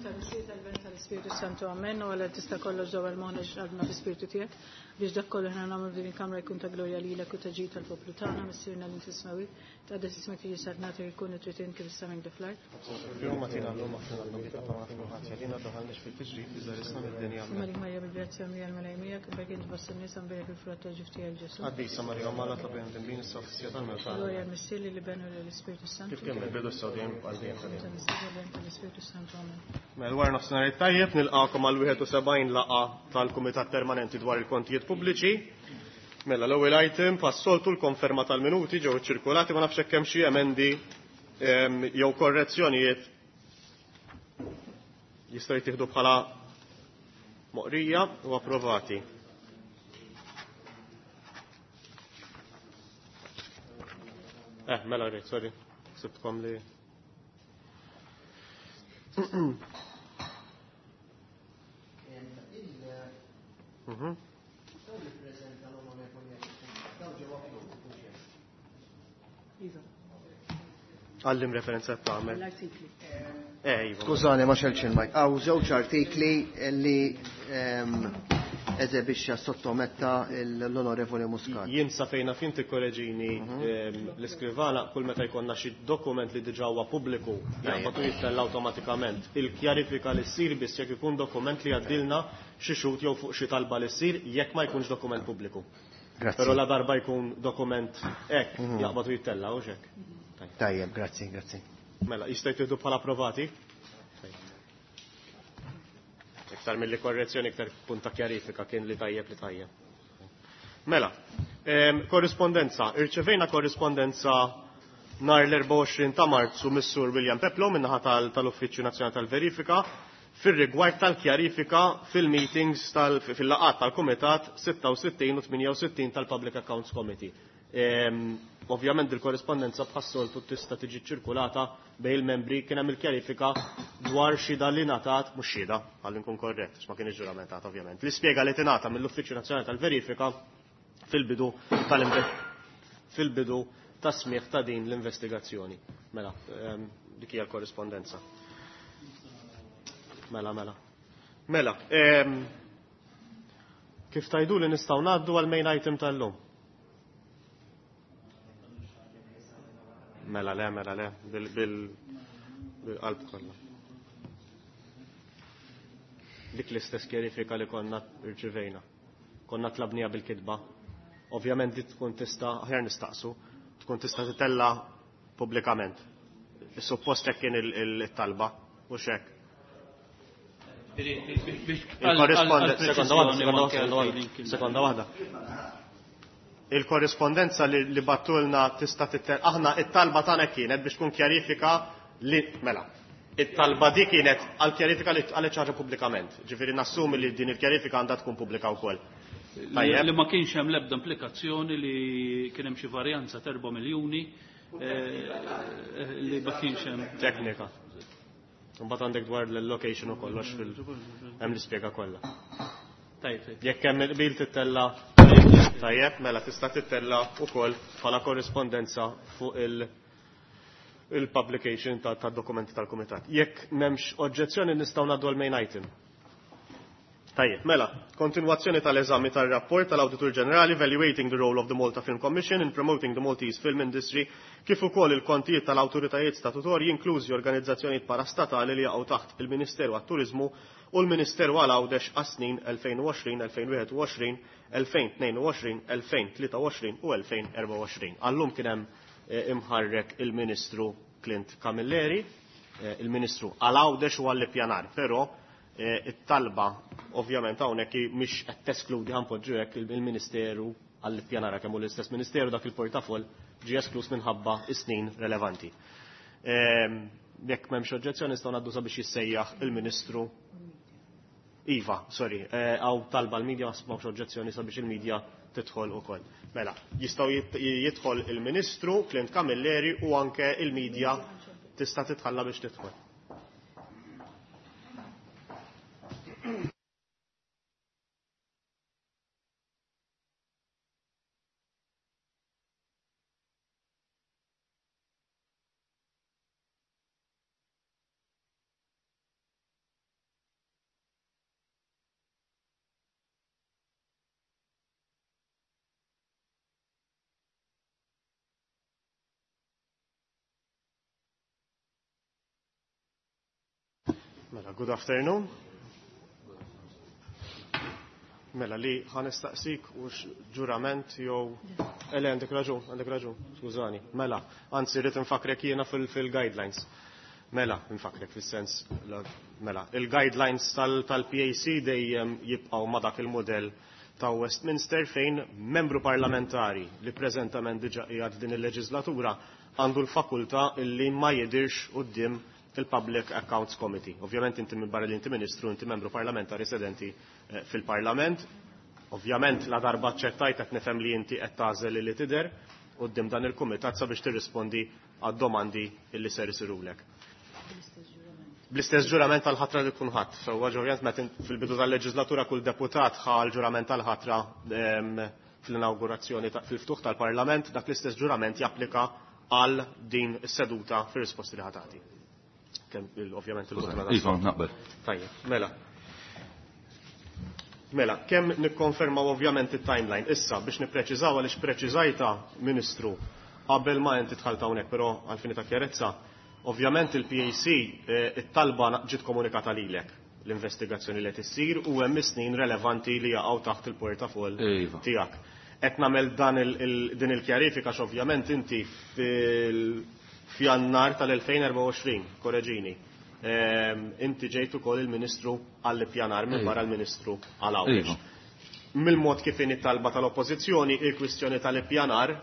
Tal-Missier, tal-Iben, tal-Ispirtu Santu, Amen. U Alla tista' kollox dawwal moħħna qalbna fl-Ispirtu tiegħek biex dak kollu ħna nagħmlu f'din il-kamra jkun ta' glorja lilek u ta' ġid tal-poplu tagħna, Missierna li inti smewwi. Tqaddes ismek tiġi saltnatek ikun it-trid int kif is-sema kif fl-art. Illum agħtina llum aħfrilna dnubietna bħalma naħfru ħadd għalina daħalniex fit-tiġrib iżda ħlisna mid-dinja. Amen. Malik Marija bil-grazzja mlija l-Mulej miegħek, imbierek int fost in-nisa, mbierek il-frott tal-ġuf tiegħek Ġesù. Qaddisa Marija Omm Alla tlob għalina midinbin issa u fis-siegħa tal-mewt tagħna. Glorja lill-Missier, lill-Iben u lill-Ispirtu s-Santu. Kif kien mill-bidu issa u dejjem għal dejjem ta' dejjem. Tal-Missier, tal-Iben, tal-Ispirtu s-Santu. Amen. Mela wara nofsinhar it-tajjeb nilqagħkom għal 71 laqgħa tal-Kumitat Permanenti dwar il-Kontijiet Pubbliċi. Mela l-ewwel item bħas-soltu l-konferma tal-minuti ġew iċċirkulati ma nafx hekk hemm xi emendi jew korrezzjonijiet jistgħu jittieħdu bħala moqrija u approvati. Eh, mela rrid, sorry. Sibtkom li. Għallim referenza tagħmel. L-artikli. Eh, iva. Skużani, ma xelx il-mike. Għaw żewġ artikli li eżebixxa sottometta l-Onorevoli Muscat. Jien sa fejna fin tikkoreġini l-iskrivana kull meta jkollna xi dokument li diġà huwa pubbliku jaqbad u jittella awtomatikament. Il-kjarifika li ssir biss jekk ikun dokument li għaddilna xi xhud jew fuq xi talba li ssir jekk ma jkunx dokument pubbliku. Grazzi. Però la darba jkun dokument hekk jaqbad u jittella u hekk. Tajjeb, grazzi, grazzi. Mela, jista' jtieħdu bħala approvati? Iktar mill-li korrezzjoni, iktar punta kjarifika kien li tajjeb li tajjeb. Mela, korrispondenza. Irċevejna korrispondenza nhar l-24 ta' Marzu mis-Sur William Peplo min-naħa tal-Uffiċċju Nazzjonali tal-Verifika fir-rigward tal-kjarifika fil-meetings fil-laqgħat tal-Kumitat 66 u 68 tal-Public Accounts Committee. Ovvjament il-korrispondenza bħas-soltu tista' tiġi ċirkulata bejn il-membri kien hemm il-kjarifika dwar xhieda li ngħatat, mhux xhieda, ħalli nkun korrett, għax ma kienx ġuramentata ovvjament. L-ispjega li tingħata mill-Uffiċċju Nazzjonali tal-Verifika fil-bidu fil-bidu ta' smigħ ta' din l-investigazzjoni. Mela, dik hija l-korrispondenza. Mela, mela. Mela, kif tajdu li nistgħu ngħaddu għal main item tal-lum? Mela le, mela le, bil-qalb kollha. Dik l-istess kjerifika li konna rċivejna. Konna tlabnija bil-kitba. Ovvjament dit tkun tista', aħjar nistaqsu, tkun tista' titella pubblikament. Suppost hekk kien il-talba, u xek. Il-korrispondenza, sekonda waħda, sekonda waħda, sekonda waħda. Il-korrispondenza li battulna tista' tittel, aħna it-talba tagħna kienet biex tkun kjarifika li mela. It-talba di kienet għal kjarifika li tqalet ħaġa pubblikament. Ġifieri nassumi li din il-kjarifika għandha tkun pubblika wkoll. Tajjeb. Li ma kienx hemm l-ebda implikazzjoni li kien hemm xi varjanza ta' 4 miljuni li ma kienx hemm. Teknika. Imbagħad għandek dwar l-allocation u kollox fil hemm l-ispjega kollha. Tajjeb, tajjeb. Jekk hemm il-qbil tittella tajjeb, mela tista' tittella wkoll bħala korrispondenza fuq il-publication ta' dokumenti tal-kumitat. Jekk m'hemmx oġġezzjoni nistgħu ngħaddu għal main item. Tajjeb, mela, kontinwazzjoni tal-eżami tal-rapport tal-Awditur Ġenerali Evaluating the Role of the Malta Film Commission in Promoting the Maltese Film Industry kif ukoll il-kontijiet tal-awtoritajiet statutorji inklużi organizzazzjonijiet parastatali li jaqgħu taħt il-Ministeru għat-Turiżmu u l-Ministeru għal Għawdex għas-snin 2020, 2021, 2022, 2023 u 2024. Għallum kien hemm imħarrek il-Ministru Clint Camilleri, il-Ministru għal Għawdex u għall-Ippjanar, però it-talba ovvjament hawnhekk mhix qed teskludi ħanpoġġu hekk il-Ministeru għall-ippjanar kemm hu l-istess Ministeru dak il-portafoll ġie esklus minħabba is-snin relevanti. Jekk m'hemmx oġġezzjoni nistgħu ngħaddu sabiex jissejjaħ il-Ministru Iva, sorry, hawn talba l-medja m'hawnx oġġezzjoni sabiex il-medja tidħol ukoll. Mela, jistgħu jidħol il-Ministru Clint Camilleri u anke il-medja tista' titħalla biex tidħol. Mela, good afternoon. Mela, li ħa nistaqsik u ġurament jew. Ele, għandek raġun, għandek raġun, skużani. Mela, anzi, rrid infakrek jiena fil-guidelines. Mela, infakrek fil-sens, mela, il-guidelines tal-PAC dejjem jibqgħu ma dak il-modell ta' Westminster fejn membru parlamentari li preżentament diġa qiegħed din il-leġislatura għandu l-fakultà illi ma jidirx quddiem il-Public Accounts Committee. Ovvjament inti minn barra li inti ministru, inti membru parlamentari sedenti fil-Parlament. Ovvjament la darba ċertajt qed nifhem li inti qed tagħżel li tidher quddiem dan il-kumitat sabiex tirrispondi għad-domandi illi ser isirulek. Bl-istess ġurament tal-ħatra li kun ħadd. So ovvjament meta fil-bidu tal-leġislatura kull deputat ħa l-ġurament tal-ħatra fl-inaugurazzjoni fil-ftuħ tal-Parlament, dak l-istess ġurament japplika għal din is-seduta fir-risposti li ħatati. Ovvjament il-vot Iva, naqbel. Tajjeb, mela. Mela, kemm nikkonfermaw ovvjament it-timeline. Issa biex nippreċiżaw għaliex preċiżajta, Ministru, qabel ma inti dħalt hawnhekk, però għal ta' kjarezza, ovvjament il-PAC it-talba ġiet komunikata lilek l-investigazzjoni li qed issir u hemm snin relevanti li jaqgħu taħt il-portafoll tiegħek. Qed nagħmel dan din il-kjarifika x'ovvjament inti fil-Fjannar tal-2024, korreġini, inti ġejt ukoll il-Ministru għall-ippjanar minn barra l-Ministru għal Għawdex. Mill-mod kif inhi talba tal-Oppożizzjoni, il-kwistjoni tal-ippjanar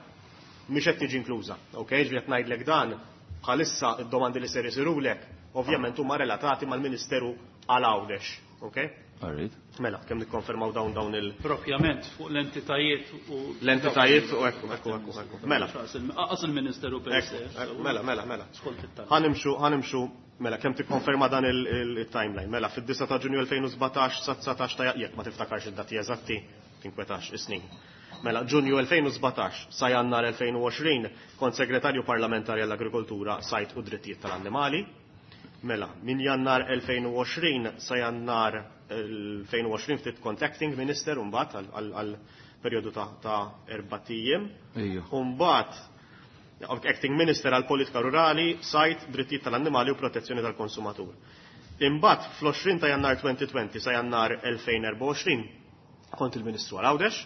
mhix qed tiġi inkluża. Ok, ġifieri qed ngħidlek dan bħalissa id-domandi li ser isirulek ovvjament huma relatati mal-Ministeru għal Għawdex. Ok? Alright. Mela, kemm nikkonfermaw dawn il- Propjament fuq l-entitajiet u. L-entitajiet u ekku, ekku, ekku, ekku. Mela. Aqas il-Ministeru per se. Mela, mela, mela. Skont it-talba. Ħanimxu, mela, kemm tikkonferma dan il-timeline. Mela, fid-9 ta' Ġunju 2017 sa 19 ta' jekk ma tiftakarx id-dati eżatti, tinkwetax is-snin. Mela, Ġunju 2017 sa Jannar 2020 kont segretarju parlamentari għall-Agrikoltura, Sajd u Drittijiet tal-Annimali. Mela, minn Jannar 2020 sa Jannar 2020 ftit kont acting minister mbagħad għal perjodu ta' 4 ijiem. Mbagħad acting minister għal politika rurali, sajd, drittijiet tal-annimali u protezzjoni tal-konsumatur. Imbagħad fl-20 ta' Jannar 2020 sa Jannar 2024 kont il-Ministru għal Għawdex,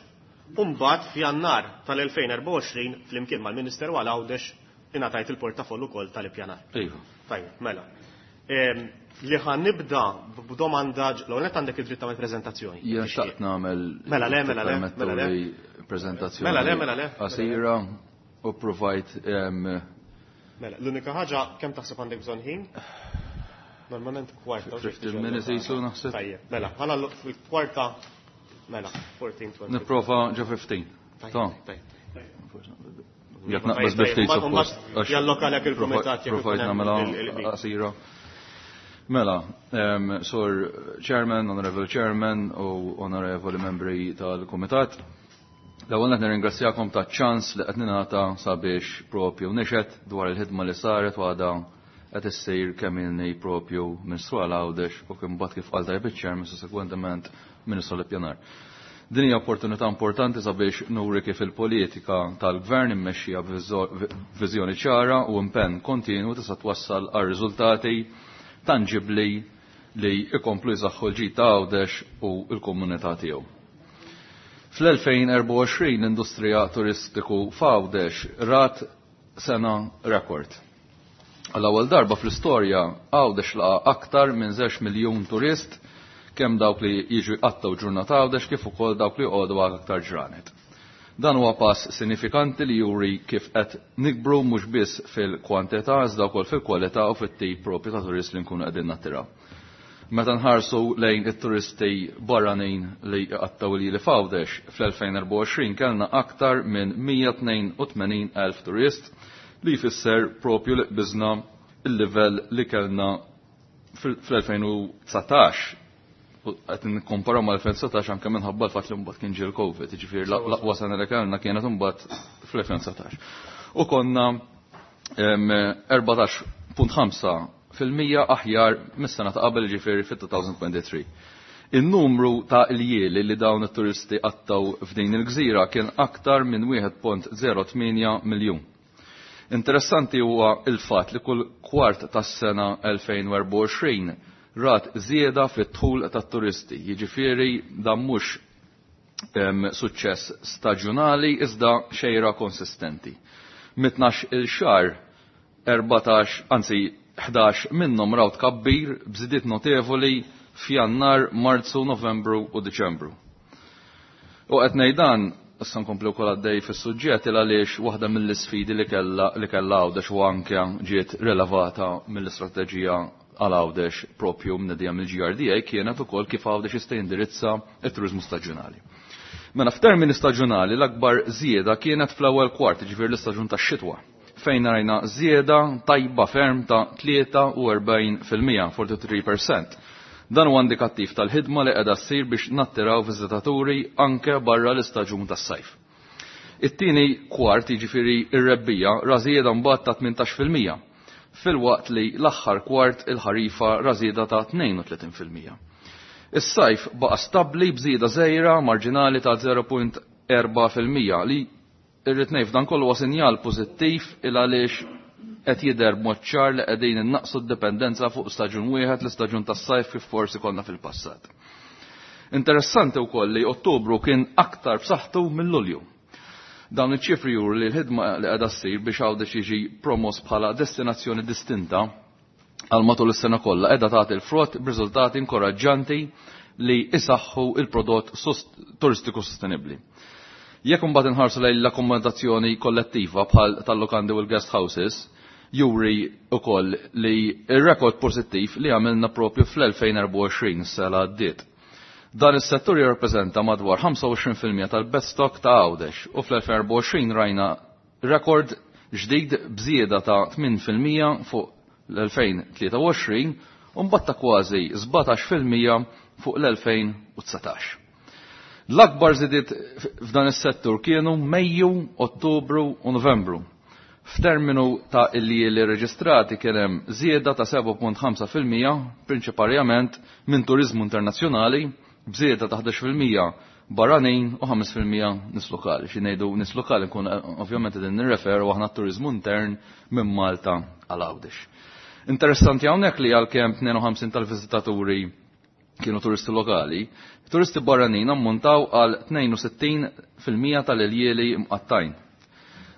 u mbagħad f'Jannar tal-2024 flimkien mal-Ministeru għal Għawdex ingħatajt il-portafoll ukoll tal-ippjanar. Tajjeb, mela. Li ħa nibda b'domanda, l-ewwel għandek id-dritt tagħmel preżentazzjoni. Jien xtaqt nagħmel Mela le, mela le, mela le. Prezentazzjoni. Mela le, mela le. Qasira u provajt Mela, l-unika ħaġa kemm taħseb għandek bżonn ħin? Normalment kwarta. 15 minutes jisu naħseb. Tajjeb, mela, bħala fil-kwarta, mela, 14, 20. Nipprova ġo 15. Tajjeb. Jekk naqbes bi ftit suppost. Jallokalek il-kumitat jekk Provajt nagħmilha qasira. Mela, Sur Chairman, Honorable Chairman u Onorevoli Membri tal-Kumitat, l-ewwel qed nirringrazzjakom ta' ċans li qed ningħata sabiex propju nixhed dwar il-ħidma li saret u għadha qed issir kemm ilni propju Ministru għal Għawdex u kien mbagħad kif qal tajjeb iċ-Chairman sussegwentement Ministru l-Ippjanar. Din hija opportunità importanti sabiex nuri kif il-politika tal-gvern immexxija b'viżjoni ċara u impenn kontinu tista' twassal għal riżultati tangibli li ikomplu jsaħħu l-ġid ta' Għawdex u l-komunità tiegħu. Fl-2024 l-industrija turistiku f'Għawdex rat sena rekord. Għall-ewwel darba fl-istorja Għawdex laqa aktar minn 2 miljun turist kemm dawk li jiġu jqattaw ġurnata Għawdex kif ukoll dawk li jqogħdu għal aktar ġranet. Dan huwa pass sinifikanti li juri kif qed nikbru mhux biss fil-kwantità iżda wkoll fil-kwalità u fit-tip propju ta' turist li nkunu qegħdin nattiraw. Meta nħarsu lejn it-turisti barranin li jqattaw li f'Għawdex fl-2024 kellna aktar minn 182,000 turist li jfisser propju li qbiżna il-livell li kellna fl-2019 qed nikkomparaw mal-2019 anke minħabba l-fatt li mbagħad kien ġie l-Covid, jiġifieri l-aqwa sena li kellna kienet imbagħad fl-2019. U konna 14.5% aħjar mis-sena ta' qabel ġifieri fit-2023. Il-numru ta' iljieli li dawn it-turisti qattaw f'din il-gżira kien aktar minn 1.08 miljun. Interessanti huwa il-fatt li kull kwart tas-sena 2024 rat żieda fit-dħul tat-turisti. Jiġifieri dan mhux suċċess staġjonali iżda xejra konsistenti. Mit-tnax il xahar 14, anzi 11 minnhom raw tkabbir b'żidiet notevoli f'Jannar, Marzu, Novembru u Diċembru. U qed ngħid dan, issa nkompli wkoll għaddej fis-suġġett il għaliex waħda mill-isfidi li kellha li kellha Għawdex u anke ġiet rilevata mill-istrateġija għal Għawdex propju mnedija mill-GRDA kienet ukoll kif Għawdex jista' jindirizza t-turiżmu staġjonali. Mela f'termini staġjonali l-akbar żieda kienet fl-ewwel kwart, jiġifieri l-istaġun tax-xitwa, fejn rajna żieda tajba ferm ta' 43%, 43%. Dan huwa indikattiv tal-ħidma li qiegħda ssir biex nattiraw viżitaturi anke barra l-istaġun tas-sajf. It-tieni kwart, jiġifieri r-rebbija, ra żieda mbagħad ta' 18%, filwaqt li l-aħħar kwart il-ħarifa ra żieda ta' 32%. Is-sajf baqa' stabbli b'żieda żgħira marġinali ta' 0.4% li irrid ngħid f'dan kollu huwa sinjal pożittiv il għaliex qed jidher b'mod ċar li qegħdin innaqqsu d-dipendenza fuq staġun wieħed l-istaġun tas-sajf kif forsi konna fil-passat. Interessanti wkoll li Ottubru kien aktar b'saħħtu minn Lulju. Dawn iċ-ċifri juru li l-ħidma li qiegħda ssir biex Għawdex jiġi promos bħala destinazzjoni distinta għal matul is-sena kollha qiegħda tagħti l-frott b'riżultati inkoraġġanti li isaħħu il-prodott turistiku sostenibbli. Jekk imbagħad inħarsu lejn l-akkomodazzjoni kollettiva bħal tal-lukandi u l-guest houses, juri ukoll li r-rekord pożittiv li għamilna propju fl-2024 s-sena għaddiet. Dan is-settur jirrappreżenta madwar 25% tal-bed stock ta' Għawdex u fl-2024 rajna rekord ġdid b'żieda ta' 8% fuq l-2023 u mbagħad ta' kważi 17% fuq l-2019. L-akbar żidiet f'dan is-settur kienu Mejju, Ottubru u Novembru. F'terminu ta' iljieli reġistrati kien hemm żieda ta' 7.5% prinċiparjament minn turiżmu internazzjonali b'żieda ta' 11% barranin u 5% nies lokali. Xi ngħidu nies lokali nkun ovvjament qegħdin nirreferu aħna t-turiżmu intern minn Malta għal Għawdex. Interessanti hawnhekk li għalkemm 52 tal-viżitaturi kienu turisti lokali, turisti barranin ammontaw għal 62% tal-iljieli mqattajn.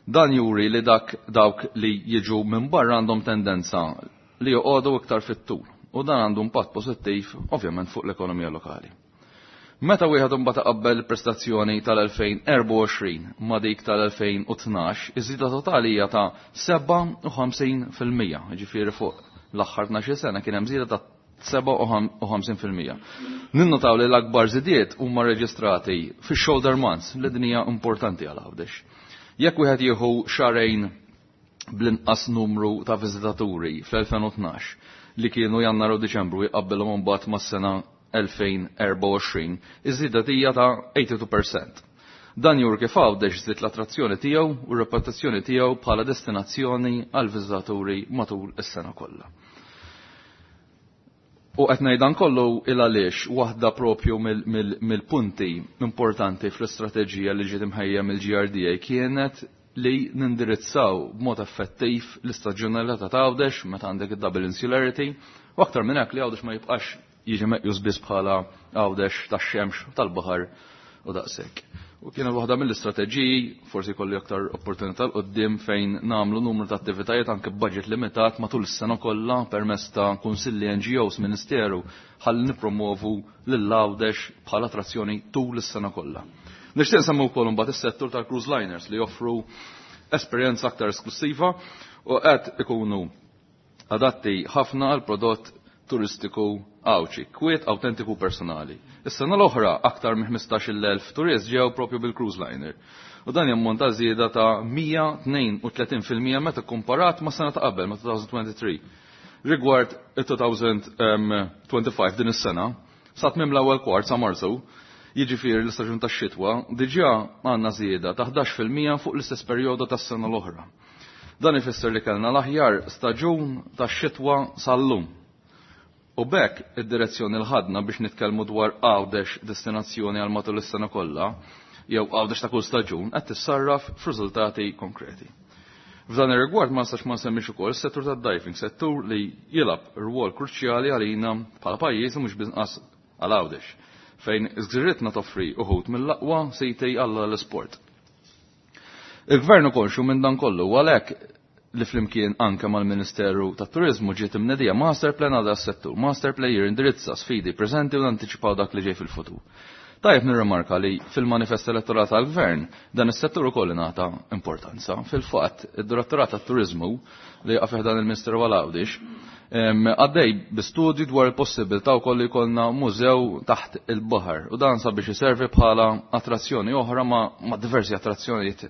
Dan juri li dak dawk li jiġu minn barra għandhom tendenza li joqogħdu iktar fit-tul u dan għandu impatt pożittiv ovvjament fuq l-ekonomija lokali. Meta wieħed imbagħad iqabbel il-prestazzjoni tal-2024 ma' dik tal-2012, iż-żieda totali hija ta' 57%, jiġifieri fuq l-aħħar 12 sena kien hemm żieda ta' 57%. Ninnotaw li l-akbar żidiet huma reġistrati fix-shoulder months, li din hija importanti għal Għawdex. Jekk wieħed jieħu xahrejn bl-inqas numru ta' viżitaturi fl-2012 li kienu Jannar u Diċembru jqabbilhom imbagħad mas-sena 2024, iż-żieda hija ta' 82%. Dan juri kif Għawdex żied l-attrazzjoni tiegħu u r-reputazzjoni tiegħu bħala destinazzjoni għal viżitaturi matul is-sena kollha. U qed ngħid dan kollu il għaliex waħda propju mill-punti importanti fl-istrateġija li ġiet imħejja mill-GRDA kienet li nindirizzaw b'mod effettiv l-istaġjonalità ta' Għawdex meta għandek id-double insularity u aktar minn hekk li Għawdex ma jibqax jiġi meqjus biss bħala Għawdex tax-xemx tal-baħar u daqshekk. U kienet waħda mill-istrateġiji, forsi kolli aktar opportunità 'l quddiem fejn nagħmlu numru ta' attivitajiet anke b'budget limitat matul is-sena kollha permezz ta' kunsilli NGOs, Ministeru, ħalli nippromovu lil Għawdex bħala attrazzjoni tul is-sena kollha. Nixtieq nsemmu wkoll imbagħad is-settur tal-cruise liners li joffru esperjenza aktar esklusiva u qed ikunu adatti ħafna għal prodott turistiku Għawdxi, kwiet autentiku personali. Is-sena l-oħra aktar minn 15,000 turist ġew propju bil-cruise liner. U dan jammonta żieda ta' 132% meta komparat ma' sena ta' qabel, ma' 2023. Rigward il-2025 din is-sena, sa tmiem l-ewwel kwart sa Marzu, jiġifieri l-istaġun tax-xitwa, diġà għandna żieda ta' 11% fuq l-istess perjodu tas-sena l-oħra. Dan ifisser li kellna l-aħjar staġun tax-xitwa sal-lum. U b'hekk id-direzzjoni l ħadna biex nitkellmu dwar Għawdex destinazzjoni għal matul is-sena kollha, jew Għawdex ta' kull staġun, qed tissarraf f'riżultati konkreti. F'dan ir-rigward ma nistax ma nsemmix ukoll is-settur tad-diving, settur li jilgħab rwol kruċjali għalina bħala pajjiż u mhux binqas għal Għawdex, fejn iż-gżiritna toffri uħud mill-aqwa siti għall l-isport. Il-Gvern konxju minn dan kollu u għalhekk li flimkien anke mal-Ministeru tat-Turiżmu ġiet imnedija master plan għal settur. Master plan jindirizza sfidi preżenti u anticipaw dak li ġej fil-futur. Tajjeb nirrimarka li fil-manifest elettorali tal-Gvern dan is-settur ukoll ingħata importanza. Fil-fatt, id-Direttorat tat-Turiżmu li jaqa' fih dan il-Ministeru għal Għawdex għaddej bi studju dwar il-possibilità wkoll li jkollna mużew taħt il-baħar u dan sabiex iservi bħala attrazzjoni oħra ma' diversi attrazzjonijiet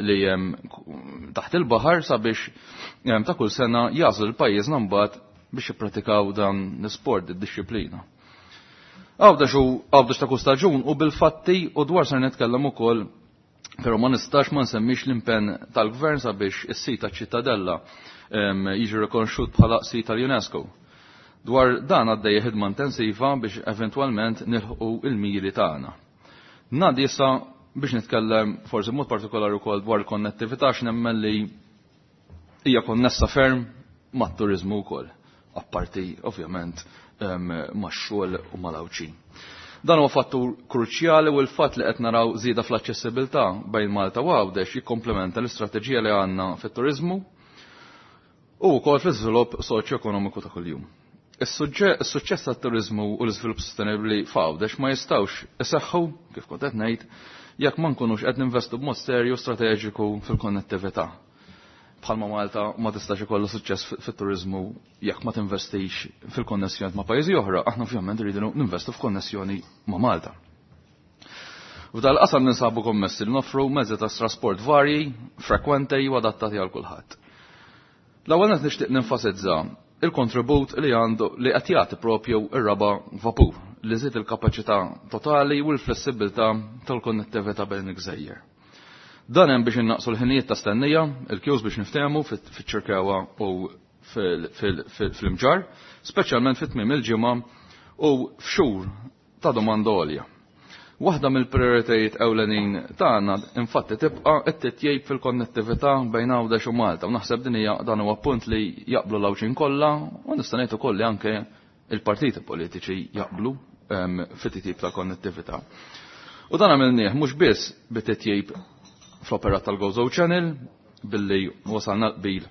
li hemm taħt il-baħar sabiex ta' kull sena jażlu l-pajjiżna mbagħad biex jippratikaw dan l-isport, id-dixxiplina. Għawdex u Għawdex ta' kull staġun u bil-fatti u dwar ser nitkellem ukoll, però ma nistax ma nsemmix l-impenn tal-Gvern sabiex is-sit taċ-Ċittadella jiġi rikonoxxut bħala sit tal-UNESCO. Dwar dan għaddejja ħidma intensiva biex eventwalment nilħqu il-miri tagħna. Ngħaddi issa biex nitkellem forsi mod partikolari wkoll dwar il-konnettività x'nemmen li hija konnessa ferm mat-turiżmu wkoll, apparti ovvjament max-xogħol u mal-Għawdxin. Dan huwa fattur kruċjali u l-fatt li qed naraw żieda fl-aċċessibilità bejn Malta u Għawdex jikkomplementa l-istrateġija li għandna fit-turiżmu u wkoll fl-iżvilupp soċjo-ekonomiku ta' kuljum. Is-suċċess tat-turiżmu u l-iżvilupp sostenibbli f'Għawdex ma jistgħux iseħħu, kif kont qed ngħid, jekk ma nkunux qed ninvestu b'mod serju strateġiku fil-konnettività. Bħalma Malta ma tistax ikollha suċċess fit-turiżmu jekk ma tinvestix fil-konnessjoni ma' pajjiżi oħra, aħna ovvjament rridu ninvestu f'konnessjoni ma' Malta. F'dal qasam ninsabu kommessi li noffru mezzi ta' trasport varji, frekwenti u adattati għal kulħadd. L-ewwel qed nixtieq nenfasizza il-kontribut li għandu li qed jagħti propju ir-raba' vapur li żied il-kapaċità totali u l-flessibilità tal-konnettività bejn il-gżejjer. Dan hemm biex innaqsu l-ħinijiet ta' stennija, il-kjuż biex niftehmu fiċ-Ċirkewwa u fil-Imġarr, speċjalment fit-tmiem il-ġimgħa u f'xhur ta' domanda għolja. Waħda mill-prioritajiet ewlenin tagħna infatti tibqa' t-titjib fil-konnettività bejn Għawdex u Malta u naħseb din hija dan huwa punt li jaqblu l-Għawdxin kollha u nista' ngħid ukoll li anke il-partiti politiċi jaqblu fit-titjib tal-konnettività. U dan għamilnieh mhux biss bit-titjib fl-operat tal-Gozo Channel billi wasalna l-qbil.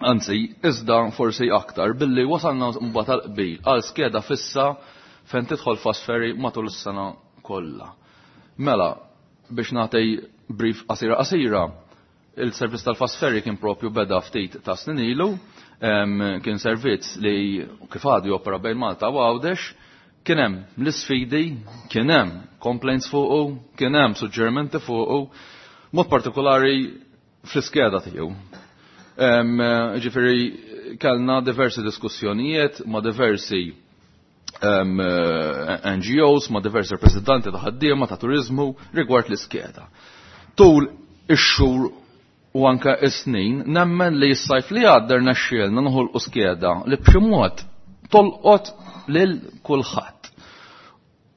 Anzi, iżda forsi aktar billi wasalna mbagħad tal-qbil għal skeda fissa fejn tidħol fast ferry matul is-sena kollha. Mela, biex nagħti brief qasira qasira, il-servizz tal-fast ferry kien propju beda ftit ta' snin ilu, kien servizz li kif għadu jopera bejn Malta u Għawdex, kien hemm l-isfidi, kien hemm complaints fuqu, kien hemm suġġerimenti fuqu, mod partikolari fl-iskeda tiegħu. Ġifieri kellna diversi diskussjonijiet ma' diversi NGOs, ma' diversi rappresentanti ta' ħaddiema ta' turizmu rigward l-iskeda. Tul ix-xhur u anke is-snin nemmen li s-sajf li għadda rnexxielna noħolqu skeda li b'xi mod tolqot lil kulħadd.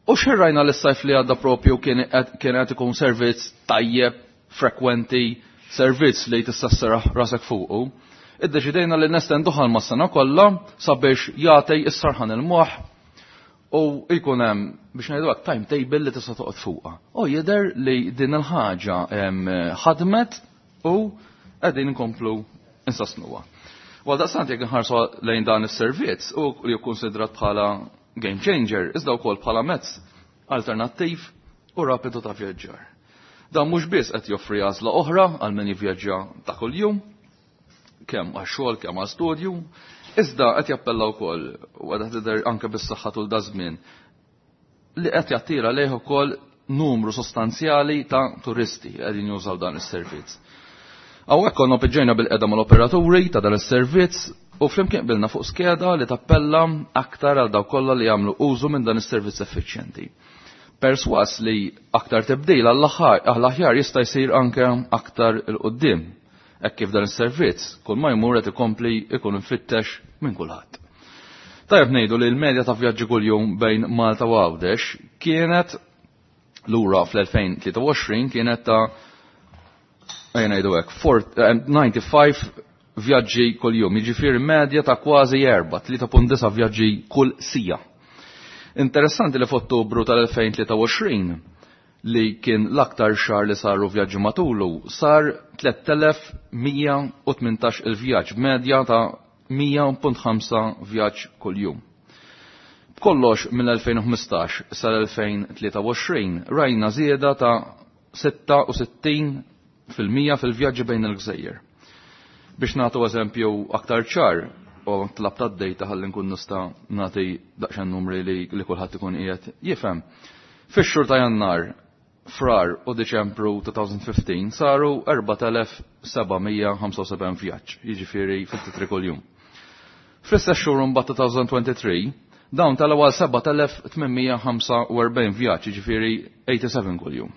U xirrajna li s-sajf li għadda propju kien qed ikun servizz tajjeb, frekwenti, servizz li tista' sserraħ rasek fuqu. Iddeċidejna li nestenduha mas-sena kollha sabiex jagħti s-sarħan il-moħħ u jkun hemm biex ngħidu hekk timetable li tista' toqgħod fuqha. U jidher li din il-ħaġa ħadmet u qegħdin inkomplu insostnuha. Għal daqstant jekk inħarsu lejn dan is-servizz u li jikkonsidrat bħala game changer, iżda wkoll bħala mezz alternattiv u rapidu ta' vjaġġar. Dan mhux biss qed joffri għażla oħra għal min jivvjaġġa ta' kuljum, kemm għax-xogħol kemm għal studju, iżda qed jappella wkoll u qed tidher anke bis-saħħa tul da żmien li qed jattira lejh ukoll numru sostanzjali ta' turisti qegħdin jużaw dan is-servizz. Hawnhekk konna piġġejna bil-qeda mal-operaturi ta' dan is-servizz u flimkien qbilna fuq skeda li tappella aktar għal dawk kollha li jagħmlu użu minn dan is-servizz effiċjenti. Perswas li aktar tibdil għall-aħjar jista' jsir anke aktar il quddiem hekk kif dan is-servizz kull ma jmur qed ikompli ikun infittex minn kulħadd. Tajjeb ngħidu li l-medja ta' vjaġġi kuljum bejn Malta u Għawdex kienet lura fl-2023 kienet ta' ejja ngħidu hekk, 95 vjaġġi kuljum, jiġifieri medja ta' kważi 4, 3.9 vjaġġi kull sija. Interessanti li f'Ottubru tal-2023 li kien l-aktar xahar li saru vjaġġi matulu, sar 3118 il-vjaġġ, medja ta' 100.5 vjaġġ kuljum. B'kollox mill-2015 sal-2023 rajna żieda ta' 66% fil-vjaġġi bejn il-gżejjer. Biex nagħtu eżempju aktar ċar, u tlab ta' dejta ħalli nkun nista' nagħti daqsxejn numri li kulħadd ikun qiegħed jifhem. Fix-xhur ta' Jannar, Frar u Diċembru 2015 saru 4775 vjaġġ, jiġifieri 53 kuljum. Fl-istess xhur mbagħad 2023 dawn telgħu għal 7845 vjaġġ, jiġifieri 87 kuljum.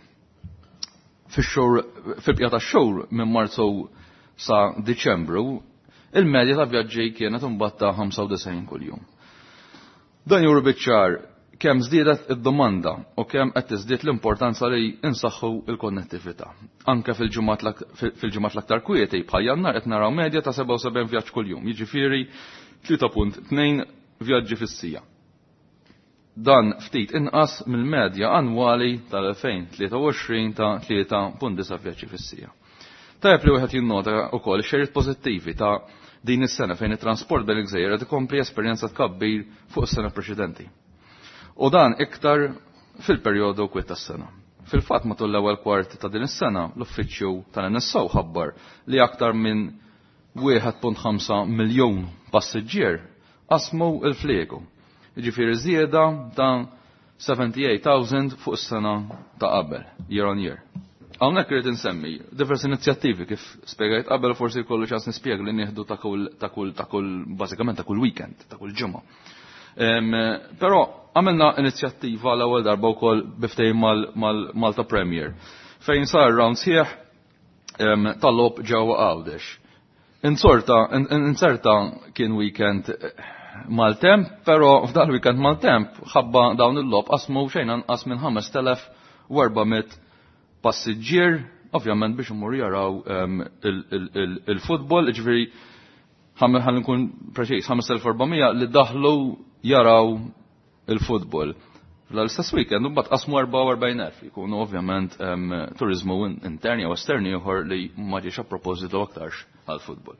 Fix-xhur fil-bqija tax-xhur minn Marzu sa Diċembru, il-medja ta' vjaġġi kienet imbagħad ta' 95 kuljum. Dan juru biċ-ċar kemm żdiedet id-domanda u kemm qed tiżdied l-importanza li insaħħu l-konnettività. Anke fil-ġimgħat l-aktar kwieti bħal Jannar qed naraw medja ta' 77 vjaġġ kuljum, jiġifieri 3.2 vjaġġi fis-sija. Dan ftit inqas mill-medja annwali tal-2023 ta' 3.9 vjaġġi fis-sija. Tajjeb li wieħed jinnota wkoll xejriet pożittivi ta' din is-sena fejn it-transport bejn il-gżejjer qed ikompli esperjenza tkabbir fuq is-sena preċedenti. U dan iktar fil-perjodu kwiet tas-sena. Fil-fatt matul l-ewwel kwart ta' din is-sena l-uffiċċju tal-NSO ħabbar li aktar minn 1.5 miljun passiġġier qasmu l-fliegu. Jiġifieri żieda ta' 78,000 fuq is-sena ta' qabel, year on year. Hawnhekk irid insemmi diversi inizjattivi kif spjegajt qabel, forsi jkollu ċans nispjega li nieħdu ta' kull ta' kull ta' kull bażikament ta' kull weekend, ta' kull ġimgħa. Però għamilna inizjattiva l-ewwel darba wkoll biftejn mal-Malta Premier fejn sar round sħiħ tal-logħob ġewwa Għawdex. Inserta kien weekend maltemp, però f'dan weekend maltemp ħabba dawn il-logħob qasmu xejn anqas minn 5400 passiġġier, ovvjament biex imur jaraw il-futbol, ġifieri ħalli nkun preċiż, 5400 li daħlu jaraw il-futbol. Fl-istess weekend mbagħad qasmu 44,000 jkunu ovvjament turizmu interni jew esterni ieħor li ma ġiex a propositu aktarx għall-futbol.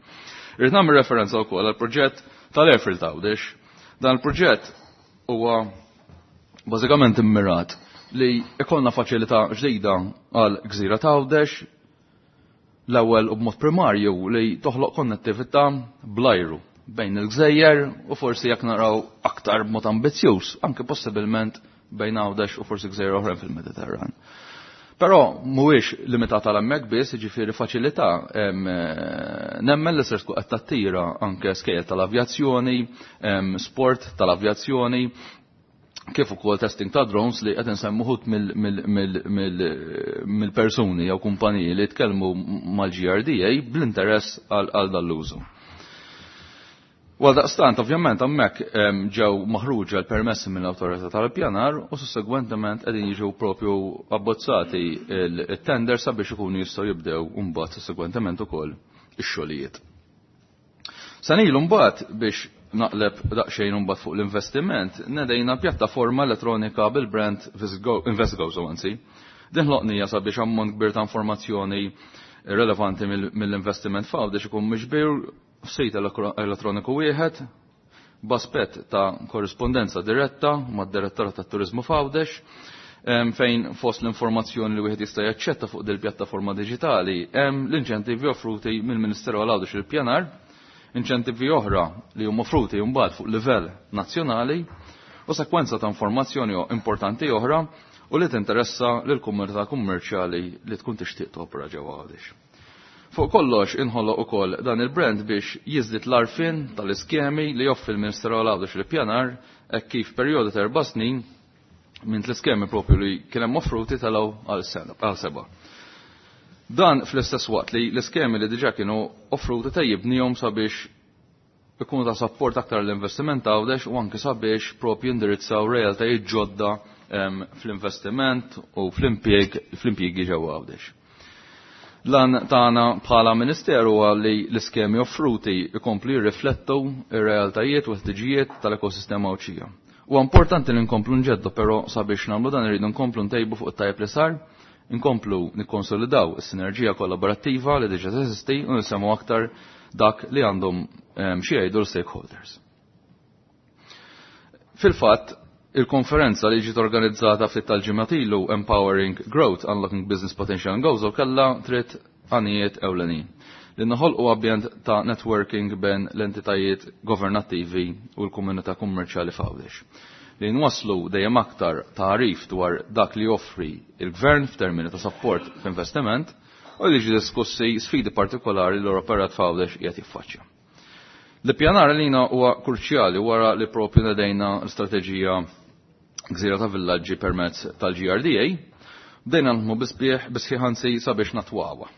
Irrid nagħmel referenza wkoll għall-proġett tal-Airfield Għawdex. Dan il-proġett huwa bażikament immirat li ikollna faċilità ġdida għal gżira ta' Għawdex, l-ewwel u b'mod primarju li toħloq konnettività bl-ajru bejn il-gżejjer u forsi jekk naraw aktar b'mod ambizzjuż, anke possibilment bejn Għawdex u forsi gżejjer oħrajn fil-Mediterran. Però mhuwiex limitat għal hemmhekk biss, jiġifieri faċilità nemmen li ser tkun qed tattira anke skejjel tal-avjazzjoni, sport tal-avjazzjoni, kif ukoll testing ta' drones li qed insemmu ħut mill-persuni jew kumpaniji li tkellmu mal-GRDA bl-interess għal dan l-użu. Għal daqstant, ovvjament, hemmhekk ġew maħruġa l-permessi mill-awtorità tal-pjanar u sussegwentement qegħdin jiġu propju abbozzati il-tender sabiex ikunu jistgħu jibdew mbagħad sussegwentement ukoll ix-xogħlijiet. Sanilu mbagħad biex naqleb daqsxejn mbagħad fuq l-investiment, nedejna pjattaforma elettronika bil-brand InvestGo, anzi. Din ħloqnija sabiex ammont kbir ta' informazzjoni relevanti mill-investiment f'Għawdex ikun miġbir f'sejt elettroniku wieħed b'aspett ta' korrispondenza diretta mad-Direttorat tat-Turizmu f'Għawdex, fejn fost l-informazzjoni li wieħed jista' jaċċetta fuq dil pjattaforma diġitali hemm l-inċentivi offruti mill-Ministeru għal Għawdex il-Pjanar, inċentivi oħra li huma offruti mbagħad fuq livell nazzjonali u sekwenza ta' informazzjoni importanti oħra u li tinteressa lil komunità kummerċjali li tkun tixtieq topera ġewwa Għawdex. Fuq kollox inħoloq ukoll dan il-brand biex jiżdied l-arfin tal-iskemi li joffri l-Ministeru għal Għawdex il-Pjanar hekk kif perjodu ta' 4 snin minn l-iskemi propju li kien hemm offruti telgħu għal 7. Dan fl-istess waqt li l-iskemi li diġà kienu offruti tejjibnihom sabiex ikunu ta' support aktar l-investiment Għawdex u anke sabiex propju indirizzaw realtajiet ġodda fl-investiment u fl-impjiegi ġewwa Għawdex. Lan tagħna bħala Ministeru huwa li l-iskemi offruti jkomplu jirriflettu ir-realtajiet u l-ħtiġijiet tal-ekosistema Għawdxija. Huwa importanti li nkomplu nġeddu però sabiex nagħmlu dan irridu nkomplu ntejbu fuq it-tajjeb li sar, inkomplu nikkonsolidaw is-sinerġija kollaborattiva li diġà teżisti u nisemgħu aktar dak li għandhom xi jgħidu l-stakeholders. Fil-fatt, il-konferenza li ġiet organizzata ftit tal-ġimgħat ilu Empowering Growth Unlocking Business Potential in Gozo kellha tliet għanijiet ewlenin. Li noħolqu ambjent ta' networking bejn l-entitajiet governattivi u l-komunità kummerċjali f'Għawdex. Li nwasslu dejjem aktar tagħrif dwar dak li joffri il-gvern f'termini ta' support f'investiment u li jiġu diskussi sfidi partikolari li l-operat f'Għawdex qiegħed jiffaċċja. L-ippjanar għalina huwa kruċjali wara li propju nedejna l-istrateġija Gżira ta' Villaġġi permezz tal-GRDA, bdejna naħdmu bisbieħ bisħiħ anzi sabiex natwawha.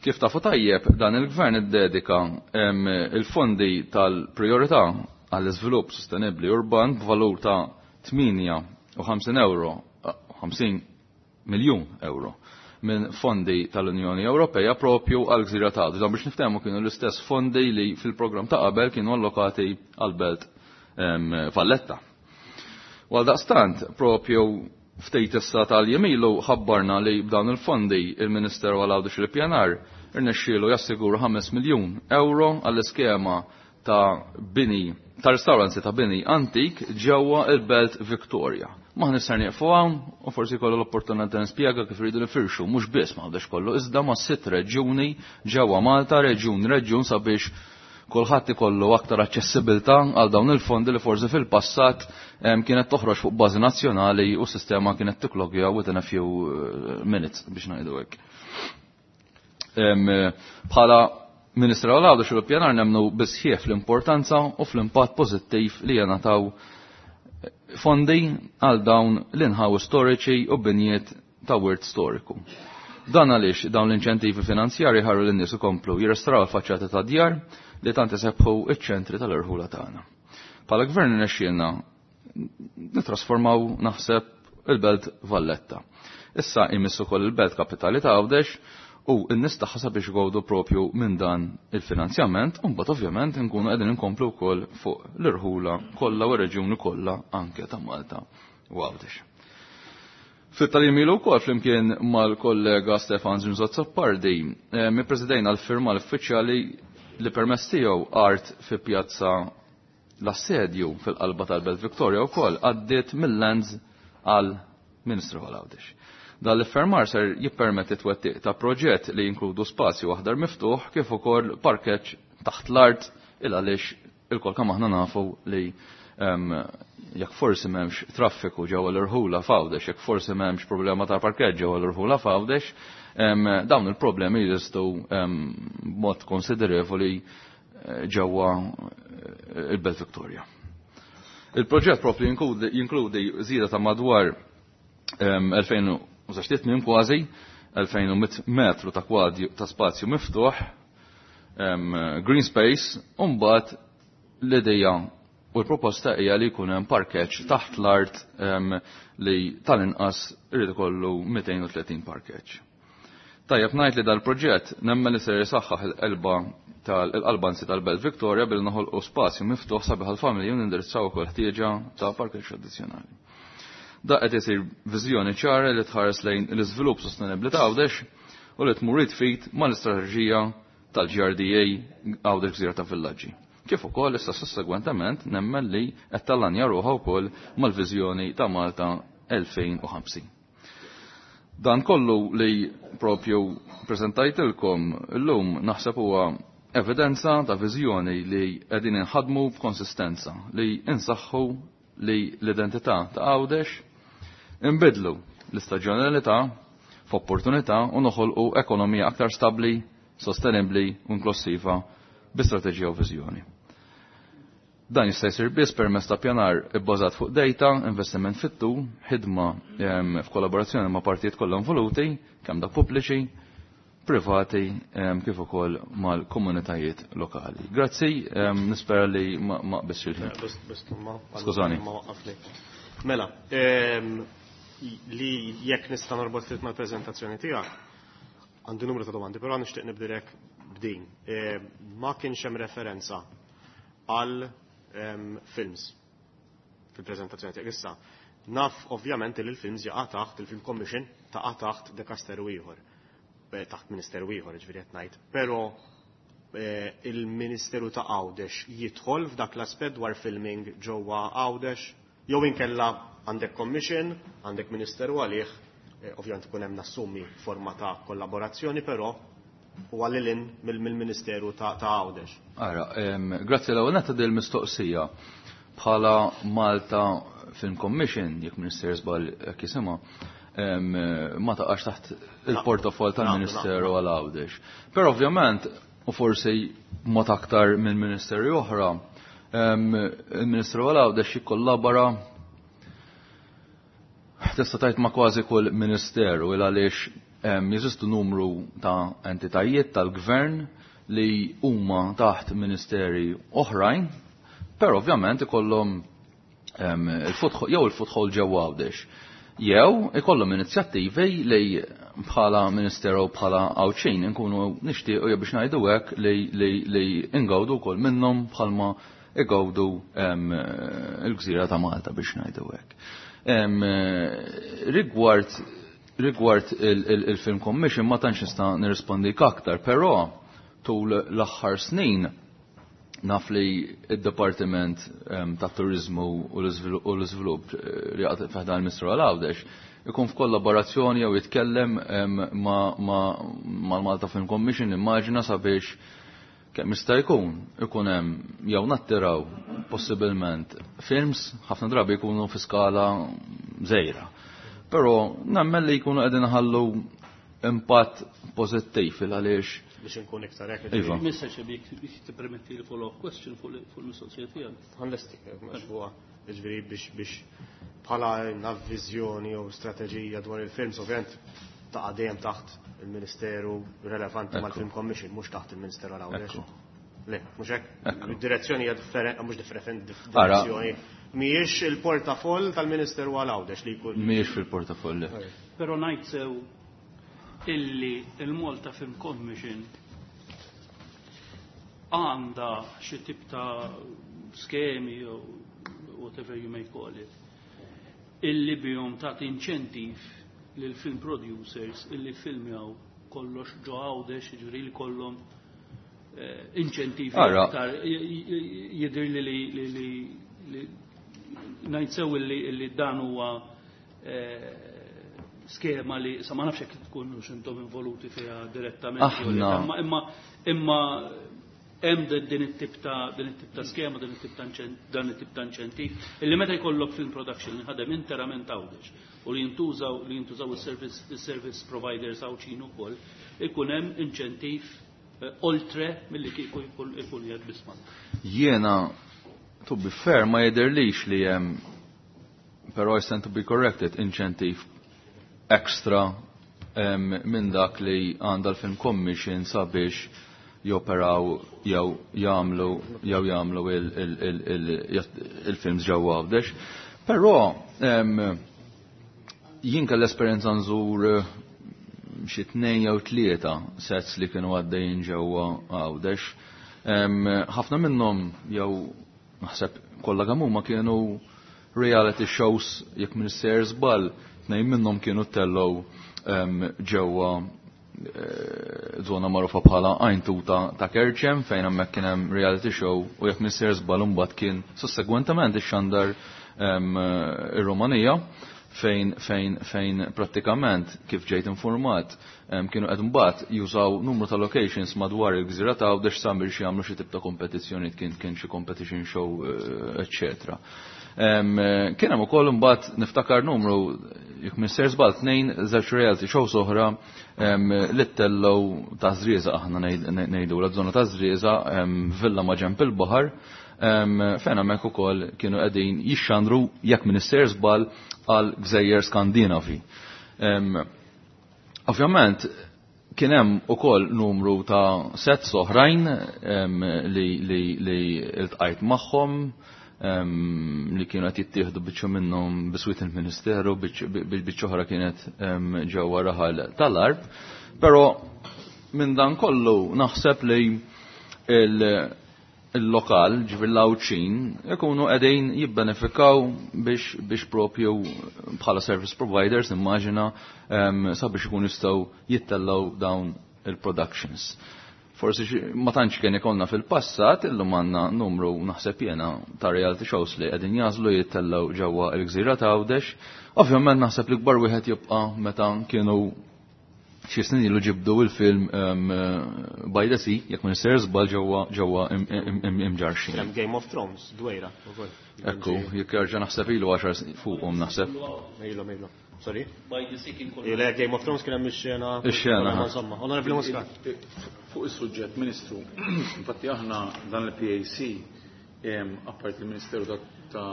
Kif tafu tajjeb, dan il-gvern iddedika il-fondi tal-priorità għall-iżvilupp sostenibbli urban b'valur ta' 58 euro, 50 miljun euro minn fondi tal-Unjoni Ewropea propju għal gżira ta' Għawdex. Dan biex niftehmu kienu l-istess fondi li fil-programm ta' qabel kienu allokati għal-Belt Valletta. U għaldaqstant propju ftit issa tal-jemilu ħabbarna li b'dawn il-fondi il-Ministeru għal Għawdex l-Ippjanar irnexxielu jassigura 5 miljun euro għall-iskema ta' bini ta' restawranzi ta' bini antik ġewwa il-Belt Victoria. Ma nisser nieqfu hawn u forsi kollu l-opportunità nispjega kif iridu nifirxu mhux biss ma' Għawdex kollu iżda ma' sitt reġjuni ġewwa Malta, reġjun reġjun sabiex kulħadd ikollu aktar aċċessibilità għal dawn il-fondi li forsi fil-passat kienet toħroġ fuq bażi nazzjonali u s-sistema kienet tiklogja within a few minutes biex ngħidu hekk. Bħala Ministru għal Għawdex u l-Ippjanar nemmnu bisħieħ fl-importanza u fl-impatt pożittiv li jingħataw fondi għal dawn l-inħawi storiċi u binjiet ta' wirt storiku. Dan għaliex dawn l-inċentivi finanzjari ħarru lin-nies ikomplu jirrestraw il-faċċati ta' djar li tant isebħu iċ-ċentri tal-irħula tagħna. Bħala gvern irnexxielna nitrasformaw naħseb il-Belt Valletta. Issa jmiss ukoll il-Belt Kapitali ta' Għawdex u n-nies tagħha sabiex igawdu propju minn dan il-finanzjament u mbagħad ovvjament nkunu qegħdin inkomplu wkoll fuq l-irħula kollha u r-reġjuni kollha anke ta' Malta u Għawdex. Fit-talim ilu wkoll flimkien mal-kollega Stefan Zrinzo Azzopardi, mi presidejna l-firma l-uffiċjali li permess tiegħu art fi pjazza l-assedju fil-qalba tal-Belt Victoria wkoll għaddiet mill-lands għal Ministru għal Għawdex. Dan l-iffermar ser jippermetti twettiq ta' proġett li jinkludu spazju aħdar miftuħ kif ukoll parkeġġ taħt l-art il għaliex il-kol kemm aħna nafu li jekk forsi m'hemmx traffiku ġewwa l-irħula f'Għawdex, jekk forsi m'hemmx problema ta' parkeġġ ġewwa l-irħula f'Għawdex, dawn il-problemi jeżistu b'mod konsiderevoli ġewwa il-Belt Victoria. Il-proġett propju jinkludi żieda ta' madwar 2000 kważi 2100 metru ta' kwadju ta' spazju miftuħ, green space, u mbagħad l-idea u l-proposta hija li jkun hemm parkeġġ taħt l-art li tal-inqas irid ikollu 230 parkeġġ. Tajjeb ngħid li dal-proġett nemmen li ser jisaħħaħ il-qalba tal-qalba anzi tal-Belt Victoria billi noħolqu spazju miftuħ sabiħ għall-familji u nindirizzaw ukoll ħtieġa ta' parkeġġ addizzjonali. Da qed isir viżjoni ċara li tħares lejn l-iżvilupp sostenibbli ta' Għawdex u li tmur id fit mal-istrateġija tal-GRDA Għawdex Gżira ta' Villaġġi. Kif ukoll issa sussegwentement nemmen li qed tallanja ruħha wkoll mal-viżjoni ta' Malta 2050. Dan kollu li propju preżentajtilkom illum naħseb huwa evidenza ta' viżjoni li qegħdin inħadmu b'konsistenza, li insaħħu li l-identità ta' Għawdex, inbidlu l-istaġjonalità f'opportunità u noħolqu ekonomija aktar stabbli, sostenibbli u inklusiva bi strateġija u viżjoni. Dan jista' jsir biss permezz ta' pjanar ibbażat fuq data, investiment fit-tul, ħidma f'kollaborazzjoni ma' partijiet kollha involuti, kemm dak pubbliċi, privati, kif ukoll mal-komunitajiet lokali. Grazzi, nispera li ma qbisx il-ħin. Skużani. Mela, li jekk nista' norbot ftit mal-preżentazzjoni tiegħek. Għandi numru ta' domandi, però nixtieq nibdirek b'din. Ma kienx hemm referenza għal films fil-preżentazzjoni tiegħek issa. Naf ovvjament li l-films jaqa' taħt il-Film Commission taqa' taħt dekasteru ieħor, taħt ministeru ieħor, ġifieri qed ngħid. Però il-Ministeru ta' Għawdex jidħol f'dak l-aspett dwar filming ġewwa Għawdex jew inkella għandek commission, għandek ministeru għalih, ovvjament ikun hemm nassumi forma ta' kollaborazzjoni, però huwa lil hinn mill-Ministeru ta' Għawdex. Ara, grazzi l-ewwel netta dil mistoqsija. Bħala Malta Film Commission, jekk Ministeru żball hekk jisimha, ma taqax taħt il-portafol tal-Ministeru għal Għawdex. Però ovvjament, u forsi mod aktar minn ministeri oħra, il-Ministeru għal Għawdex jikkollabora tista' tgħid ma' kważi kull ministeru il għaliex jeżistu numru ta' entitajiet tal-gvern li huma taħt ministeri oħrajn, però ovvjament ikollhom jew il-foothold ġewwa Għawdex. Jew ikollhom inizjattivi li bħala ministeru bħala Għawdxin inkunu nixtiequ jew biex ngħidu hekk li ingawdu wkoll minnhom bħalma igawdu il-gżira ta' Malta biex ngħidu hekk. Rigward il-Film Commission ma tantx nista' nirrispondik aktar, però tul l-aħħar snin naf li id-Dipartiment ta' Turizmu u l-Iżvilupp li għad fi ħdan il-Ministru għal Għawdex ikun f'kollaborazzjoni jew jitkellem mal-Malta Film Commission, immaġina, sabiex kemm jista' jkun ikun hemm jew nattiraw possibilment films, ħafna drabi jkunu fi skala żgħira. Però nemmen li jkunu qegħdin ħallu impatt pożittiv il għaliex biex inkun iktar hekk. Iva. Mr. Xebik, biex tippermetti li follow-up question fuq il-mistoqsija tiegħek. Ħa nlesti, mhux huwa ġifieri biex bħala viżjoni jew strateġija dwar il-films, ovvjament taqa' dejjem taħt il-Ministeru relevanti mal-Film Commission, mhux taħt il-Ministeru għal Għawdex. Le, mhux hekk. Id-direzzjoni hija differenti, mhux differenti, direzzjoni. Mhijiex il-portafoll tal-Ministeru għal Għawdex li jkun. Mhijiex fil-portafoll. Però ngħid sew illi il-Malta Film Commission għandha xi tip ta' skemi jew whatever you may call it, illi bihom tagħti inċentiv lil film producers illi filmjaw kollox ġo Għawdex, jiġifieri li kollhom inċentivi aktar. Jidher li ngħid sew illi dan huwa skema li sa ma nafx jekk tkunu intom involuti fiha direttament jew le, Aħna. imma hemm din it-tip ta' skema, dan it-tip ta' inċentiv, illi meta jkollok film production li ħadem interament Għawdex u li jintużaw il-service providers Għawdxin ukoll, ikun hemm inċentiv oltre milli kieku jkun jgħid biss Malta. Jiena, to be fair, ma jidhirlix li hemm, però I stand to be corrected, inċentiv extra minn dak li għandha l-Film Commission sabiex joperaw jew jagħmlu il-films ġewwa Għawdex. Però jien kell esperjenza nżur xi tnejn jew tlieta sets li kienu għaddejjin ġewwa Għawdex. Ħafna minnhom, jew naħseb kollha kemm huma, kienu reality shows, jekk minn sejjer żball, tnejn minnhom kienu tellgħu ġewwa zona magħrufa bħala Għajntuta ta' Kerċem, fejn hemmhekk kien hemm reality show u jekk minn sejjer żball imbagħad kien sussegwentement ixxandar ir-Rumanija, fejn prattikament, kif ġejt informat, kienu qed mbagħad jużaw numru ta' locations madwar il-gżira ta' Għawdex sabiex jagħmlu xi tip ta' kompetizzjoni, kien xi competition show, eċċetera. Kien hemm ukoll imbagħad niftakar numru, jekk minn sejjer żball, tnejn, żewġ reality shows oħra li ttellgħu ta' Żrieżaq, aħna ngħidu la żona ta' Żrieżaq, villa ma' ġenb il-baħar, fejn hemmhekk ukoll kienu qegħdin jixxandru, jekk minn sejjer żball, għal gżejjer Skandinavi. Ovvjament kien hemm ukoll numru ta' sets oħrajn li iltqajt magħhom, li kienu qed jittieħdu biċċa minnhom biswit il-Ministeru, biċċa oħra kienet ġewwa raħal tal-Għarb. Però minn dan kollu naħseb li il-lokal, ġifieri l-Għawdxin, ikunu qegħdin jibbenefikaw biex propju bħala service providers, immaġina, sabiex ikun jistgħu jittellgħu dawn il-productions. Forsi ma tantx kien ikollna fil-passat, illum għandna numru naħseb jiena ta' reality shows li qegħdin jażlu jittellgħu ġewwa l-gżira ta' Għawdex. Ovvjament naħseb li kbar wieħed jibqa' meta kienu xi snin ilu ġibdu il-film By the Sea, jekk ma nister żball ġewwa imġarxin. Hemm Game of Thrones, dwejra ukoll. Ekku, jekk jerġa' naħseb ilu 10 snin fuqhom naħseb. Ilu, ilu. Sorry? By the Sea kien kollu. Le, Game of Thrones kien hemm ix-xena. Ix-xena. Insomma, Onorevoli Muscat. Fuq is-suġġett, Ministru, infatti aħna dan il-PAC, apparti il-Ministeru ta'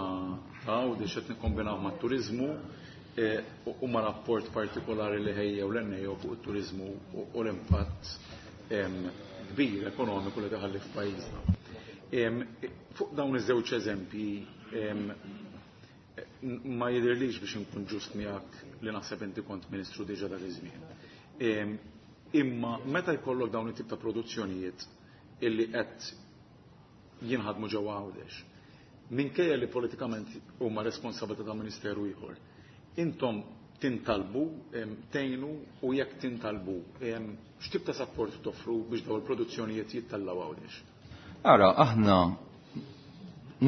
Għawdex qed nikkombinaw mat-turiżmu u ma' rapport partikolari li ħejjew l-NAO fuq it-turiżmu u l-impatt kbir ekonomiku li taħalli f'pajjiżna. Fuq dawn iż-żewġ eżempji ma jidhirlix biex inkun ġust miegħek li naħseb inti kont ministru diġà dak iż-żmien. Imma meta jkollok dawn it-tip ta' produzzjonijiet illi qed jinħadmu ġewwa Għawdex, minkejja li politikament huma responsabilità ta' ministeru ieħor, intom tintalbu, tgħinu u jekk tintalbu, x'tip ta' support toffru biex dawn il-produzzjonijiet jittellgħu Għawdex? Ara, aħna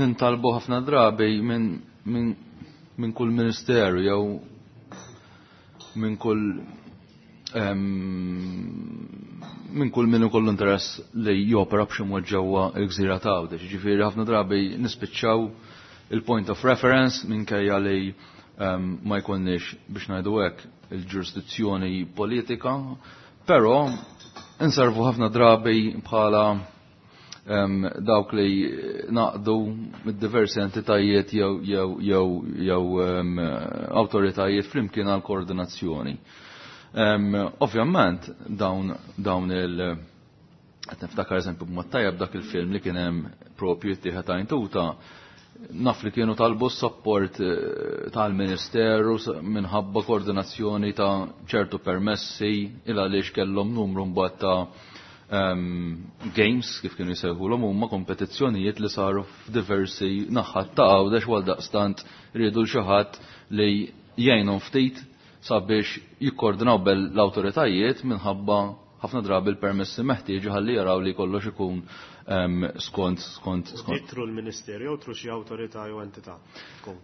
nintalbu ħafna drabi minn kull ministeru jew minn kull min ikollu interess li jopera b'xi mod ġewwa l-gżira ta' Għawdex. Ġifieri ħafna drabi nispiċċaw il-point of reference minkejja li ma jkollniex biex ngħidu hekk il-ġurisdizzjoni politika, però inservu ħafna drabi bħala dawk li naqdu mid-diversi entitajiet jew awtoritajiet flimkien għal koordinazzjoni. Ovvjament dawn il qed niftakar eżempju b'mod tajjeb dak il-film li kien hemm propju jittieħed għajntuta, naf li kienu talbu support tal-Ministeru minħabba koordinazzjoni ta' ċertu permessi il għaliex kellhom numru mbagħad ta' games kif kienu jsejħulhom huma kompetizzjonijiet li saru f'diversi naħat ta' Għawdex għal daqstant riedu l xi ħadd li jgħinhom ftit sabiex jikkoordinaw bel l-awtoritajiet minħabba ħafna drabi l-permessi meħtieġa ħalli jaraw li kollox ikun skont. Through l-Ministeru jew through xi awtorità jew entità tkun?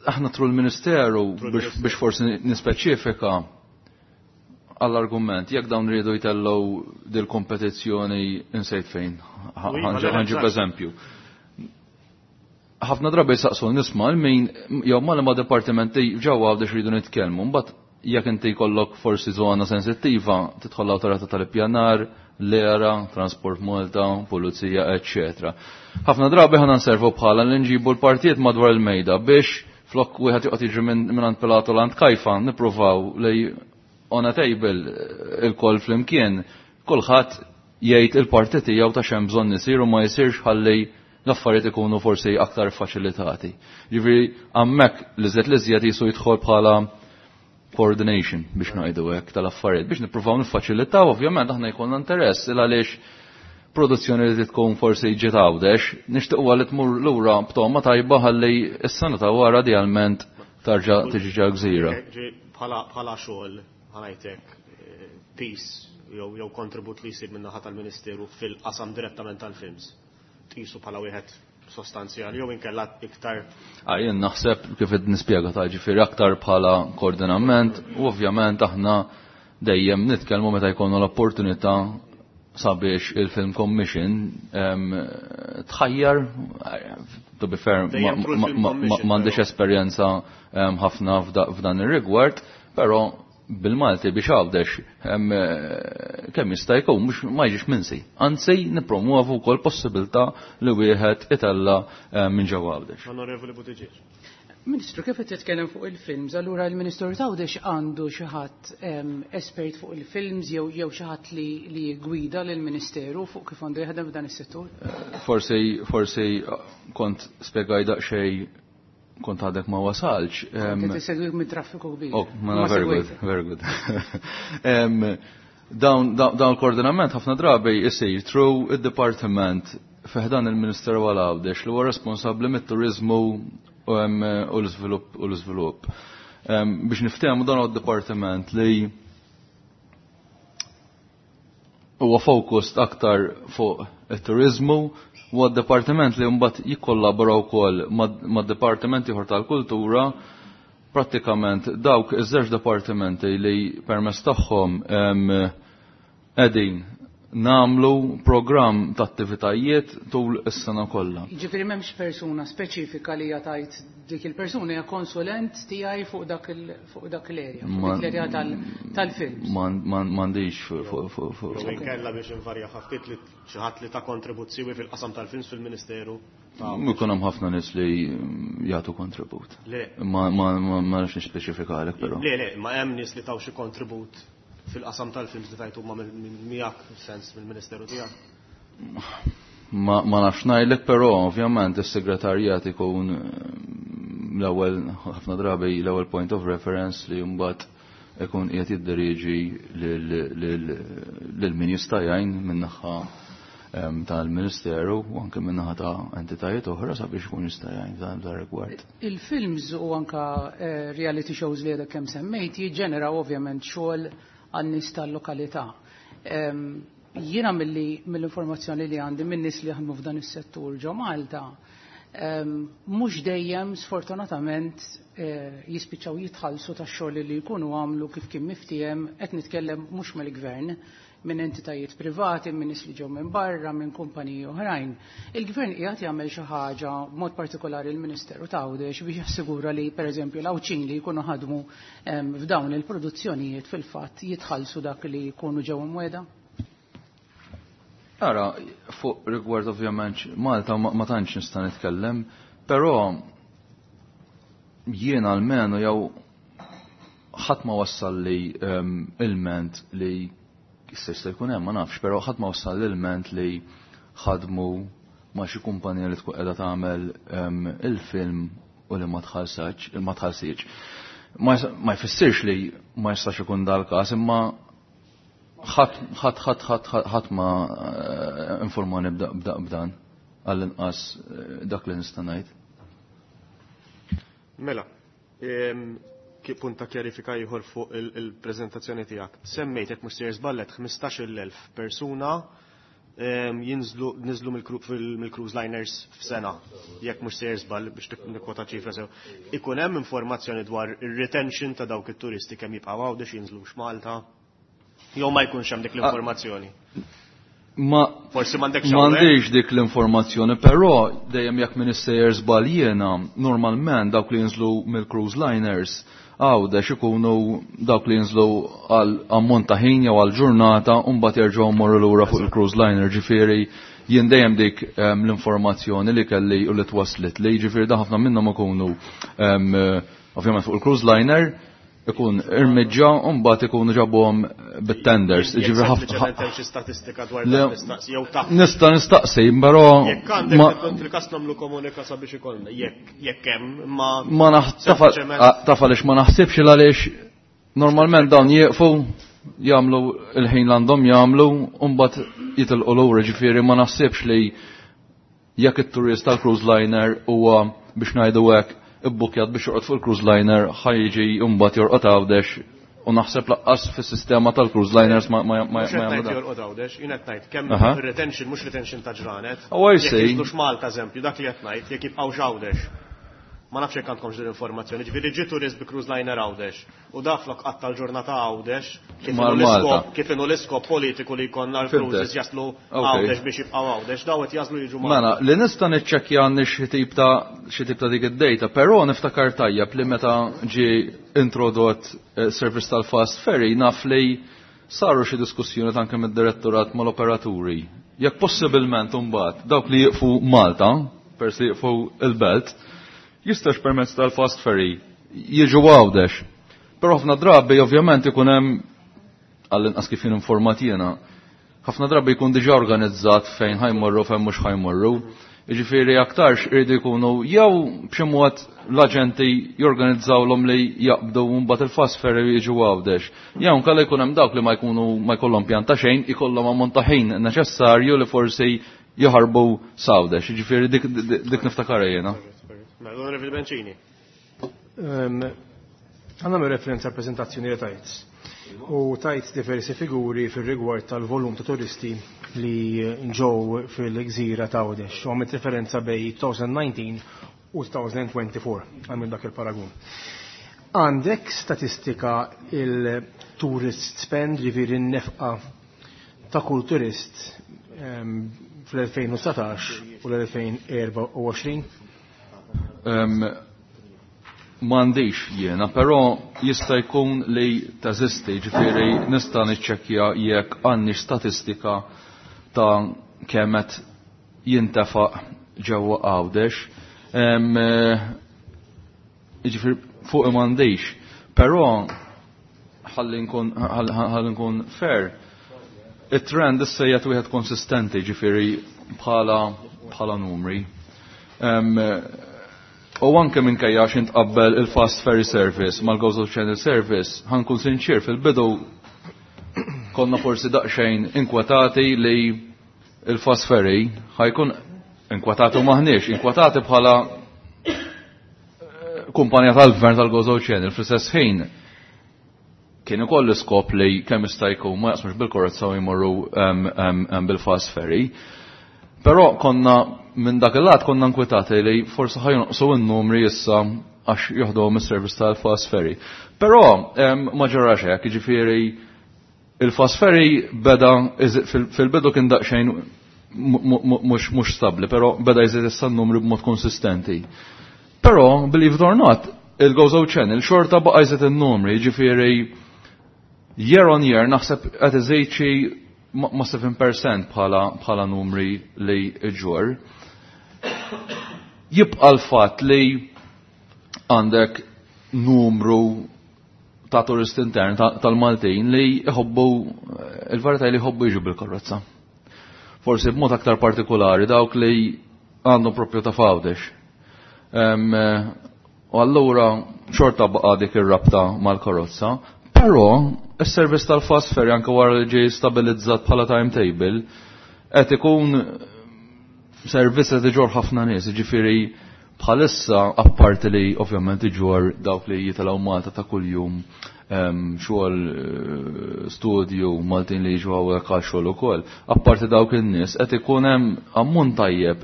Aħna through l-Ministeru Through biex, l-Ministeru. Biex forsi nispeċifika għall-argument, jekk dawn rridu jtellgħu dil-kompetizzjoni insejt fejn, Iva, le, ħa nġib eżempju. Ħafna drabi jisaqsu nisma' min jew ma ma dipartimenti ġewwa Għawdex rridu nitkellmu, mbagħad jekk inti jkollok forsi żona sensittiva, tidħol l-awtorità tal-ippjanar, l-ERA, Transport Malta, Pulizija, eccetera. Ħafna drabi ħana nservu bħala li nġibu l-partijiet madwar il-mejda biex flok wieħed joqgħod jiġri minn għand Pilatu l għand Kajfa nippruvaw li on a table il-koll flimkien kulħadd jgħid il-parti tiegħu ta' x'hemm bżonn isir u ma jsirx ħalli l-affarijiet ikunu forsi aktar faċilitati. Ġifieri hemmhekk li żjed jisu jidħol bħala coordination biex ngħidu hekk tal-affarijiet biex nippruvaw niffaċilitaw. Ovvjament aħna jkollna interess il għaliex produzzjoni li tkun forsi ġiet Għawdex, nixtiequ li tmur lura b'toma tajba ħalli s-sena ta' wara idealment tarġa' tiġi ġa gżira. Ġi bħala xogħol ħanajtek piece jew kontribut li jsir min-naħa tal-Ministeru fil-qasam direttament tal-films. Tqisu bħala wieħed sostanzjali jew inkella iktar? Ah, jien naħseb kif qed nispjega ta' ġifieri aktar bħala koordinament u ovvjament aħna dejjem nitkellmu meta jkollna l-opportunità sabiex il-Film Commission tħajjar, to be fair, Dejjem through il-Film Commission, m'għandix però. esperjenza ħafna f'dan ir-rigward, però bil-Malti biex Għawdex kemm jista' jkun mhux ma jiġix minsi. Anzi nippromuovu wkoll possibilità li wieħed itella minn ġewwa Għawdex. Onorevoli Buttigieg. Ministru, kif qed titkellem fuq il-films, allura il-Ministru t'Għawdex għandu xi ħadd espert fuq il-films jew xi ħadd li jgwida lill-Ministeru fuq kif għandu jaħdem f'dan is-settur? Forsi kont spjegaj daqsxejn kont għadek ma wasalx. Kont segwik mit traffiku kbir. Oh, ma very good, very good. Dawn il-koordinament ħafna drabi jsir through id-dipartiment fi ħdan il-Ministeru għal Għawdex li huwa responsabbli mit-turiżmu u l-iżvilupp u l-iżvilupp. Biex niftehmu dan huwa d-dipartiment li huwa focused aktar fuq it-turiżmu huwa d-dipartiment li mbagħad jikkollabora wkoll mad-dipartiment ieħor tal-kultura prattikament dawk iż-żewġ dipartimenti li permezz tagħhom qegħdin nagħmlu programm ta' attivitajiet tul is-sena kollha. Jiġifieri m'hemmx persuna speċifika li hija tgħid dik il-persuna hija konsulent tiegħi fuq dak fuq dak l-area, fuq dik l-area tal-films. M'għandix fuq. Jew inkella biex invarja ftit li xi ħadd li ta kontribut siwi fil-qasam tal-films fil-Ministeru. Ikun hemm ħafna nies li jagħtu kontribut. Le. Ma nafx nispeċifikalek però. Le, le, ma hemm nies li taw xi kontribut fil-qasam tal-films li tajtu ma miegħek sens mill-Ministeru tiegħek. Ma nafx ngħidlek però ovvjament is-segretarjat ikun l-ewwel ħafna drabi l-ewwel point of reference li mbagħad ikun qiegħed jidderieġi lil min jista' jgħin min-naħa tal-Ministeru u anke min-naħa ta' entitajiet oħra sabiex ikun jista' jgħin f'dan rigward. Il-films u anka reality shows li għadek kemm semmejt jiġġeneraw ovvjament xogħol għan-nies tal-lokalità. Jiena mill-informazzjoni li għandi minn nies li jaħdmu f'dan is-settur ġo Malta, mhux dejjem sfortunatament jispiċċaw jitħallsu tax-xogħol li jkunu għamlu kif kien miftiehem, qed nitkellem mhux mill-gvern, minn entitajiet privati, minn nies li ġew minn barra, minn kumpaniji oħrajn. Il-gvern qiegħed jagħmel xi ħaġa b'mod partikolari l-Ministeru ta' Għawdex biex jassigura li pereżempju l-Għawdxin li jkunu ħadmu f'dawn il-produzzjonijiet fil-fatt jitħallsu dak li jkunu ġew imwiegħda? Ara, fuq rigward ovvjament Malta ma tantx nista' nitkellem, però jiena almenu jew ħadd ma wassal li ilment li jista' jkun hemm ma nafx, però ħadd ma wassal l-ilment li ħadmu ma' xi kumpanija li tkun qiegħda tagħmel il-film u li ma tħallsatx, ma tħallsitx. Ma jfissirx li ma jistax ikun dal-każ, imma ħadd ma informani b'dan għall-inqas dak li nista' ngħid. Mela, punt ta' kjarifika ieħor fuq il-preżentazzjoni tiegħek. Semmejt jekk mhux sejjer żballet 15,000 persuna jinżlu niżlu mill-cruise liners f'sena, jekk mhux sejjer żball biex nikkwota ċifra sew. Ikun hemm informazzjoni dwar ir-retention ta' dawk it-turisti kemm jibqgħu Għawdex jinżlux Malta. Jew ma jkunx hemm dik l-informazzjoni. Ma Forsi m'għandekx m'għandix dik l-informazzjoni, però dejjem jekk min issejjer żball jiena, normalment dawk li jinżlu mill-cruise liners Għawdex ikunu dawk li jinżlu għal ammont ta' ħin jew għal ġurnata u mbagħad jerġgħu jmorru lura fuq il-cruise liner, ġifieri jien dejjem dik l-informazzjoni li kelli u li twaslit li, ġifieri da ħafna minnhom ikunu ovvjament fuq il-cruise liner ikun irmiġġa u mbagħad ikunu ġabuhom bit-tenders. Ġifieri ħafna Sempliċement hemm xi statistika dwar dan nistaqsi jew taf. Nista' nistaqsi, però Jekk għandek fil-każ nagħmlu komunika sabiex ikollna, jekk hemm, imma Ma sempliċement taf għaliex ma naħsibx il għaliex normalment dawn jieqfu jagħmlu il-ħin li għandhom jagħmlu u mbagħad jitilqu lura, ġifieri ma naħsibx li jekk it-turist tal-cruise liner huwa biex ngħidu hekk ibbukjat biex jorqod fuq il-cruise liner ħajġi mbagħad jorqod Għawdex u naħseb laqqas fis-sistema tal-cruise liners ma Mhux qed jagħmlu ngħid dan. jorqod Għawdex, jien qed ngħid kemm retention mhux retention ta' ġranet. Oh, I Jekk see. jinżlux Malta eżempju, dak li qed ngħid, jekk jibqgħu Għawdex. Ma nafx jekk għandkomx din l-informazzjoni, ġifieri ġie turist bi cruise liner Għawdex u daflok qatta l-ġurnata Għawdex Mar Malta. kif inhu l-iskop politiku li jkollna l-cruises jaslu Għawdex biex jibqgħu Għawdex, daw qed jaslu jiġu Malta. Mela, li nista' niċċekkja għandi xi tip ta' dik id-data, però niftakar tajjeb li meta ġie introdott service tal-fast ferry naf li saru xi diskussjoni anke mid-direttorat mal-operaturi. Jekk possibilment imbagħad dawk li jieqfu Malta, pers li jieqfu il-Belt, jistax permezz tal-fast ferry jiġu Għawdex. Però ħafna drabi ovvjament ikun hemm għall-inqas kif jien informat jiena, Ħafna drabi jkun diġà organizzat fejn ħa jmorru, fejn mhux ħa jmorru. Jiġifieri aktarx iridu jkunu jew b'xi mod l-aġenti jorganizzawlhom li jaqbdu mbagħad il-fast ferry jiġu Għawdex. Jew inkella jkun hemm dawk li ma jkunu ma jkollhom pjan ta' xejn, ikollhom ammont ta' ħin neċessarju li forsi jaħarbu s'Għawdex. Jiġifieri dik dik niftakarha jiena. Mela, Onorevoli Bencini. Ħa nagħmel referenza għal prezentazzjoni li tajt. U tajt diversi figuri fil-rigward tal-volum ta' turisti li ġew fil-gżira ta' Għawdex. U għamilt referenza bejn 2019 u 2024, għamil dak il-paragun. Għandek statistika il-tourist spend, ġifieri n-nefqa ta' kull turist fl-2019 u l-2024? M'għandix jiena, però jista' jkun li teżisti, ġifieri nista' niċċekkja jekk għandix statistika ta' kemm qed jintefaq ġewwa Għawdex. Ġifieri fuq m'għandix, però ħalli nkun fair, it-trend issa qiegħed wieħed konsistenti, ġifieri bħala numri. U anke minkejja għax intqabbel il-Fast Ferry Service mal-Gozo Channel Service, ħa nkun sinċir, fil-bidu konna forsi daqsxejn inkwetati li il-Fast Ferry ħa jkun inkwetati u maħniex, inkwetati bħala kumpanija tal-gvern tal-Gozo Channel. Fl-istess ħin kien ukoll l-iskop li kemm jista' jkun ma jaqsmux bil-karozza u jmorru bil-Fast Ferry. Però konna minn dak il-lat konna nkwetati li forsi ħa jonqsu n-numri issa għax joħdu is-service tal-Fast Ferry. Però ma ġarax hekk, jiġifieri il-Fast Ferry beda fil-bidu kien daqsxejn mhux stabbli, però beda jżid issa n-numri b'mod konsistenti. Però, believe it or not, il-Gozo Channel xorta baqa' jżid in-numri, jiġifieri year on year naħseb qed iżid xi ma' 7% bħala numri li iġorr. Jibqa' l-fatt li għandek numru ta' turist intern tal-Maltin li jħobbu, il-verità li jħobbu jiġu bil-karozza. Forsi b'mod aktar partikolari dawk li għandhom propju ta' f'Għawdex. U allura xorta baqa' dik ir-rabta mal-karozza, però is-servizz tal-fast ferry anke wara li ġie stabilizzat bħala timetable qed ikun servizz qed iġorr ħafna nies, jiġifieri bħalissa apparti li ovvjament iġorr dawk li jitilgħu Malta ta' kuljum, xogħol, studju, Maltin li jiġu hawnhekk għal xogħol ukoll. Apparti dawk in-nies qed ikun hemm ammont tajjeb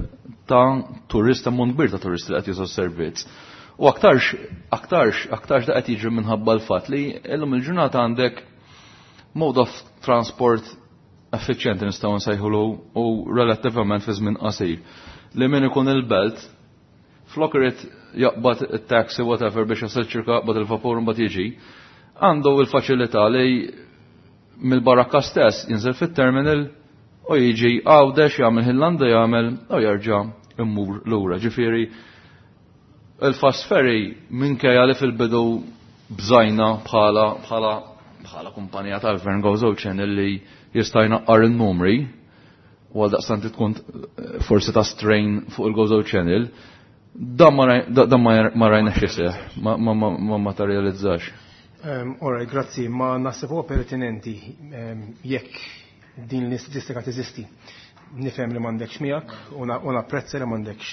ta' turist, ammont kbir ta' turisti li qed jużaw servizz. U aktarx da qed jiġri minħabba l-fatt li llum il-ġurnata għandek mode of transport effiċjenti nistgħu nsejħulu u relattivament fi żmien qasir. Li min ikun il-belt, flok irid jaqbad it-taxi whatever biex jasal ċirka, jaqbad il-vapur mbagħad jiġi, għandu il-faċilità li mill-barakka stess jinżel fit-terminal u jiġi Għawdex, jagħmel Ħillanda, jagħmel u jerġa' immur lura. Ġifieri il-fast ferry, minkejja li fil-bidu bżajna bħala kumpanija tal-Gvern Gozo Channel li jista' jnaqqar il-numri u għal daqstant tkun forsi ta' strain fuq il-Gozo Channel, dan ma rajna iseħħ, ma materializzax. Alright, grazzi, ma naħseb huwa pertinenti jekk din l-istatistika teżisti. Nifhem li m'għandekx miegħek u napprezza li m'għandekx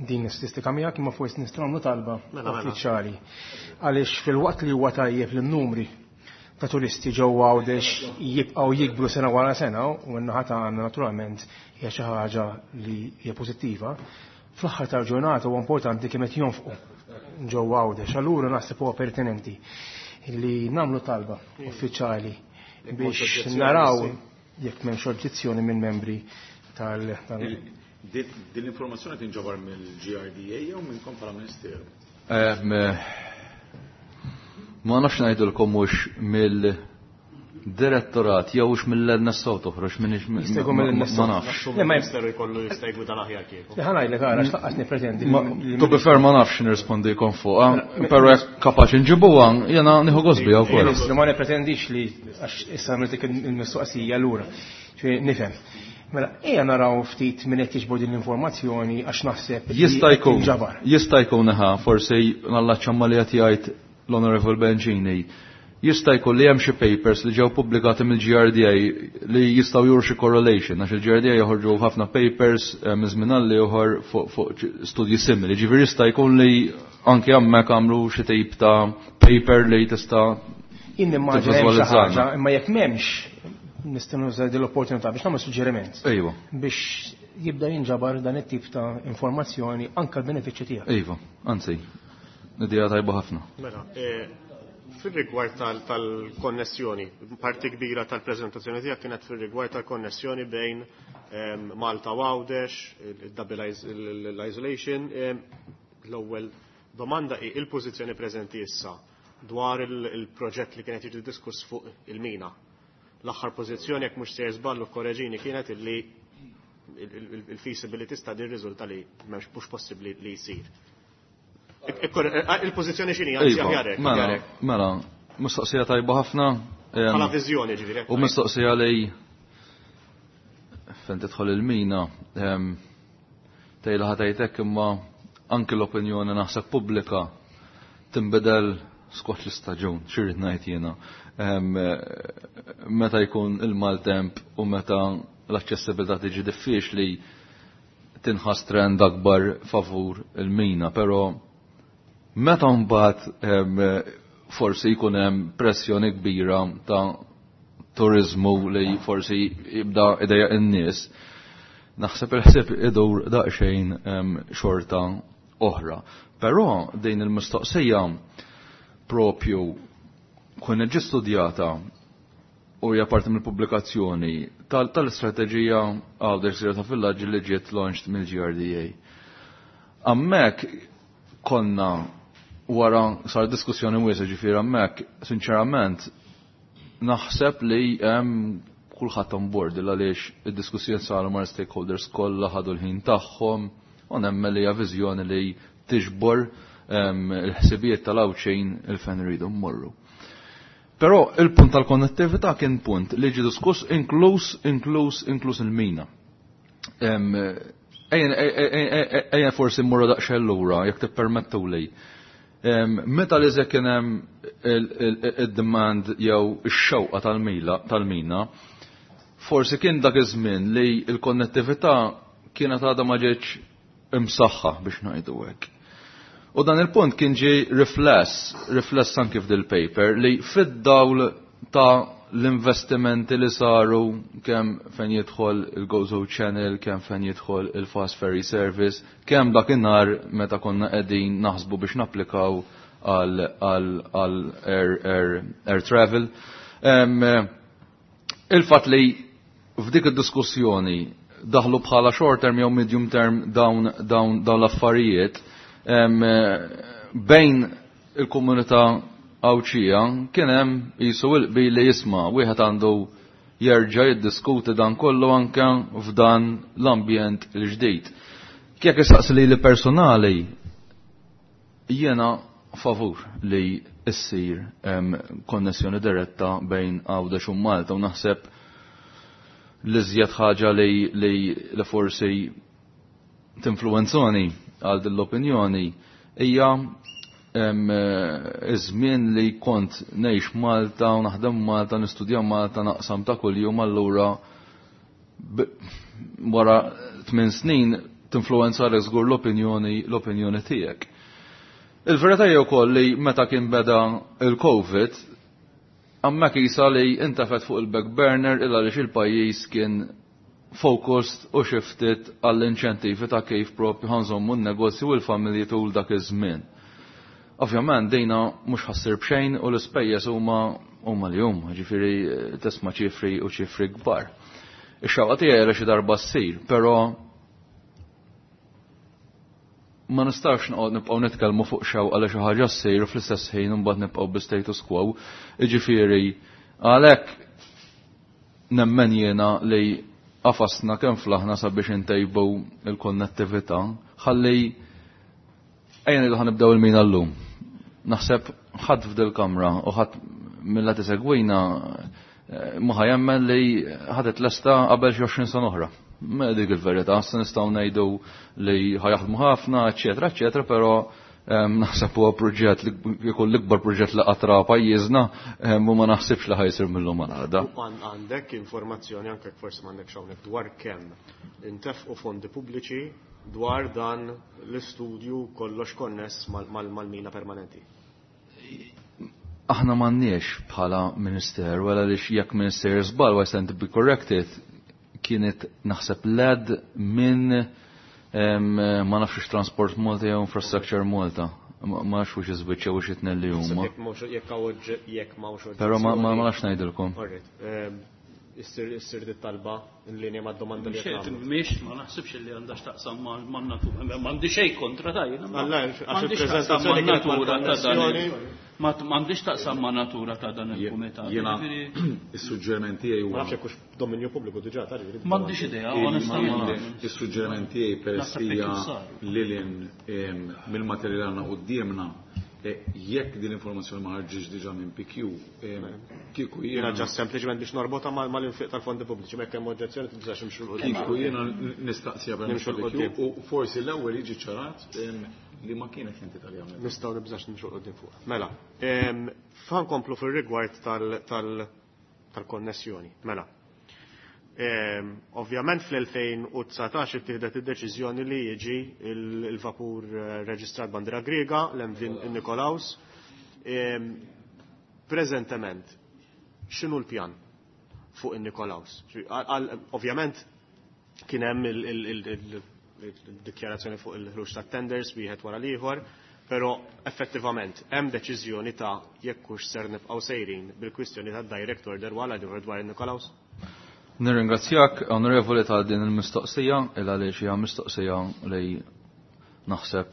din l-istatistika miegħek, imma forsi nistgħu nagħmlu talba uffiċjali. Għaliex fil-waqt li huwa tajjeb li n-numri ta' turisti ġewwa Għawdex jibqgħu jikbru sena wara sena u n-naħa tagħna naturalment hija xi ħaġa li hija pożittiva, fl-aħħar tal-ġurnata huwa importanti kemm qed jonfqu ġewwa Għawdex. Allura naħseb huwa pertinenti li nagħmlu talba uffiċjali biex naraw jekk m'hemmx oġġezzjoni minn membri tal Din l-informazzjoni tinġabar mill-GRDA jew minnkom bħala Ministeru? Ma nafx ngħidulkom mhux Direttorat jew hux mill-NSO toħroġ minn Jista' jkun mill-NSO. ma nafx. Le, ma Ministeru jkollu jista' jgwidan aħjar kieku. Ħa ngħidlek ara x'laqqas nippretendi. To be fair ma nafx nirrispondikom fuqha, però jekk kapaċi nġibuha jiena nieħu gost biha wkoll. Ministru, ma nipretendix li għax issa għamilt dik il-mistoqsija lura. Ġifieri nifhem. Mela, ejja naraw ftit min qed jiġbor din l-informazzjoni għax naħseb li Jista' qed jkun, tinġabar. jista' jkun eħa, forsi nallaċċa ma li qed jgħid l-Honorable Bencini. Jista' jkun li hemm xi papers li ġew pubblikati mill-GRDA li jistgħu juru xi correlation għax il-GRDA joħorġu ħafna papers minn żmien għal ieħor fuq studji simili. Ġifieri jista' jkun li anke hemmhekk għamlu xi tip ta' paper li tista' Jien nimmaġina hemm xi tivviżwalizzana. ħaġa, imma jekk m'hemmx nista' nuża din l-opportunità biex nagħmel suġġeriment Ejwa, biex jibda jinġabar dan it-tip ta' informazzjoni anke l-benefiċċju tiegħek. ejwa, anzi, idea tajba ħafna. Mela, fil-rigward tal-konnessjoni, parti kbira tal-prezentazzjoni tiegħek kienet fil-rigward tal-konnessjoni bejn Malta u Għawdex, il-double l-isolation. L-ewwel domanda hi il-pożizzjoni preżenti issa dwar il-proġett li kienet jiġi diskuss fuq il-mina. L-aħħar pożizzjoni jekk mhux sejjer żball u korreġini kienet illi il-feasibility study rriżulta li m'hemmx mhux possibbli li jsir. Il-pożizzjoni x'inhi anzi Iva, aħjar hekk, mela, aħjar hekk. mela, mistoqsija tajba ħafna. Bħala viżjoni ġifieri. U mistoqsija li fejn tidħol il-mina, tgħidha ħatajtek imma anki l-opinjoni naħseb pubblika tinbidel skont l-istaġun, xirrid ngħid jiena. Meta jkun il-maltemp u meta l-aċċessibilità tiġi diffiċli tinħass trend akbar favur il-mina, però meta mbagħad forsi jkun hemm pressjoni kbira ta' turizmu li forsi jibda idejja in-nies, naħseb il-ħsieb idur daqsxejn xorta oħra. Però din il-mistoqsija propju kun ġi studjata u hija parti mill-pubblikazzjoni tal-istrateġija Għawdex Zero ta' Villaġġi li ġiet launched mill-GRDA. Hemmhekk konna wara sar diskussjoni wiesa ġifieri hemmhekk, sinċerament, naħseb li hemm kulħadd on board il għaliex id-diskussjoni saru mar stakeholders kollha ħadu l-ħin tagħhom u nemmen li hija viżjoni li tiġbor il-ħsibijiet tal-Għawdxin il-fejn iridu mmorru. Però il-punt tal-konnettività kien punt li ġie diskuss inkluż inkluż inkluż il-mina. Ejja forsi mmorru daqsxejn lura jekk tippermettuli. Meta li kien hemm id-demand jew ix-xewqa tal-mina, forsi kien dak iż-żmien li l-konnettività kienet għadha ma ġietx imsaħħa biex ngħidu hekk. U dan il-punt kien ġie rifless anki f'dil paper li fid-dawl ta' l-investimenti li saru kemm fejn jidħol il-Gozo Channel, kemm fejn jidħol il-Fast Ferry Service, kemm dakinhar meta konna qegħdin naħsbu biex napplikaw għal air travel. Il-fatt li f'dik id-diskussjoni daħlu bħala short term jew medium term dawn dawn dawn l-affarijiet bejn il-komunità Għawdxija kien hemm qisu il-qbil li jisma' wieħed għandu jerġa' jiddiskuti dan kollu anke f'dan l-ambjent il-ġdid. Kjek issaqsi li li personali jiena favur li issir konnessjoni diretta bejn Għawdex u Malta u naħseb li żjed ħaġa li forsi tinfluwenzoni għal din l-opinjoni hija iż-żmien li kont ngħix Malta u naħdem Malta, nistudja Malta, naqsam ta' kuljum, allura wara 8 snin tinfluwenzalek żgur l-opinjoni tiegħek. Il-verità hija wkoll li meta kien beda il-COVID, hemmhekk isa li intafet fuq il-back burner illa għaliex il-pajjiż kien focused u shifted għall-inċentivi ta' kif propju ħanżommu n-negozju u l-familji tul dak iż-żmien. Ovvjament dejna mhux ħassir b'xejn u l-ispejjeż huma li huma, ġifieri tisma' ċifri u ċifri kbar. Ix-xewqa tiegħi li xi darba ssir, però ma nistax noqgħod nibqgħu nitkellmu fuq xewqa li xi ħaġa ssir u fl-istess ħin imbagħad nibqgħu bi status quo. Jiġifieri għalhekk Nemmen jiena li qafasna kemm flaħna sabiex intejbu il-konnettività ħalli ejja ngħidu ħa nibdew il-mina llum. Naħseb ħadd f'dil kamra u ħadd mill tisegwina ma ħa jemmen li ħadet lesta qabel xi 20 sena oħra. Ma dik il-verità, se nistgħu ngħidu li ħajaħdmu ħafna, eċetera, eċetera, però naħseb huwa proġett li jkun l-ikbar proġett li qatra pajjiżna u ma naħsibx li ħajsir mill-lum għal għada. Għandek informazzjoni anke forsi m'għandekx hawnhekk dwar kemm intefqu fondi pubbliċi dwar dan l-istudju kollox konness mal-mina permanenti? Aħna m'għandniex bħala ministeru, għala li jekk minister żball, I stand to be corrected, kienet naħseb led minn ma nafx Transport Malta jew Infrastructure Malta. Ma nafx hux iżbiċċa u xi tnejn li huma. Jekk m'hawnx Però ma nafx ngħidilkom. Issir dit talba in linja mad-domanda li qed Mhix ma naħsibx li għandha x'taqsam man-natura. M'għandi xejn kontra ta' jiena. Għax il-preżentazzjoni natura ta' dan. M'għandix taqsam ma' natura ta' dan il-kumitat. Jiena is-suġġeriment tiegħi huwa. Ma nafx hekk hux dominju pubbliku diġà ta' M'għandix idea, onestament. Is-suġġeriment tiegħi peress hija lil hinn mill-materjal għandna quddiemna jekk din l-informazzjoni ma ħarġitx diġà minn PQ, kieku jiena ġa sempliċement biex norbotha mal-infiq tal-fondi pubbliċi, mekk hemm oġġezzjoni tibżax imxu 'l quddiem. Kieku jiena nistaqsiha permezz tal-PQ u forsi l-ewwel jiġi ċarat li ma kienet l-entità li għamlet. Nistgħu nibżax nimxu 'l quddiem fuqha. Mela, fa nkomplu fir-rigward tal-konnessjoni. Mela, ovvjament fl-2019 ittieħdet id-deċiżjoni li jiġi il-vapur reġistrat bandiera Griega, l-MV Nikolaus. Preżentement, x'inhu l-pjan fuq in-Nikolaus? Ovvjament kien hemm il-dikjarazzjoni fuq il-ħruġ tat-tenders wieħed wara l-ieħor, però effettivament hemm deċiżjoni ta' jekk hux ser nibqgħu sejrin bil-kwistjoni tad-direct order wara dwar in-Nikolaus? Nirringrazzjak, onorevoli, ta' din il-mistoqsija, il għaliex hija mistoqsija li naħseb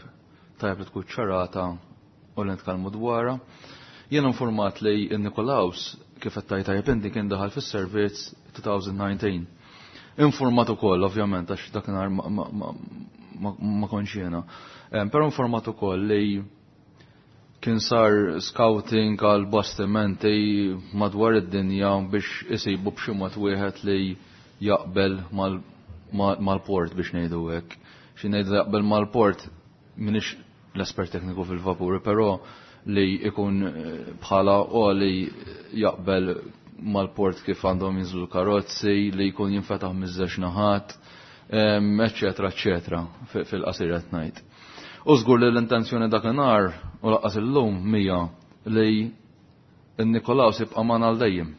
tajjeb li tkun ċarata u li nitkellmu dwarha. Jien informat li Nikolaus kif qed tajt tajjeb inti kien daħal fis-servizz 2019. Informat ukoll ovvjament għax dakinhar ma kontx jiena. Però informat ukoll li kien sar scouting għal bastimenti madwar id-dinja biex isibu b'xi mod wieħed li jaqbel mal-port biex ngħidu hekk. Xi ngħidu jaqbel mal-port m'iniex l-espert tekniku fil-vapuri, però li ikun bħala u li jaqbel mal-port kif għandhom jinżlu karozzi, li jkun jinfetaħ miż-żewġ naħat, eccetera, eccetera, fil-qasir qed ngħid. U żgur li l-intenzjoni dakinhar u laqqas illum mija li n-Nikolaus jibqa' magħna għal dejjem.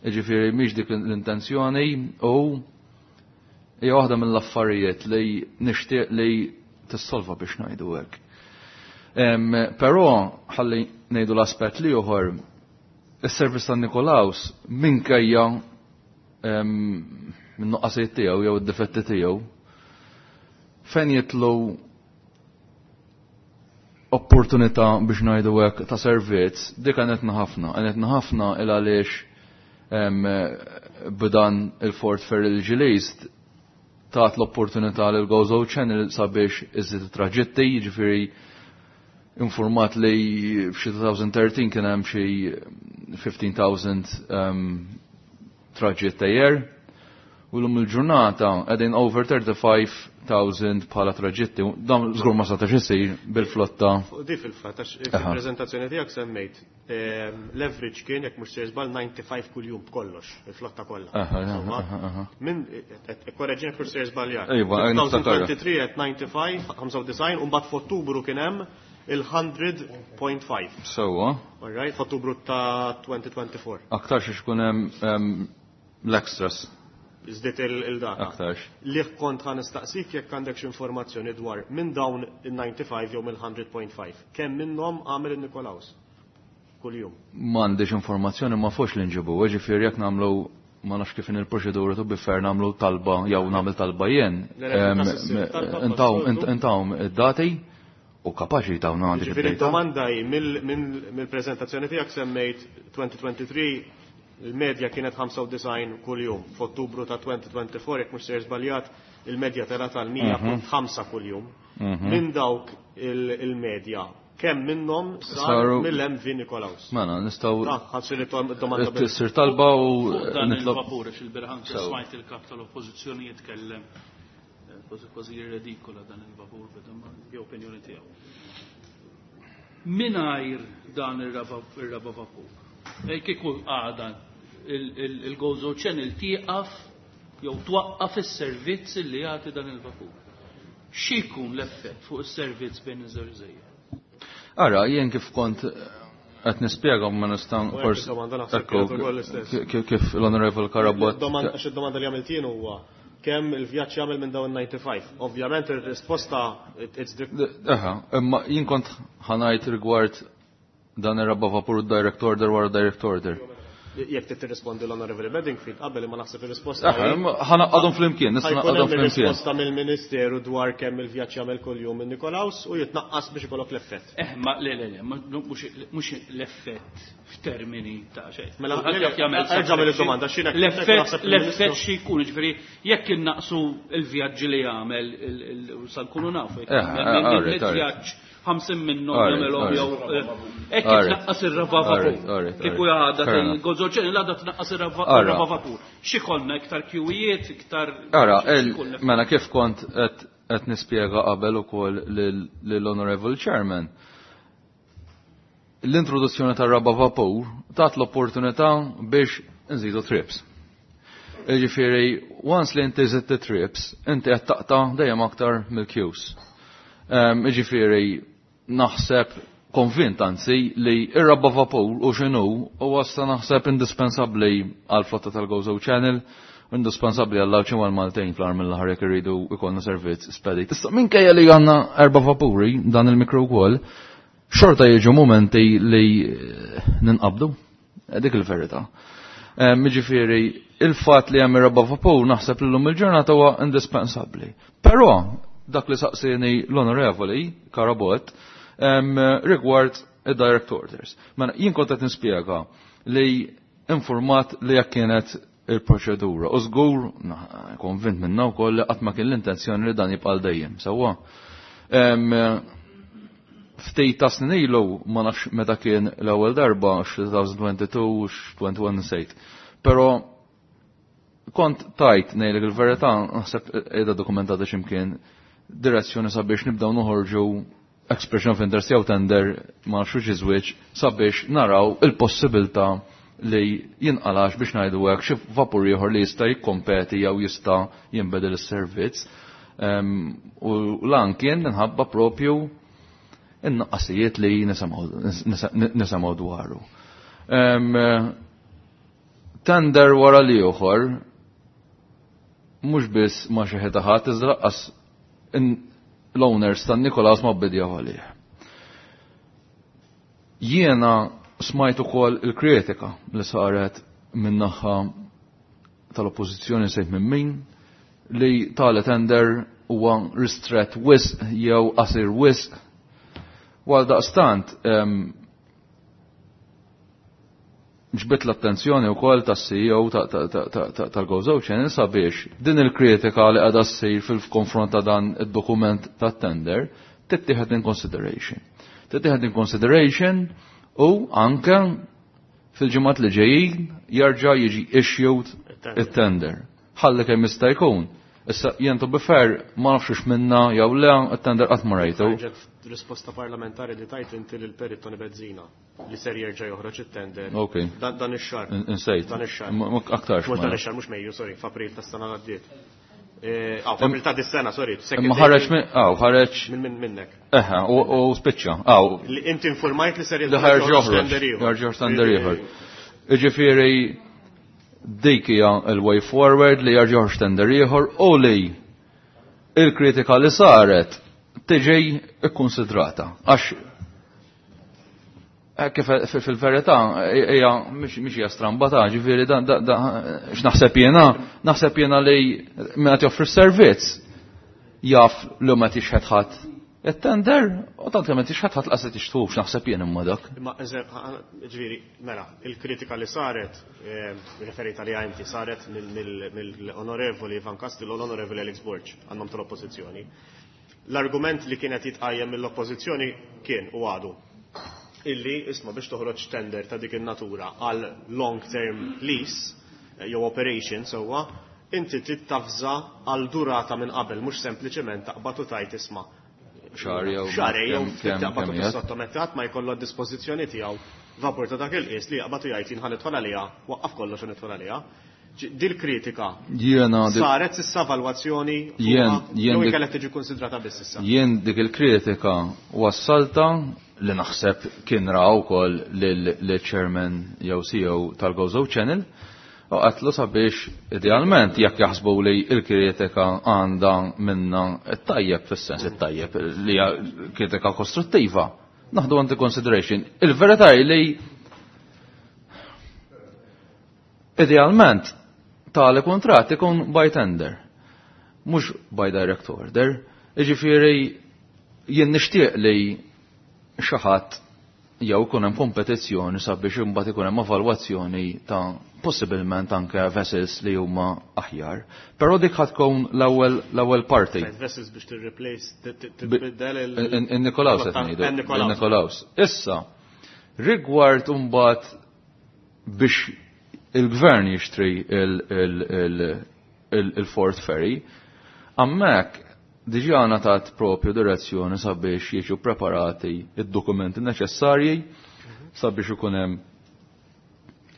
Jiġifieri mhix dik l-intenzjoni u hija waħda mill-affarijiet li nixtieq li tissolva biex ngħidu hekk. Però ħalli ngħidu l-aspett li ieħor, is-servizz tan-Nikolaus minkejja min-nuqqasijiet tiegħu jew id-difetti tiegħu fejn jitlu opportunità biex ngħidu hekk ta' servizz, dik għanetna ħafna, għanetna ħafna il għaliex b'dan il-Fort Ferry l-ġilist tat l-opportunità lil Gozo Channel sabiex iżid traġitti, jiġifieri informat li f'xi 2013 kien hemm xi 15,000 traġitt a year. U l-lum il-ġurnata qegħdin over 35,000 bħala traġitti. Dan żgur ma setax isir bil-flotta. Fuq di fil-fatt, għax fil-preżentazzjoni tiegħek semmejt l-average kien jekk mhux se żball 95 kuljum b'kollox, il-flotta kollha. Min korreġina jekk mhux se żbaljat. Iva, niftakar. 2023 at 95, 95, u mbagħad f'Ottubru kien hemm il-100.5. Sewwa. All right, f'Ottubru ta' 2024. Aktarx ikun hemm l-extras. Żdiet il-data. Aktarx. Li kont ħa nistaqsik jekk għandek xi informazzjoni dwar minn dawn il-95 jew mill-100.5. Kemm minnhom għamel il-Nikolaus kuljum? M'għandix informazzjoni ma fux li nġibu, ġifieri jekk nagħmlu ma nafx kif il-proċedura tu bifer nagħmlu talba jew nagħmel talba jien. Le, le, fil-każ issir talba passoltu. Intawm id-dati u kapaċi tawna għandek Ġifieri id-data. domanda hi mill-preżentazzjoni tiegħek semmejt 2023 Il-medja kienet 95 kuljum. F'Ottubru ta' 2024, jekk mhux sejjer żbaljat, il-medja telgħet għal 100.5 kuljum. Minn dawk il-medja, kemm minnhom saru mill-MV Nikolaus? Mela, nistgħu Ta' ħa ssir domanda bil- Sir talba u Fuq dan nitlob. il-vapur, għax il-bieraħ anke Sew. smajt il-kap tal-oppożizzjoni jitkellem kważi kważi jirredikola dan il-vapur, vedu ma hija opinjoni tiegħu. Mingħajr dan ir-raba vapur, kieku għada il-Gozo Channel tieqaf jew twaqqaf is-servizz li jagħti dan il-vapur. X'ikun l-effett fuq is-servizz bejn iż-żewġ gżejjer? Ara, jien kif kont qed nispjega ma nista' U hekk forsi id-domanda naħseb ekku, kienet ukoll l-istess. kif l-Honorable Carabott Domanda, għax id-domanda li għamilt jien huwa kemm il-vjaġġ jagħmel minn dawn 95. Ovvjament ir-risposta it's the Eħa, imma jien kont ħa ngħid rigward dan ir-raba vapur direct order wara direct order. Jekk trid tirrispondi l-Honorable Bedingfield qabel imma naħseb ir-risposta. Eħa, imma ħa ngħaqqadhom flimkien, nista' Ħa jkun ngħaqqadhom hemm flimkien. ir-risposta mill-Ministeru dwar kemm il-vjaġġ jagħmel kuljum minn Nikolaus u jitnaqqas biex ikollok l-effett. Ma le, le, le, mhux l-effett f'termini ta' xejn. Mela, Kulħadd le, le, jaf jagħmel erġa' mill domanda, x'inhekk L-effett naħseb l-effett il-Ministru- xi jkun, ġifieri jekk innaqsu l-vjaġġi li jagħmel sa nkunu nafu jekk Alright, alright. vjaġġ 50 minnhom Alright, jagħmelhom alright. jew hekk tnaqqas ir-raba vapur. Alright, Kieku għadha Fair enough. il-Gozo Channel għadha tnaqqas Ara. ir-raba vapur. X'ikollna iktar kjuwijiet, iktar Ara, x'ikun l-effett? mela kif kont qed nispjega qabel ukoll lill-Honorable Chairman. L-introduzzjoni tar-raba vapur tat l-opportunità biex nżidu trips. Ġifieri, once li inti żidt trips, inti qed taqta' dejjem aktar mill-queues. Ġifieri, naħseb konvint anzi li ir-raba vapur u x'inhu huwa issa naħseb indispensabbli għal flotta tal-Gozo Channel, indispensabbli għall Għawdxin għal Maltin fl mill-aħħar jekk irridu jkollna servizz spedit. Issa minkejja li għandna erba' vapuri dan il-mikro wkoll, xorta jiġu momenti li ninqabdu. Dik il-verità. Jiġifieri, il-fatt li hemm ir-raba' vapur naħseb li llum il-ġurnata huwa indispensabbli. Però dak li saqsini l-Onorevoli Carabott rigward id-direct orders. Mela jien kont qed nispjega li informat li jekk kienet il-proċedura. U żgur, konvint minna wkoll li qatt ma kien l-intenzjoni li dan jibqa' dejjem, sewwa. Ftit ta' snin ilu ma nafx meta kien l-ewwel darba x'2022 x'21 nsejt. Però kont tajt ngħidlek il-verità naħseb qiegħda dokumentata x'imkien direzzjoni sabiex nibdew noħorġu expression of interest jew tender ma nafx iżwieġ sabiex naraw il-possibilità li jinqalax biex ngħidu hekk xi vapur ieħor li jista' jikkompeti jew jista' jinbedel is-servizz. U lan kien minħabba propju in-naqqasijiet li nisimgħu dwaru. Tender wara li ieħor mhux biss ma xi ħadd iżda lanqas l-owners tan Nikolaus ma bidjaw għalih. Jiena smajt ukoll il-kritika li saret min-naħa tal-oppożizzjoni sejt minn min li tali tender huwa ristret wisq jew qasir wisq. Għal daqstant, ġbit l-attenzjoni wkoll tas-CEO tal-Gozo Channel sabiex din il-kritika li qiegħda ssir fil-konfront ta' dan id-dokument tat-tender tittieħed in consideration. Tittieħed in consideration u anke fil-ġimgħat li ġejjin jerġa' jiġi issued it-tender. Ħalli kemm jista' jkun. Issa jien to be fair ma nafx minna jew le it-tender qatt ma rajtu. Ħarġet risposta parlamentari li tajt inti lil Perit Tony Bezzina li ser jerġa' joħroġ it-tender. Ok. Dan ix-xahar. Insejt. Dan ix-xahar. Aktarx Mhux ma dan nafx. ix-xahar, mhux Mejju, sorry, f'April tas-sena li għaddiet. F'April ta' dis-sena, sorry. Imma ħareġ minn, aw, ħareġ Minn minnek. Eħe, u spiċċa, aw. Li inti informajt li ser Li ħareġ joħroġ. tender ieħor. Jerġa' joħroġ tender ieħor. Jiġifieri dik hija l-way forward li jerġa' joħroġ tender ieħor u li il-kritika li saret tiġi ikkonsidrata. Għax kif fil-verità hija mhix hija stramba ta' ġifieri dan x'naħseb jiena, naħseb jiena li min qed joffri s-servizz jaf li ma tixħed ħadd It-tender, u tant kemm inti x'ħadd ħadd laqas qed tixtruhx naħseb jien imma dak. Imma ġifieri, mela, il-kritika li saret, referita li inti, saret mill-Onorevoli Ivan Castillo u l-Onorevoli Alex Borg għan-nom tal-Oppożizzjoni. L-argument li kienet jitqajjem mill-Oppożizzjoni kien u għadu illi isma' biex toħroġ tender ta' dik in-natura għal long term lease jew operation sewwa, inti trid tavża għal durata minn qabel, mhux sempliċement taqbad u tgħid isma' Xahar jew xahar jew kemm taqbad u kemm qiegħed. tissottometti ma jkollu d-dispożizzjoni tiegħu vapur ta' dak il-qies li jaqbad u jgħid jien ħa nidħol għaliha, waqqaf kollox u nidħol għaliha. Dil kritika Jiena dik- saret s'issa valwazzjoni Jien- jien jew dik- inkella tiġi konsidrata biss issa. Jien dik il-kritika wassalta li naħseb kien ra wkoll lil-chairman jew CEO tal-Gozo Channel u qatlu sabiex idealment jekk jaħsbu li il-kritika għandha minna it-tajjeb fis-sens it-tajjeb li hija kritika kostruttiva. Naħdu into consideration. Il-verità hi li idealment tali kuntratt ikun by tender, mhux by direct order. Jiġifieri jien nixtieq li xi ħadd jew ikun hemm kompetizzjoni sabiex imbagħad ikun hemm evalwazzjoni ta' possibilment anke vessels li huma aħjar. Però dik ħad tkun l-ewwel parti. Right, vessels biex tirreplace, tibdel il- In-Nikolaus qed ngħidu. In-Nikolaus. In-Nikolaus. Issa, rigward imbagħad biex il-gvern jixtri il-Fort Ferry, hemmhekk diġà ngħatat propju direzzjoni sabiex jiġu preparati id-dokumenti neċessarji sabiex ikun hemm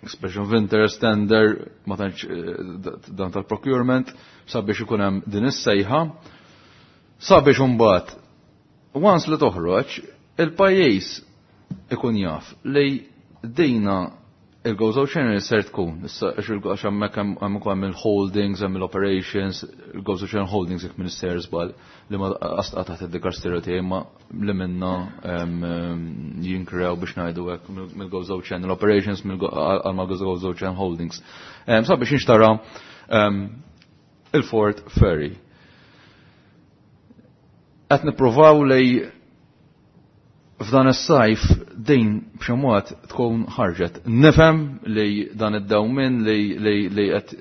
expression of interest tender, ma tantx dan tal-procurement, sabiex ikun hemm din is-sejħa, sabiex imbagħad once li toħroġ, il-pajjiż ikun jaf li dina il-Gozo Channel ser tkun, issa għax hemmhekk hemm ukoll hemm il-holdings, hemm il-operations, il-Gozo Channel Holdings jekk Minister żball li ma qasqa taħt id-dikasteru tiegħi ma li minna jinkrew biex ngħidu hekk mill-Gozo Channel Operations għal ma Gozo Channel Holdings. Sabiex inxtara il-Fort Ferry. Qed nippruvaw li f'dan is-sajf din b'xi mod tkun ħarġet. Nifhem li dan id-dewmien li qed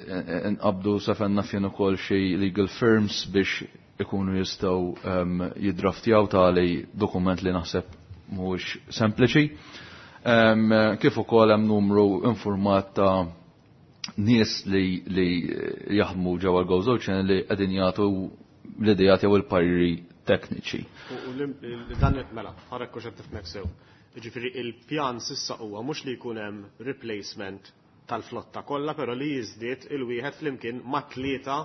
nqabdu sefenna fien ukoll xi legal firms biex ikunu jistgħu jiddraftjaw tali dokument li naħseb mhuwiex sempliċi. Kif ukoll hemm numru informat ta' nies li jaħdmu ġewwa l-Gozo Channel li qegħdin jagħtu l-idejat jew il-pariri tekniċi. U dan mela, ħarek kux qed tifmek sew. Jiġifieri il-pjan s'issa huwa mhux li jkun hemm replacement tal-flotta kollha, però li jiżdied il-wieħed flimkien ma' tlieta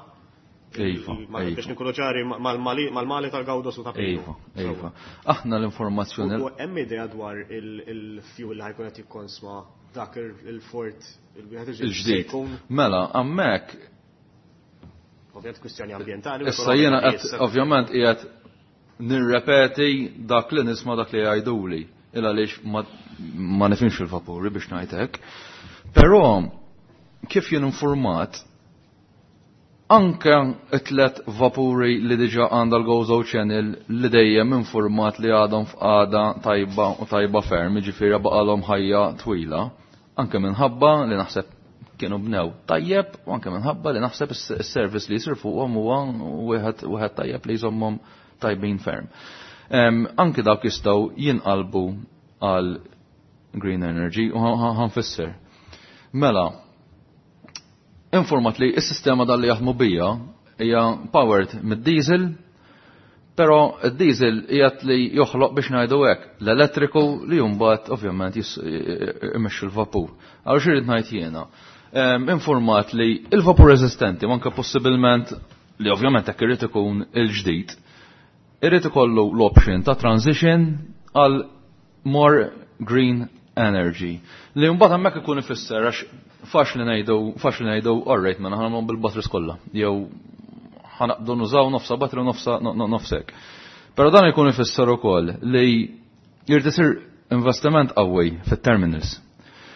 biex nkunu ċari mal-Mali tal-Gawdos u ta' Pinu. Iva, iva. Aħna l-informazzjoni. U hemm idea dwar il-fuel li ħajkun qed jikkonsma dak il-fort il-wieħed il-ġdid. Mela, hemmhekk Ovvjament kwistjoni ambjentali. Issa jiena qed ovvjament qiegħed nirrepeti dak li nisma' dak li jgħiduli. Il għaliex ma nifhimx il-vapuri biex ngħid hekk. Però kif jien informat, anke it-tlet vapuri li diġà għandha l-Gozo Channel li dejjem informat li għadhom f'qagħda tajba u tajba ferm, jiġifieri baqalhom ħajja twila, anke minħabba li naħseb kienu bnew tajjeb u anke minħabba li naħseb is-service li jsir fuqhom huwa wieħed tajjeb li jżommhom tajbin ferm. Anke dawk jistgħu jinqalbu għal green energy u ħanfisser. Mela, informat li s-sistema dal li jaħdmu bija hija powered mid-diesel, però id-diesel qiegħed li joħloq biex ngħidu hekk l-elettriku li mbagħad ovvjament imexxi l-vapur. Allura xi ngħid jiena? Informat li il-vapur eżistenti, manka possibilment li ovvjament hekk irid ikun il-ġdid, irid ikollu l-option ta' transition għal more green energy. Li mbagħad hemmhekk ikun ifisser għax faċli ngħidu all right, mela ħa nagħmlu bil-batteries kollha, jew ħanaqbdu nużaw nofsa battery u nofsa nofsek. Però dan ikun ifisser ukoll li jrid isir investiment qawwi fit-terminals.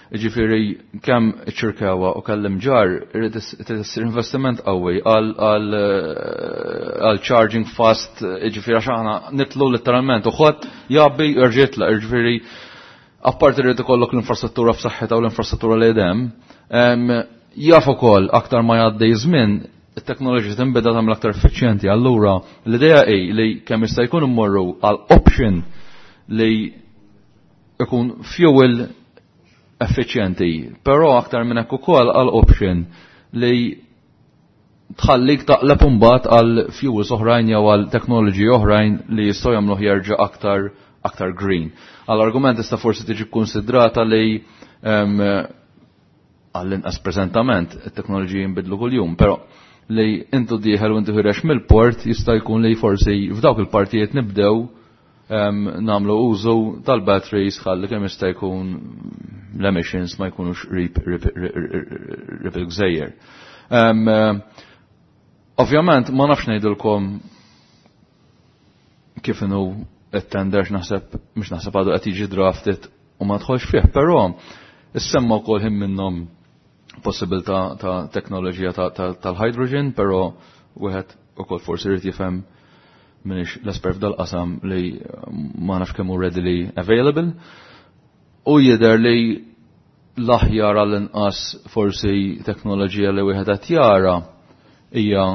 Ġifieri kemm iċ-Ċirkewwa u kellem ġar irid isir investiment qawwi għal charging fast, ġifieri għax aħna nitlu letteralment u ħadd jgħabbi jerġa' jitlaq, ġifieri apparti irid ikollok l-infrastruttura f'saħħitha u l-infrastruttura li hemm, jaf ukoll aktar ma jgħaddi żmien it-teknoloġija tinbeda tagħmel aktar effiċjenti. Allura l-idea hi li kemm jista' jkun immorru għal option li ikun fuel effiċjenti, però aktar minn hekk ukoll għal option li tħallik taqleb imbagħad għal fuels oħrajn jew għal teknoloġiji oħrajn li jistgħu jagħmluh jerġa' aktar green. Għal argument tista' forsi tiġi kkunsidrata li għall-inqas preżentament it-teknoloġiji jinbidlu kuljum, però li intu dieħel u intu ħirex mill-port jista' jkun li forsi f'dawk il-partijiet nibdew namlu użu tal-batteries ħalli kemm jista' jkun l-emissions ma jkunux rip il-gżejjer. Ovvjament ma nafx ngħidilkom kif inhu it-tender naħseb mhux naħseb għadu qed jiġi drafted u ma tħolx fih, però issemma wkoll ħin minnhom possibilità ta' teknoloġija tal-hydrogen, però wieħed ukoll forsi jrid jifhem minix l-espert f'dal-qasam li ma nafx kemm hu readily available. U jidher li l-aħjar għall-inqas forsi teknoloġija li wieħed qed jara hija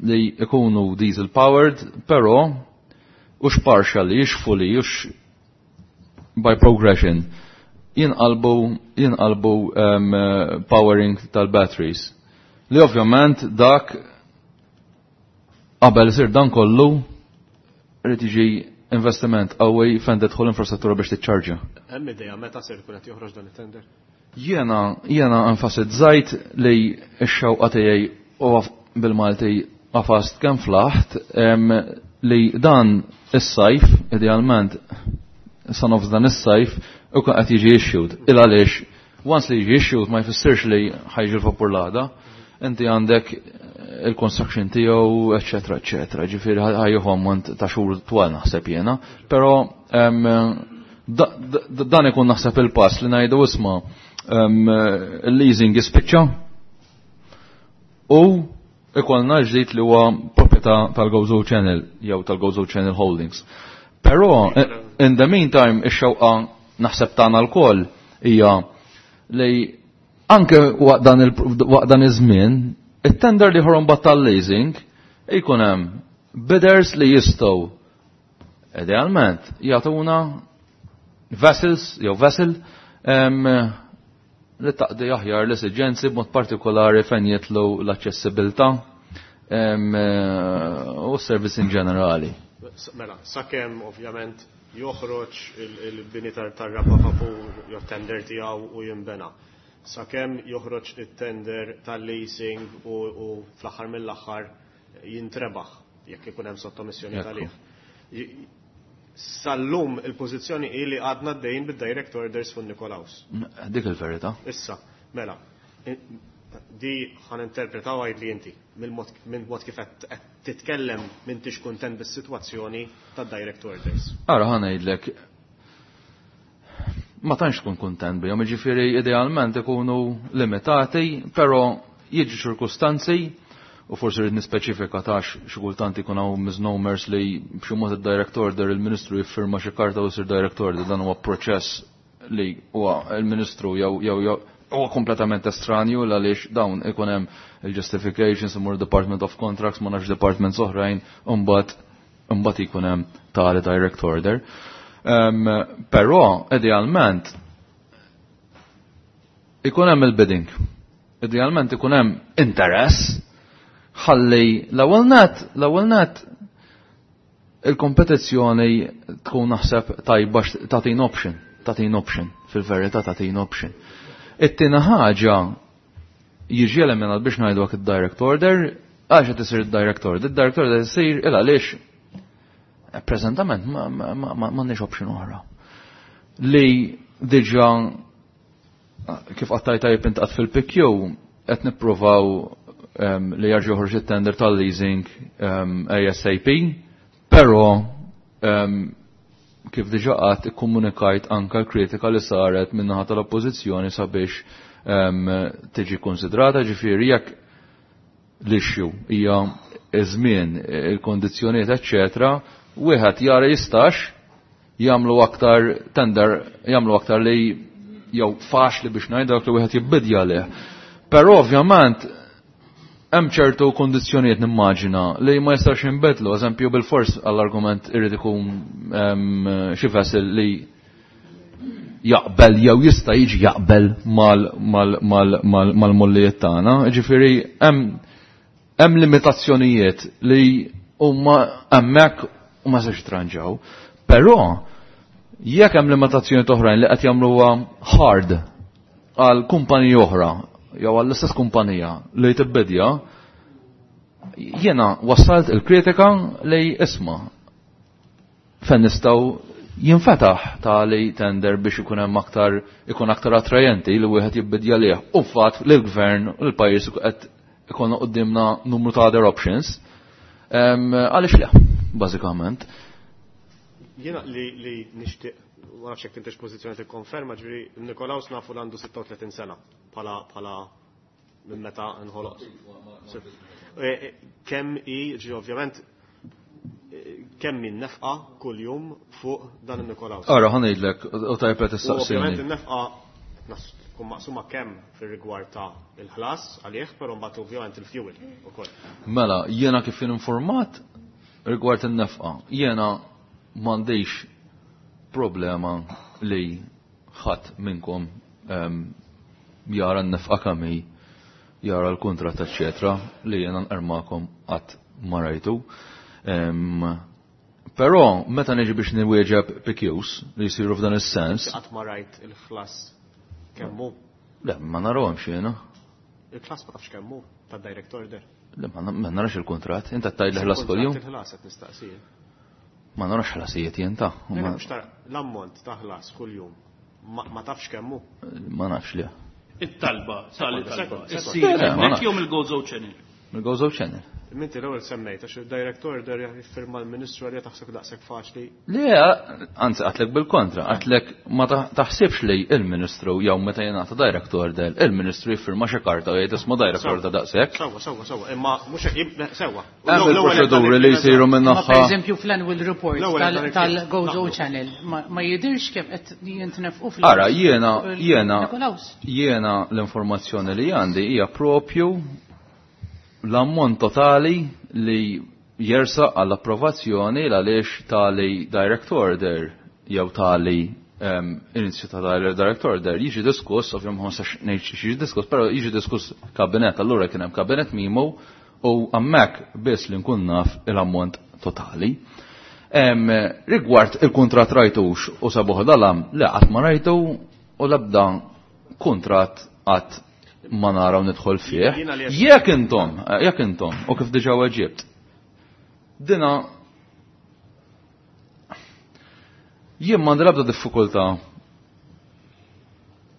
li ikunu diesel powered, però hux partially, hux fully, hux by progression jinqalbu powering tal-batteries. Li ovvjament dak qabel isir dan kollu irid jiġi investiment qawwi fejn tidħol infrastruttura biex tiċċarġja. Hemm idea meta ser ikun qed joħroġ dan it-tender? Jiena enfasizzajt li x-xewqa tiegħi u bil-Malti qafast kemm flaħt li dan is-sajf, idealment sa nofs dan is-sajf, u qed jiġi issued. Il għaliex once li jiġi issued ma jfissirx li ħajġi l-vapur l-għada. Inti għandek il-construction tiegħu, eċetera, eċetera. Ġifieri ħajjuħu ammont ta' xhur twal naħseb jiena, però dan ikun naħseb il-pass li ngħidu isma' il-leasing jispiċċa u ikollna ġdid li huwa proprjetà tal-Gozo Channel jew tal-Gozo Channel Holdings. Però in the meantime ix-xewqa naħseb tagħna lkoll hija li anke waqt dan iż-żmien it-tender li ħorom tal-leasing ikun hemm bidders li jistgħu idealment jagħtuna vessels jew vessel li taqdi aħjar l-esiġenzi b'mod partikolari fejn jitlu l-aċċessibilità u s-service in ġenerali. Mela, sakemm ovvjament joħroġ il-bini tar-raba vapur jew tender tiegħu u jinbena. Sakemm joħroġ it-tender tal-leasing u fl-aħħar mill-aħħar jintrebaħ jekk ikun hemm sottomissjoni tal-lih. Sal-lum il-pożizzjoni hi li għadna d-dejn bid-direct orders fuq Nikolaus. Dik il-verità. Issa, mela, di ħan interpretaw għajd li inti, minn mod kif qed titkellem m'intix kuntent bis-sitwazzjoni tad-direct orders. Ara ħa ngħidlek, ma tantx tkun kuntent bihom, jiġifieri idealment ikunu limitati, però jiġu ċirkustanzi u forsi rrid nispeċifika tax xi kultant ikun hawn misnomers li b'xi mod id-direct order il-Ministru jiffirma xi karta u jsir direct order, dan huwa proċess li huwa il-Ministru jew jew jew huwa kompletament estranju għaliex dawn ikun hemm il-justifications imur Department of Contracts ma nafx departments oħrajn u mbagħad ikun hemm tali direct order. Però idealment ikun hemm il-bidding. Idealment ikun hemm interess ħalli l-ewwel net il-kompetizzjoni tkun naħseb tajba tagħtin option, tagħtin option, fil-verità tagħtin option. It-tieni ħaġa jiġi eliminat biex ngħidu hekk id-direct order, għax qed isir id-direct order, id-direct order isir il għaliex preżentament m'għandniex option oħra. Li diġà kif qattaj tajjeb int qatt fil-PQ qed nippruvaw li jarġu joħroġ it-tender tal-leasing ASAP, però kif diġà qatt ikkomunikajt anka l-kritika li saret min-naħa tal-Oppożizzjoni sabiex tiġi konsidrata, ġifieri jekk l-issue hija iż-żmien, il-kondizzjonijiet, eċċetera, wieħed jara jistax jagħmlu aktar tender, jagħmlu aktar li jew faċli biex ngħid dak li wieħed jibbidja leh. Però ovvjament hemm ċertu kondizzjonijiet nimmaġina li ma jistax jinbidlu, eżempju bil-fors għall-argument irid ikun xi vessel li jaqbel jew jista' jiġi jaqbel mal-mollijiet tagħna. Ġifieri hemm limitazzjonijiet li huma hemmhekk u ma sax jitranġaw. Però jekk hemm limitazzjonijiet oħrajn li qed jagħmluha hard għal kumpaniji oħra jew għall-istess kumpanija li tibbidja, jiena wassalt il-kritika li isma' fejn nistgħu jinfetaħ tali tender biex ikun hemm aktar ikun aktar attrajenti li wieħed jibbidja lih. U fatt li l-gvern u l-pajjiż qed ikun qudiemna numru ta' other options. Għaliex le, bażikament. Jiena li nixtieq, ma nafx jekk intix pożizzjoni tikkonferma, ġifieri Nikolaus nafu li għandu 36 sena bħala minn meta nħoloq. Kemm hi, ġifieri ovvjament kemm min nefqa kuljum fuq dan il-Nikolaus. Ara, ħa ngħidlek, u tajb qed issaqsini. Ovvjament in-nefqa tkun maqsuma kemm fir-rigward ta' il-ħlas għalih, però mbagħad ovvjament il-fuel ukoll. Mela, jiena kif informat rigward in-nefqa, jiena m'għandix problema li ħadd minnkom jara n-nefqa kemm hi, jara l-kuntratt, eċċetera, li jiena nqermakom qatt ma rajtu. Però meta niġi biex niwieġeb PQs li jsiru f'dan is-sens. Qatt ma rajt il-ħlas kemm hu? Le, ma narahomx jiena. Il-ħlas ma tafx kemm hu ta' direct order. Le, ma narax il-kuntratt. Inti qed tgħid li ħlas kuljum? Il-ħlas qed nistaqsi. Ma narax ħlasijiet jien ta'. Le, mhux tara l-ammont ta' ħlas kuljum. Ma tafx kemm hu? Ma nafx le. It-talba, tali talba. Issir hemmhekk jew mill-Gozo Channel? Mill-Gozo Channel. Minti l-ewwel semmejt għax il-direct order jiffirma l-Ministru għalija taħseb daqshekk faċli. Le, anzi għatlek bil-kontra, għatlek ma taħsibx li il-Ministru jew meta jingħata direct order, il-Ministru jiffirma xi karta u jgħid isma' direct order daqshekk. Sewwa, sewwa, sewwa, imma mhux hekk, sewwa. Hemm il-proċeduri li jsiru minn naħa. Per eżempju fl-annual report tal-Gozo Channel ma jidirx kif qed jintnefqu fl- Ara, jiena l-informazzjoni li għandi hija propju l-ammont totali li jersa għall-approvazzjoni għaliex tali direct order jew tali inizju ta' direct order jiġi diskuss, ovvjament ma nistax ngħid xi jiġi diskuss, però jiġi diskuss kabinet, allura kien hemm kabinet mimo u hemmhekk biss li nkun naf il-ammont totali. Rigward il-kuntratt rajtux u sabuħ dalam, le qatt ma rajtu u l-ebda kuntratt qatt ma naraw nidħol fih. Jekk intom, jekk intom, u kif diġà weġibt, dina jien m'għandi l-ebda diffikultà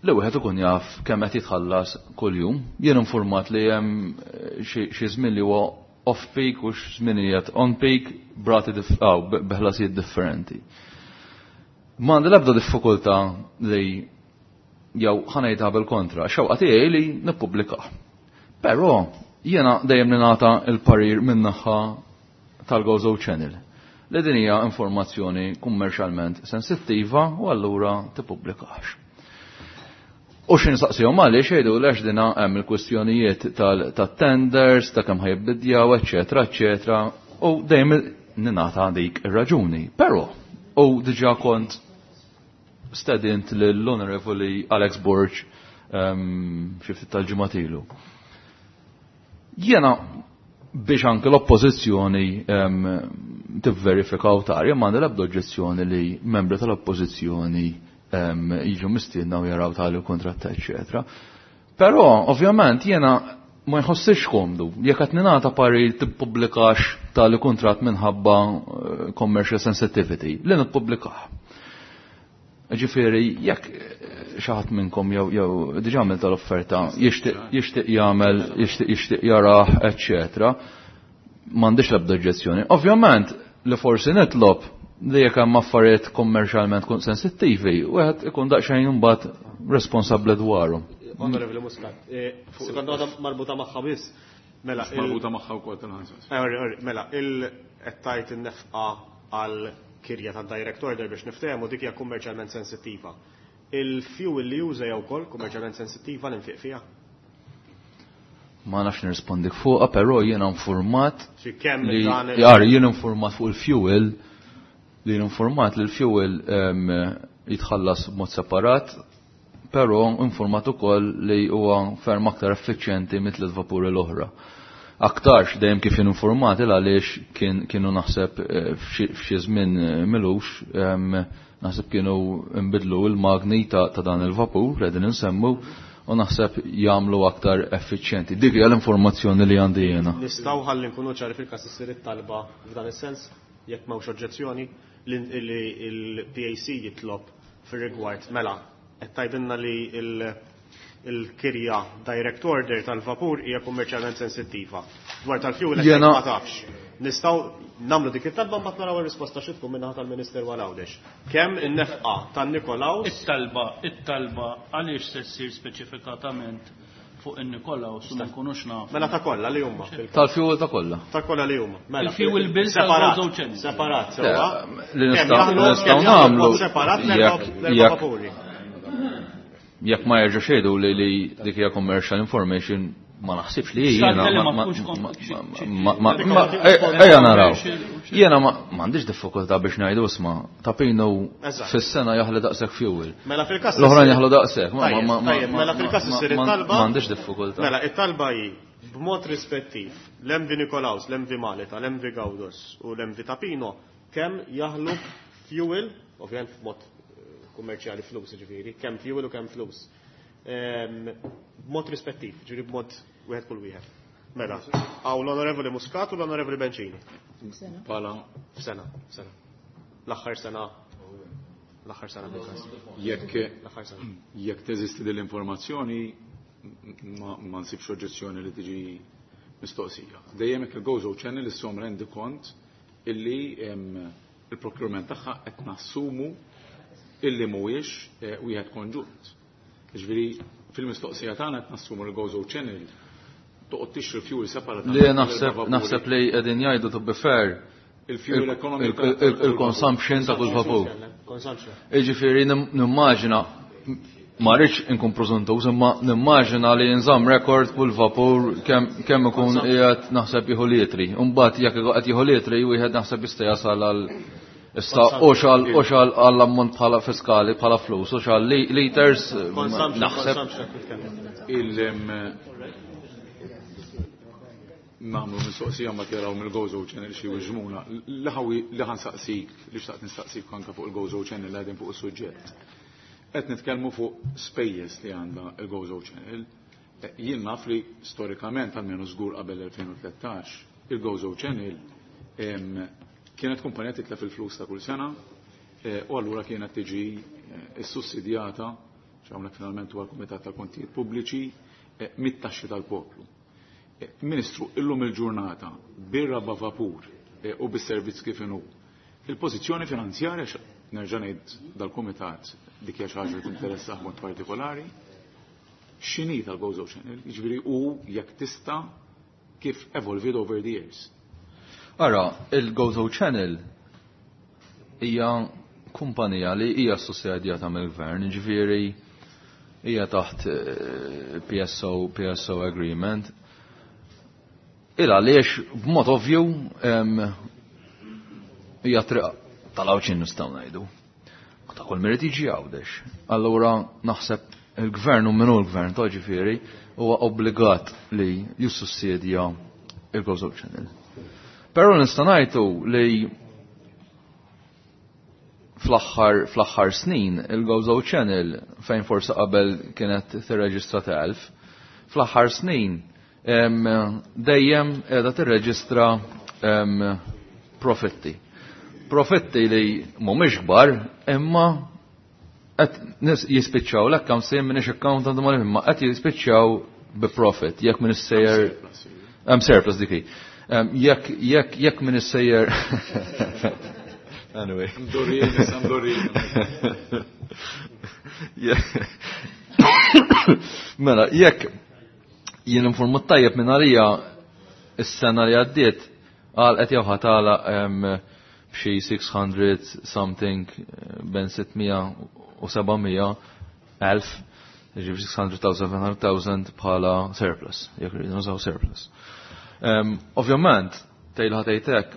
li wieħed ikun jaf kemm qed jitħallas kuljum. Jien informat li hemm xi żmien li huwa off peak u x'żminijiet on peak brati biħlasijiet differenti. M'għandi l-ebda diffikultà li jew ħanejta bil-kontra, xewqa tiegħi li nippubblikah. Però jiena dejjem ningħata l-parir min-naħa tal-Gozo Channel li din hija informazzjoni kummerċjalment sensittiva u allura tippubblikax. U xi nistaqsihom għaliex jgħidu għax dina hemm il-kwistjonijiet tat-tenders, ta' kemm ħajbidjaw, eċetera, eċetera, u dejjem ningħata dik ir-raġuni. Però u diġà kont stedint lill-Onorevoli Alex Borg xi ftit tal-ġimgħat ilu. Jiena biex anke l-oppożizzjoni tivverifika u tara, jien m'għandi l-ebda oġġezzjoni li membri tal-oppożizzjoni jiġu mistiedna u jaraw tali kuntratt, eċetera. Però ovvjament jiena ma jħossix komdu jekk qed ningħata parir tippubblikax tali kuntratt minħabba commercial sensitivity li nippubblikah. Ġifieri jekk xi ħadd minnkom jew diġà għamel tal-offerta jixtieq jagħmel, jixtieq jarah, eċċetera, m'għandix l-ebda oġġezzjoni. Ovvjament li forsi nitlob li jekk hemm affarijiet kummerċjalment sensittivi, wieħed ikun daqsxejn imbagħad responsabbli dwarhom. Onorevoli Muscat, sekonda waħda marbuta magħha biss. Mela, marbuta magħha wkoll tal-ħansas. Mela, il qed tajt in-nefqa għal kirja ta' direct order biex niftehmu dik hija kummerċjalment sensittiva. Il-fuel li juża jew ukoll kummerċjalment sensittiva l-infiq fiha? Ma nafx nirrispondik fuqha, però jiena informat li jar jien informat fuq il-fuel li informat li l-fuel jitħallas b'mod separat, però informat ukoll li huwa ferm aktar effiċjenti mit-tliet vapuri l-oħra. Aktarx dejjem kif jien informati għaliex kienu naħseb f'xi żmien milux naħseb kienu nbidlu l-magni ta' dan il-vapur li qegħdin insemmu u naħseb jagħmlu aktar effiċjenti. Dik hija l-informazzjoni li għandi jiena. Nistgħu ħalli nkunu ċari fil-każ issir it-talba f'dan is-sens jekk m'hawnx oġġezzjoni li l-PAC jitlob fir-rigward mela qed tgħidilna li il-kirja direct order tal-vapur hija kummerċjalment sensittiva. Dwar tal-fuel qed ma tafx. Nistgħu nagħmlu dik it-talba mbagħad naraw ir-risposta xi tkun min-naħa tal-Ministeru għal Għawdex. Kemm in-nefqa tan-Nikolaus? It-talba għaliex se ssir speċifikatament fuq in-Nikolaus u ma nkunux nafu. Mela ta' kollha li huma. Tal-fuel ta' kollha. Ta' kollha li huma. Mela. Il-fuel bill separat. Separat, sewwa. Li nistgħu nagħmlu separat l-erba' vapuri. Jekk ma jerġa' xejdu li dik hija commercial information ma naħsibx li jiena ejja naraw. Jiena m'għandix diffikultà biex ngħidu isma' Tapino fis-sena jaħli daqshekk fuel. Mela fil-każ l-oħrajn jaħlu daqshekk. Mela fil-każ issir it-talba. M'għandix diffikultà. Mela it-talba hi b'mod rispettiv l-MV Nikolaus, l-MV Malta, l-MV Gaudos u l-MV Tapino kemm jaħlu fuel, ovvjament b'mod kummerċjali flus ġifieri, kemm fuel u kemm flus. B'mod rispettiv, ġifieri b'mod wieħed kull wieħed. Mela, għaw l-Onorevoli Muscat u l-Onorevoli Bencini. Pala. F'sena, f'sena. L-aħħar sena. L-aħħar sena bil-każ. Jekk L-aħħar sena. Jekk teżisti din l-informazzjoni, ma nsibx oġġezzjoni li tiġi mistoqsija. Dejjem jekk il-Gozo Channel issom rendi kont illi il-procurement tagħha qed nassumu illi mhuwiex wieħed konġunt. Ġifieri fil-mistoqsija tagħna qed nassumu l-Gozo Channel toqgħod tixtri fuel separatament. Li naħseb li qegħdin jgħidu to be fair il-fuel economy il-consumption ta' kull vapur. Consumption. Jiġifieri nimmaġina ma rridx inkun preżuntuż, imma nimmaġina li nżamm rekord kull vapur kemm ikun qiegħed naħseb jieħu litri. Imbagħad jekk qed jieħu litri wieħed naħseb jista' jasal għal issa oxal għall-ammont bħala fiskali bħala flus, oxal liters naħseb. Nagħmlu mistoqsija ma tiraw mill-Gozo Channel xi wiġmuna. Li ħansaqsik, li xtaqt nistaqsik anke fuq il-Gozo Channel li qegħdin fuq is-suġġett. Qed nitkellmu fuq spejjeż li għandha il-Gozo Channel. Jien naf li storikament almenu żgur qabel 2013 il-Gozo Channel kienet kumpanija titlef il-flus ta' kull sena u allura kienet tiġi issussidjata, x'hawnhekk finalment huwa l-Kumitat tal-Kontijiet Pubbliċi, mit-taxxi tal-poplu. Ministru, illum il-ġurnata bir-raba vapur u bis-servizz kif inhu, il-pożizzjoni finanzjarja nerġa' ngħid dal-Kumitat dik hija xi ħaġa li tinteressah mod partikolari, x'inhi tal-Gozo Channel, jiġifieri u jekk tista' kif evolved over the years. Ara, il-Gozo Channel hija kumpanija li hija sussidjata mill-gvern, jiġifieri hija taħt PSO agreement. Il għaliex b'mod ovvju hija triq tal-Għawdxin nistgħu ngħidu. Ta' kull merit jiġi Għawdex. Allura naħseb il-gvern u minnu l-gvern ta' ġifieri huwa obbligat li jissussidja il-Gozo Channel. Però nista' ngħidu li fl-aħħar snin il-Gozo Channel fejn forsi qabel kienet tirreġistra 1000, fl-aħħar snin dejjem qiegħda tirreġistra profitti. Profitti li mhumiex kbar, imma qed jispiċċaw l hemm sejjer m'iniex accountant ma imma qed jispiċċaw bi profit jekk min issejjer hemm surplus dik hi. Jekk min issejjer Anyway. Mdorrijin, issa mdorrijin. Mela, jekk jien informat tajjeb minn għalija is-sena li għaddiet għal qed jew ħatala b'xi 600 something ben 600 u 700 elf, ġifieri 600,000 700,000 bħala surplus, jekk rridu nużaw surplus. Ovvjament, tgħidha tgħidlek,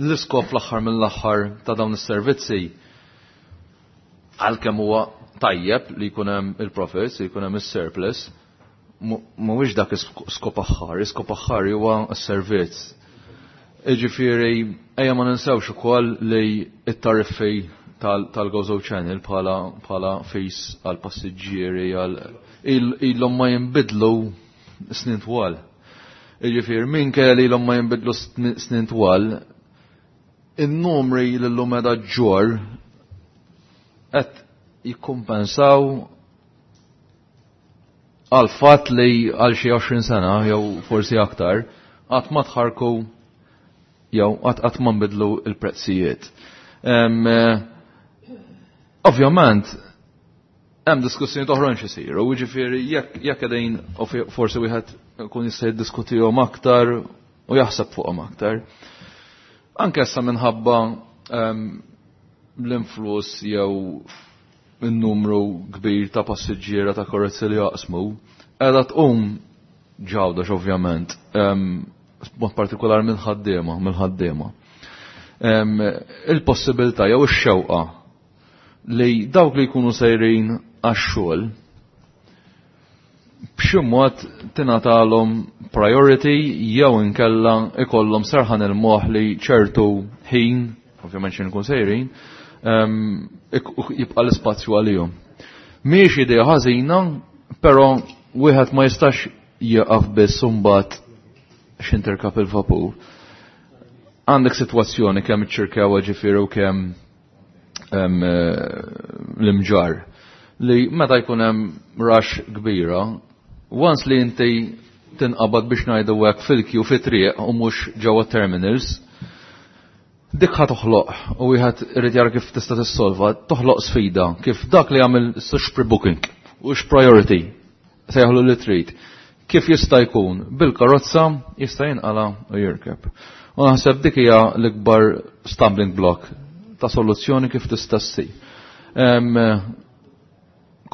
l-iskop fl-aħħar mill-aħħar ta' dawn is-servizzi għalkemm huwa tajjeb li jkun hemm il-profits, li jkun hemm is-surplus, mhuwiex dak is-skop aħħar, is-skop aħħar huwa s-servizz. Jiġifieri ejja ma ninsewx ukoll li t-tariffi tal-Gozo Channel bħala fees għal passiġġieri għal ilhom ma jinbidlu snin twal. Jiġifieri minkejja li ilhom ma jinbidlu snin twal, in-numri li llum qiegħda ġġorr qed jikkumpensaw għal fatt li għal xi 20 sena jew forsi aktar qatt ma tħarku jew qatt ma nbidlu l-prezzijiet. Ovvjament hemm diskussjoni oħrajn x'isiru, jiġifieri jekk qegħdin forsi wieħed ikun jista' jiddiskutihom aktar u jaħseb fuqhom aktar. Anke issa minħabba l-influss jew il-numru kbir ta' passiġġiera ta' karozzi li jaqsmu, qiegħda tqum ġawdax ovvjament, b'mod partikolar mill-ħaddiema. Il-possibilità jew ix-xewqa li dawk li jkunu sejrin għax-xogħol b'xi mod tingħatalhom priority jew inkella ikollhom serħan il-moħħ li ċertu ħin, ovvjament xi nkun sejrin, jibqa' l-ispazju għalihom. Mhijiex idea ħażina, però wieħed ma jistax jieqaf biss imbagħad x'interkap il-vapur. Għandek sitwazzjoni kemm iċ-Ċirkewwa ġifieri u kemm l-imġar li meta jkun hemm rush kbira, once li inti tinqabad biex ngħidu hekk fil-kju fit-triq u mhux ġewwa terminals, dik ħa toħloq u wieħed irid jara kif tista' tissolva, toħloq sfida kif dak li jagħmel x' pre-booking u x' priority sejħlu li trid. Kif jista' jkun bil-karozza jista' jinqala u jirkeb. U naħseb dik hija l-ikbar stumbling block ta' soluzzjoni kif tista' ssir.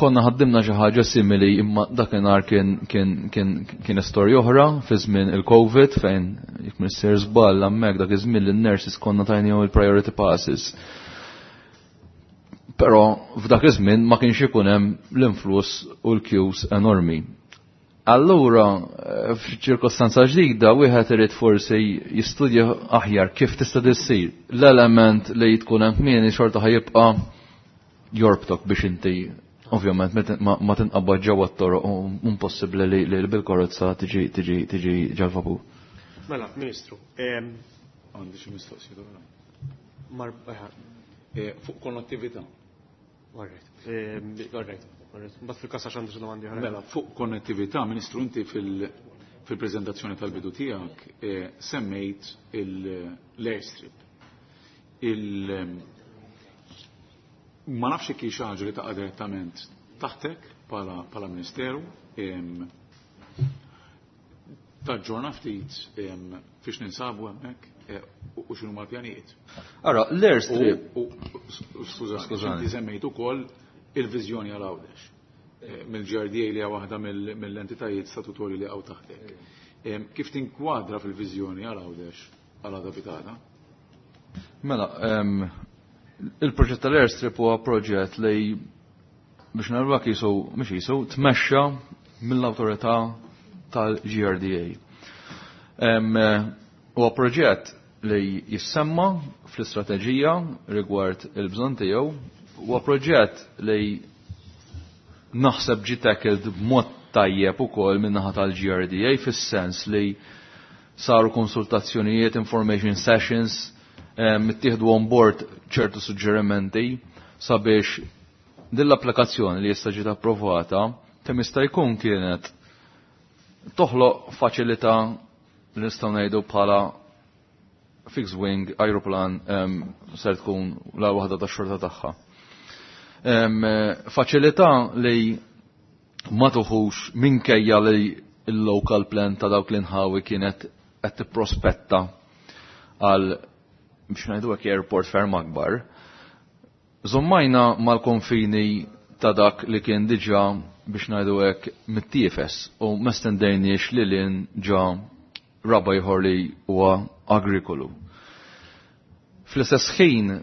Konna ħaddimna xi ħaġa simili imma dakinhar kien istorja oħra fi żmien il-Covid fejn jekk missier żball hemmhekk dak iż-żmien li n-nurses konna tajnihom il-priority passes. Però f'dak iż-żmien ma kienx ikun hemm l-influss u l-queues enormi. Allura, f'ċirkostanza ġdida, wieħed irid forsi jistudja aħjar kif tista' tissir. L-element li tkun hemm kmieni xorta ħajibqa' jorbtok biex inti ovvjament ma tinqabad ġewwa t-toroq u impossibbli li bil-karozza tiġi ġal-vapur. Mela, Ministru. Għandi xi mistoqsija oħra. Fuq konnettività. All right. Mbagħad fil-każ għax għandi xi domandi oħra. Mela, fuq konnettività, Ministru, inti fil-preżentazzjoni tal-bidu tiegħek semmejt l-airstrip. Ma nafx jekk hi xi ħaġa li taqa' direttament taħtek bħala Ministeru. Taġġorna ftit fiex ninsabu hemmhekk u x'inhu mal-pjanijiet. Ara, l-airstrip. Skużani, Skużani. inti semmejt ukoll il-viżjoni għal Għawdex. Mill-GRDA li hija waħda mill-entitajiet statutorji li hawn taħtek. Kif tinkwadra fil-viżjoni għal Għawdex għal għada pitata? Mela, il-proġett tal-airstrip huwa proġett li biex narwa jisu, mhux jisu, tmexxa mill-awtorità tal-GRDA. Huwa proġett li jissemma fl-istrateġija rigward il-bżonn tiegħu, huwa proġett li naħseb ġie tackled b'mod tajjeb ukoll min-naħa tal-GRDA fis-sens li saru konsultazzjonijiet, information sessions, ittieħdu on board ċertu suġġerimenti sabiex din l-applikazzjoni li issa ġiet approvata kemm jista' jkun kienet toħloq faċilità li nistgħu ngħidu bħala fixed wing aeroplan ser tkun la waħda tax-xorta tagħha. Faċilità li ma tuħux minkejja li il-local plan ta' dawk l-inħawi kienet qed tipprospetta għal biex ngħidu hekk airport ferm akbar. Żommajna mal-konfini ta' dak li kien diġà biex ngħidu hekk mittiefes u ma stendejniex li lin ġa raba ieħor li huwa agrikolu. Fl-istess ħin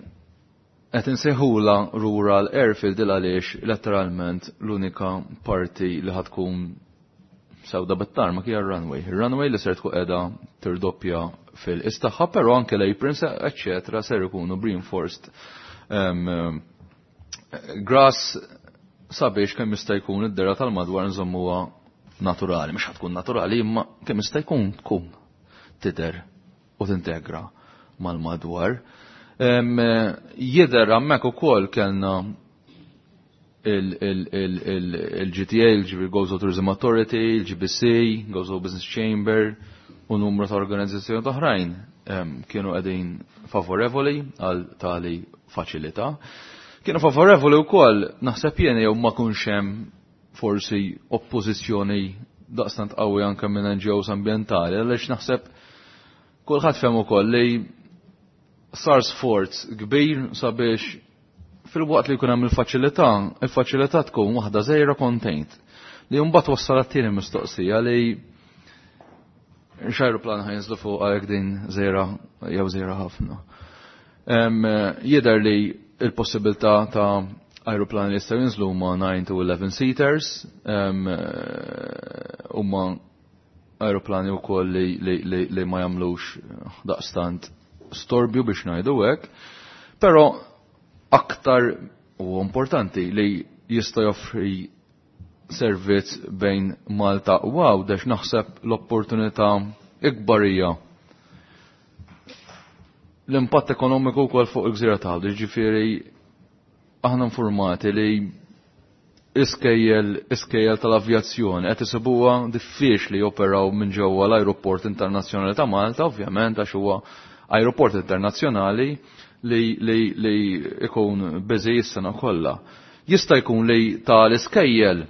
qed insejħula rural airfield il għaliex letteralment l-unika parti li ħatkun sewda bit-tarma hija runway. Ir-runway li ser tkun qiegħda tirdoppja fil-istaħħa, però anke l-aprons eċċetera ser ikunu reinforced grass sabiex kemm jista' jkun id-dera tal-madwar nżommuha naturali, mhux tkun naturali imma kemm jista' jkun tkun tidher u tintegra mal-madwar. Jidher hemmhekk ukoll kellna il-GTA, il-Gozo Tourism Authority, il-GBC, Gozo Business Chamber u numru ta' organizzazzjoni oħrajn kienu qegħdin favorevoli għal tali faċilità. Kienu favorevoli wkoll naħseb jien jew ma kunx hemm forsi oppożizzjoni daqstant qawwi anke minn NGOs ambjentali għaliex naħseb kulħadd fehem ukoll li sar sforz kbir sabiex fil-waqt li jkun hemm il-faċilità, il-faċilità tkun waħda żgħira contained. Li mbagħad wassal għat-tieni mistoqsija li x'ajruplan ħajnżlu fuq għalhekk din żgħira jew żgħira ħafna. Jidher li il-possibilità ta' ajruplani li jistgħu jinżlu huma 9 to 11 seaters, huma ajruplani wkoll li ma jagħmlux daqstant storbju biex ngħidu hekk, però aktar u importanti li jista' joffri servizz bejn Malta u Għawdex naħseb l-opportunità ikbar hija l-impatt ekonomiku wkoll fuq il-gżira ta' Għawdex, ġifieri aħna informati li iskejjel tal-avjazzjoni qed isibuha diffiċli joperaw minn ġewwa l-ajruport internazzjonali ta' Malta, ovvjament għax huwa ajruport internazzjonali li ikun busy s-sena kollha. Jista' jkun li tal-iskejjel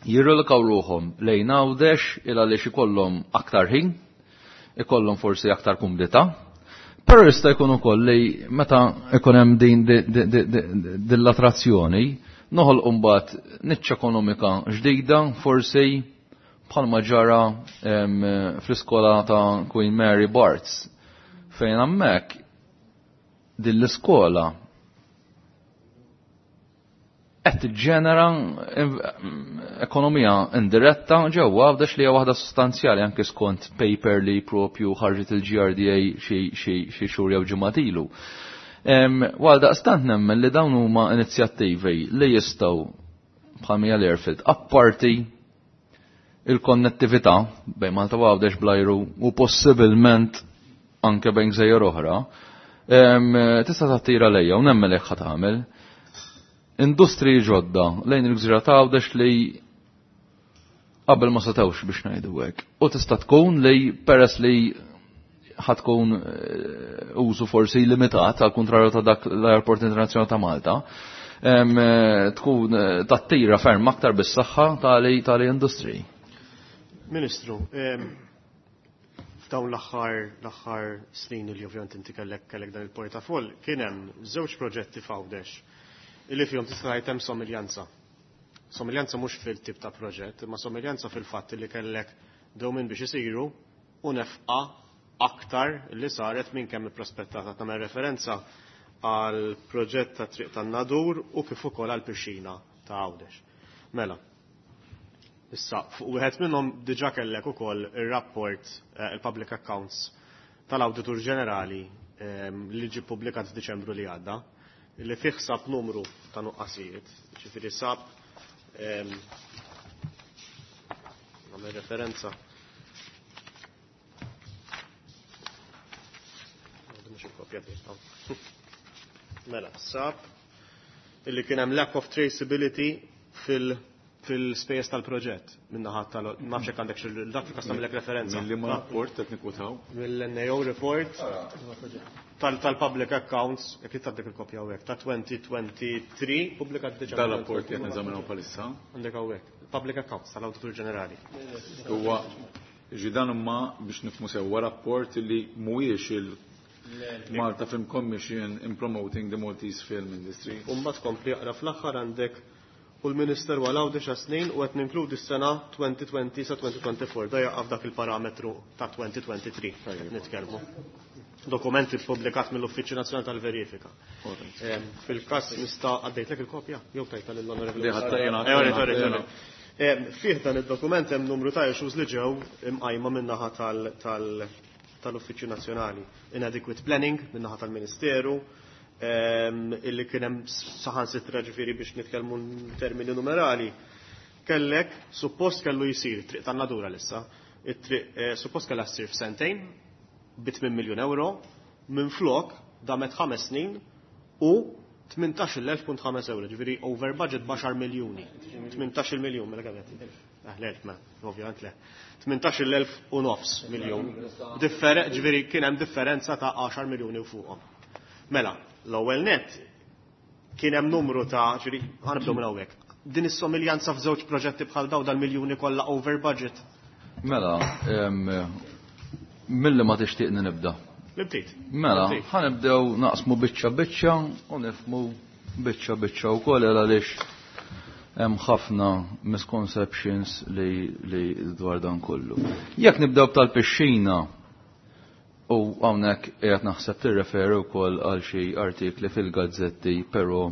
jirrelokaw ruħhom lejn Għawdex il għaliex ikollhom aktar ħin, ikollhom forsi aktar kumdità, però jista' jkun ukoll li meta ikun hemm din din l-attrazzjoni noħolqu mbagħad niċċa ekonomika ġdida forsi bħalma ġara fl-iskola ta' Queen Mary Barts fejn hemmhekk din l-iskola qed tiġġenera ekonomija indiretta ġewwa Għawdex li hija waħda sostanzjali anke skont paper li propju ħarġet il-GRDA xi xhur jew ġimgħat ilu. Għal daqstant nemmen li dawn huma inizjattivi li jistgħu bħal l-airfield apparti il-konnettività bejn Malta u Għawdex blajru u possibilment anke bejn gżejjer oħra, tista' tattira lejja u nemmen li ħa tagħmel industriji ġodda lejn il-gżira ta' Għawdex li qabel ma setgħux biex ngħidu hekk. U tista' tkun li peress li ħatkun użu forsi limitat għal kontrarju ta' dak l-Airport Internazzjonali ta' Malta, tkun tattira ferm aktar bis-saħħa tali industriji. Ministru, f'dawn l-aħħar snin li ovvjament inti kellek dan il-portafoll, kien hemm żewġ proġetti f'Għawdex illi fihom tista' tgħid hemm somiljanza. Somiljanza mhux fil-tip ta' proġett, imma somiljanza fil-fatt li kellek dewmien biex isiru u nefqa aktar li saret minn kemm ipprospettata. Tagħmel referenza għal proġett ta' triq tan-Nadur u kif ukoll għal pixxina ta' Għawdex. Mela, issa fuq wieħed minnhom diġà kellek ukoll ir-rapport il-Public Accounts tal-Awditur Ġenerali li ġie ppubblikat f'Diċembru li għadda, li fih sab numru ta' nuqqasijiet, ġifieri sab nagħmel referenza Mela, sab illi kien hemm lack of traceability fil fil-spejjeż tal-proġett min-naħa tal nafx jekk għandek xi dak fil-każ tagħmilek referenza. Mill liema rapport qed nikkwutaw? Mill-NAO report tal-public accounts, jekk tgħaddik il-kopja hawnhekk, ta' 2023 pubblikat diġà. Dal-rapport qed neżaminaw bħalissa. Għandek hawnhekk. Public accounts tal-Awditur Ġenerali. Huwa ġi dan imma biex nifhmu sewwa rapport li mhuwiex il Malta Film Commission in promoting the Maltese film industry. U mbagħad kompli aqra fl-aħħar għandek u l-Ministeru għal Għawdex snin u qed ninkludi s-sena 2020 sa 2024 da jaqa' f'dak il-parametru ta' 2023 qed nitkellmu. Dokumenti ppubblikat mill-Uffiċċju Nazzjonali tal-Verifika. Fil-każ nista' għaddejtlek il-kopja jew tajta lill-Onorevoli. Fih dan id-dokument hemm numru ta' issues li ġew imqajma min-naħa tal-Uffiċċju Nazzjonali. Inadequate planning min-naħa tal-Ministeru, illi kien hemm saħansitra ġifieri biex nitkellmu termini numerali. Kellek, suppost kellu jsir triq tan-nadura lissa, it-triq suppost kellha ssir f'sentejn bi 8 miljun euro, minflok damet 5 snin u 18.5 euro, ġifieri over budget b'10 miljuni. 18 miljun, mela kemm qed? L-elf, mela, ovvjament le. 18.000 u nofs miljun. Ġifieri kien hemm differenza ta' 10 miljuni u fuqhom. Mela, l-ewwel net kien hemm numru ta' ġifieri ħanibdew minn hawnhekk. Din is-somiljanza f'żewġ proġetti bħal daw dal-miljuni kollha over budget. Mela, milli ma tixtieqni nibda. Nibtit. Mela, ħanibdew naqsmu biċċa biċċa u nifhmu biċċa biċċa wkoll għaliex hemm ħafna misconceptions li dwar dan kollu. Jekk nibdew tal-pixxina u hawnhekk qiegħed naħseb tirreferi wkoll għal xi artikli fil-gazzetti, però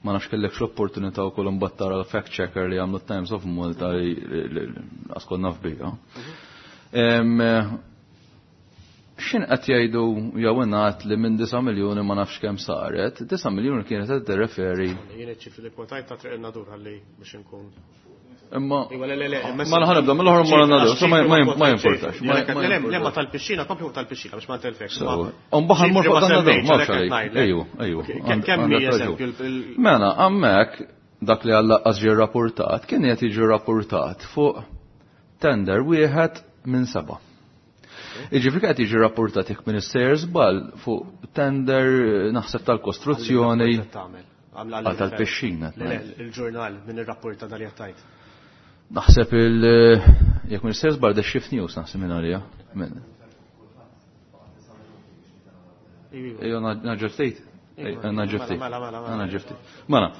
ma nafx kellekx l-opportunità wkoll imbagħad tara l-fact checker li għamlu Times of Malta li għaskol naf biha. X'in qed jgħidu jew ingħad li minn 9 miljuni ma nafx kemm saret, 9 miljuni kienet qed tirreferi. Jien iċ-ċifri li kwotajt ta' triq in-nadur ħalli biex inkun. Imma Iva, le, le, le, ma ħanibda mill-oħra ma nadur, so ma jimportax. Le, le, ma tal-pixxina, kompli fuq tal-pixxina biex ma ntelfekx. Mbagħad ħanmur fuq tan-nadur, ma nafx għalejk. Ejju, ejju. Kemm hi eżempju Mela, hemmhekk dak li għall-laqqas ġie rrapportat kien qed jiġi rrapportat fuq tender wieħed minn 7. Iġifieri qed jiġi rapportat jekk minn issejjer żball fuq tender naħseb tal-kostruzzjoni għal tal-pixxina. Le, il-ġurnal minn irrapporta dal jattajt. Naħseb il jekk minn issejjer żball The Shift News naħseb minn għalija. Ejja naġġel ftit. Naġġel ftit. Naġġel ftit. Mela,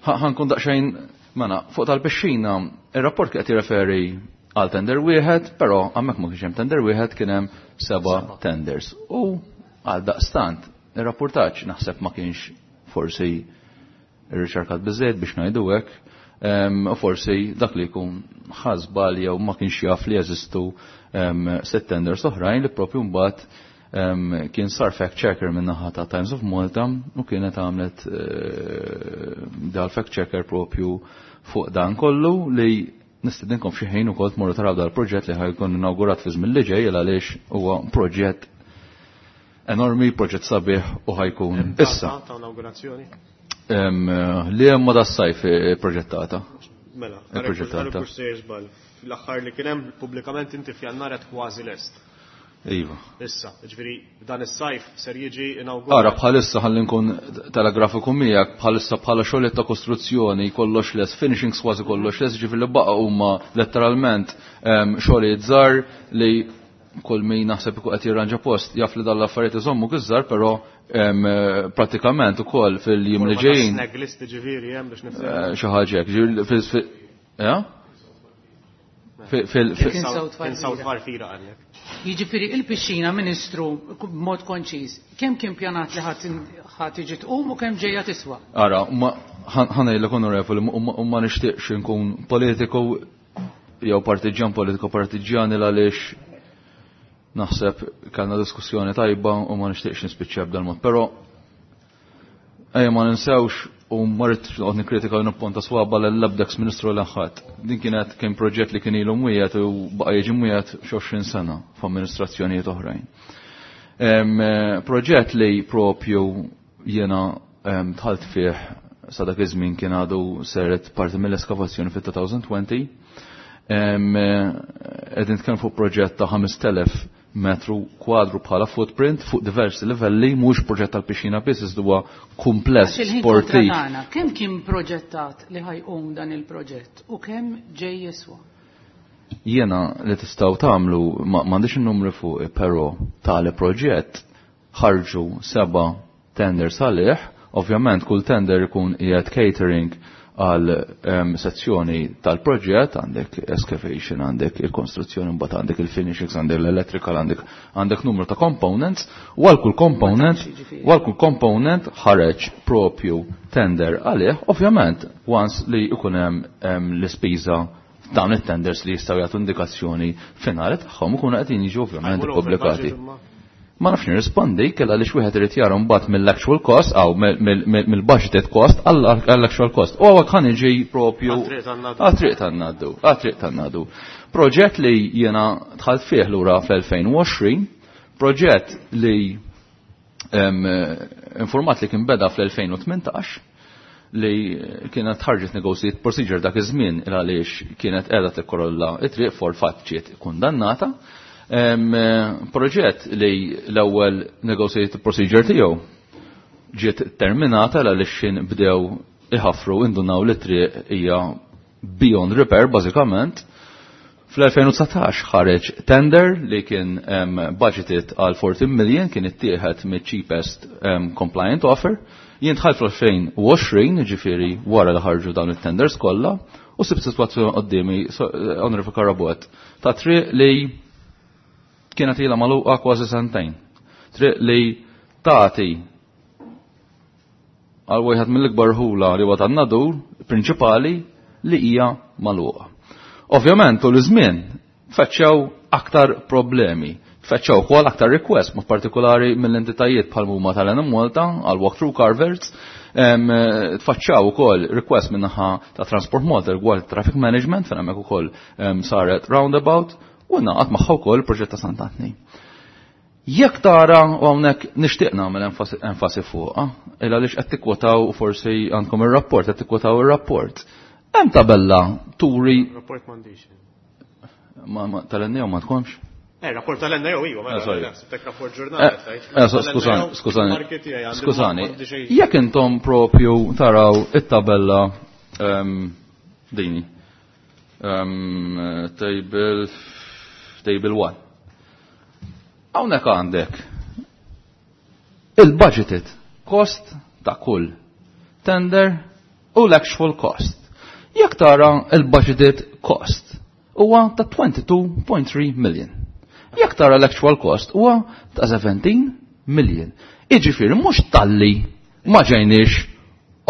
ħankun daqsxejn mela fuq tal-pixxina ir-rapport qed jirreferi għal tender wieħed, però hemmhekk ma kienx hemm tender wieħed, kien hemm 7 tenders. U għal daqstant ir-rapportaġġ naħseb ma kienx forsi irriċerkat biżejjed biex ngħidu hekk, u forsi dak li jkun ħasbal jew ma kienx jaf li jeżistu 6 tenders oħrajn li propju mbagħad kien sar fact checker minn naħa ta' Times of Malta u kienet għamlet dal fact checker propju fuq dan kollu li nistedinkom xi ħin ukoll tmorru taraw dal-proġett li ħajkun inawgurat fi żmien li ġej għaliex huwa proġett enormi, proġett sabiħ u ħajkun issa. Ta' inaugurazzjoni? Li hemm ma das-sajf proġettata. Mela, Proġettata. L-aħħar li kien hemm pubblikament inti f'Jannar qed kważi lest. Iva. Issa, ġifieri dan is-sajf ser jiġi inawgurat. Ara bħalissa ħalli nkun telegrafiku miegħek, bħalissa bħala xogħol ta' kostruzzjoni kollox les, finishings kważi kollox les, ġifieri li baqa' huma letteralment xogħlijiet żgħar li kull min naħseb ikun qed jirranġa post jaf li dan l-affarijiet iżommu kiżżar, però pratikament ukoll fil-jiem li ġejjin. Snag list ġifieri hemm biex nifhem. Xi ħaġa hekk, ġifieri fil-, ja? Kien South Farfira għalhekk. Jiġifieri il-pixxina, Ministru, b'mod konċiż, kemm kien pjanat li ħadd tiġi tqum u kemm ġejja tiswa? Ara, ma ħanejlek onorevoli, u ma nixtieqx inkun politiku jew partiġjan politiku partiġjani għaliex naħseb kellna diskussjoni tajba u ma nixtieqx nispiċċja b'dan mod. Però ejja ma ninsewx u ma rridx noqgħod nikkritika u nipponta swaba l-ebda ministru l ħadd. Din kienet kien proġett li kien ilu mwiegħed u baqa' jiġi mwiegħed xi 20 sena f'amministrazzjonijiet oħrajn. Proġett li propju jiena dħalt fih sa dak iż-żmien kien għadu seret parti mill-eskavazzjoni fit-2020. Qegħdin nitkellmu fuq proġett ta' 5000 metru kwadru bħala footprint fuq diversi livelli, mhux proġett tal-pixxina biss, iżda huwa kumpless sportiv. Kemm kien proġettat li ħajqum dan il-proġett u kemm ġej jiswa? Jiena li tistgħu tagħmlu m'għandix in-numri fuq, però tali proġett ħarġu 7 tenders għalih, ovvjament kull tender ikun qiegħed catering għal sezzjoni tal-proġett, għandek excavation, għandek il-konstruzzjoni, mbagħad għandek il-finishings, għandek l-electrical, għandek numru ta' components, u għal kull component, u għal kull component ħareġ propju tender għalih, ovvjament, once li ikun hemm l-ispiża dawn it-tenders li jistgħu jagħtu indikazzjoni finali tagħhom ikunu qegħdin jiġu ovvjament ippubblikati. Ma nafx nirrispondi kella li wieħed irid jara mbagħad mill-actual cost aw mill-budgeted cost għall-actual cost. U hawnhekk ħa niġi propju għat-triq tan-ngħaddu, għat-triq tan-ngħaddu. Proġett li jiena dħalt fih lura fl-2020, proġett li informat li kien beda fl-2018, li kienet ħarġet negotiate procedure dak iż-żmien il għaliex kienet qiegħda tikkorolla it-triq for fatt ġiet kundannata. Proġett li l-ewwel negotiated procedure tiegħu ġiet terminata għaliex xin bdew iħaffru indunaw li triq hija beyond repair bażikament. Fl-2019 ħareġ tender li kien budgeted għal 14 million, kien ittieħed mid-cheapest compliant offer. Jien dħalt fl-2020, ġifieri wara li ħarġu dawn it-tenders kollha, u sibt sitwazzjoni qoddiemi, Onorevoli Carabott, ta' triq li kienet ilha magħluqa kważi sentejn. Triq li tagħti għal wieħed mill-ikbar ħula li huwa tan-Nadur prinċipali li hija magħluqa. Ovvjament tul iż-żmien feċċew aktar problemi, feċċew ukoll aktar request, mod partikolari mill-entitajiet bħal huma tal-Enemalta għal walk-through culverts, tfaċċaw ukoll request min-naħa ta' Transport Malta rigward traffic management fejn hemmhekk ukoll saret roundabout, u naqat magħha wkoll il-proġett ta' Sant'Antni. Jekk tara, u hawnhekk nixtieq nagħmel enfasi fuqha, il għaliex qed tikkwotaw u forsi għandkom ir-rapport, qed tikkwotaw ir-rapport. Hemm tabella turi. Rapport m'għandix. Ma tal-NAO ma tkomx? Rapport tal-NAO iva, mela, Sorry. tek rapport ġurnali, tajt. Skużani, skużani. Marki tiegħi għandi Skużani. m'għandi xejn. Jekk intom propju taraw it-tabella dini. Table 1. Hawnhekk għandek il-budgeted cost ta' kull tender u l-actual cost. Jekk tara il-budgeted cost huwa ta' 22.3 million. Jekk tara l-actual cost huwa ta' 17 million. Iġifieri mhux talli ma ġejniex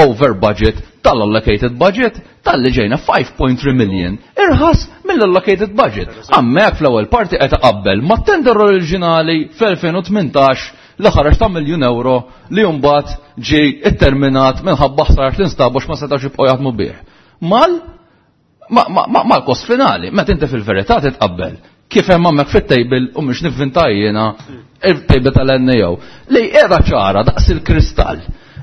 over budget tal-allocated budget, talli ġejna 5.3 million irħas mill-allocated budget. Hemmhekk fl-ewwel parti qed qabel ma' tender oriġinali fl-2018 li ħareġ ta' miljun euro li mbagħad ġie itterminat minħabba ħsarat li nstabu ma setgħux jibqgħu jaħdmu bih. Mal-kost finali, meta inti fil-verità titqabbel kif hemm hemmhekk fit-table u mhux nivvinta jiena il-table tal-NAO li qiegħda ċara daqs il-kristall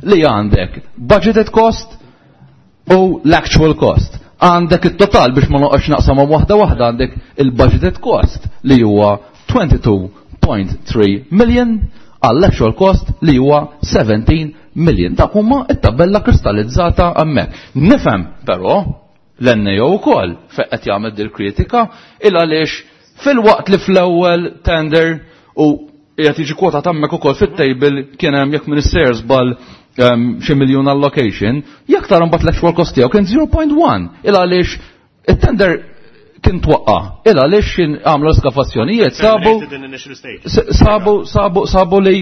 li għandek budgeted cost u l-actual cost. Għandek il-total biex ma noqgħodx naqsamhom waħda waħda, għandek il-budgeted cost li huwa 22.3 million għall-actual cost li huwa 17 million. Dak huma it-tabella kristallizzata hemmhekk. Nifhem però l-NAO wkoll fejn qed jagħmel dil kritika il għaliex fil-waqt li fl-ewwel tender u qiegħed jiġi kwota hemmhekk ukoll fit-table kien hemm jekk minister żball xi miljun allocation, jekk tara mbagħad l-actual cost tiegħu kien 0.1 il għaliex it-tender kien twaqqa, il għaliex kien għamlu eskavazzjonijiet, Terminated in initial stage. sabu li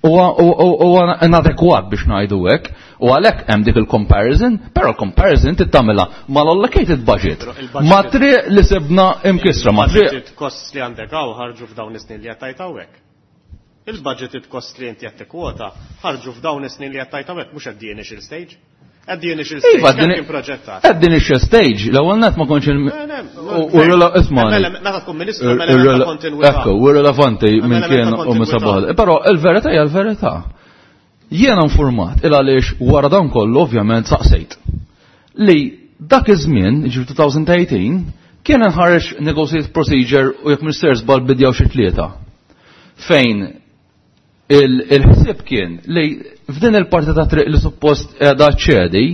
huwa inadekwat biex ngħidu hekk, u għalhekk hemm dik il-comparison, però l-comparison tittamilha mal-allocated budget. Però il-budget Ma triq li sibna imkisra, ma triq Il-budgeted costs li għandek hawn ħarġu f'dawn is-snin li qed tgħid hawnhekk. Il-budgeted costs li inti qed tikkwota ħarġu f'dawn is-snin li qed tgħid hawnhekk, mhux at the initial stage. At the initial stage, Iva, kemm kien proġettat? At the initial stage, l-ewwel net ma kontx il- Le, le, u ismani. Mela, meta tkun ministru, mela meta kontinwità. Ekku, u irrelevanti Mela minn meta kien u minn kontinwità. sabaħ. Però il-verità hija l-verità. Jiena informat il għaliex wara dan kollu ovvjament saqsejt li dak iż-żmien, ġifieri 2018, kien inħareġ negotiate procedure u jekk Minister żball bidjaw xi tlieta. Fejn il-ħsieb kien li f'din il-parti ta' triq li suppost qiegħda ċedi,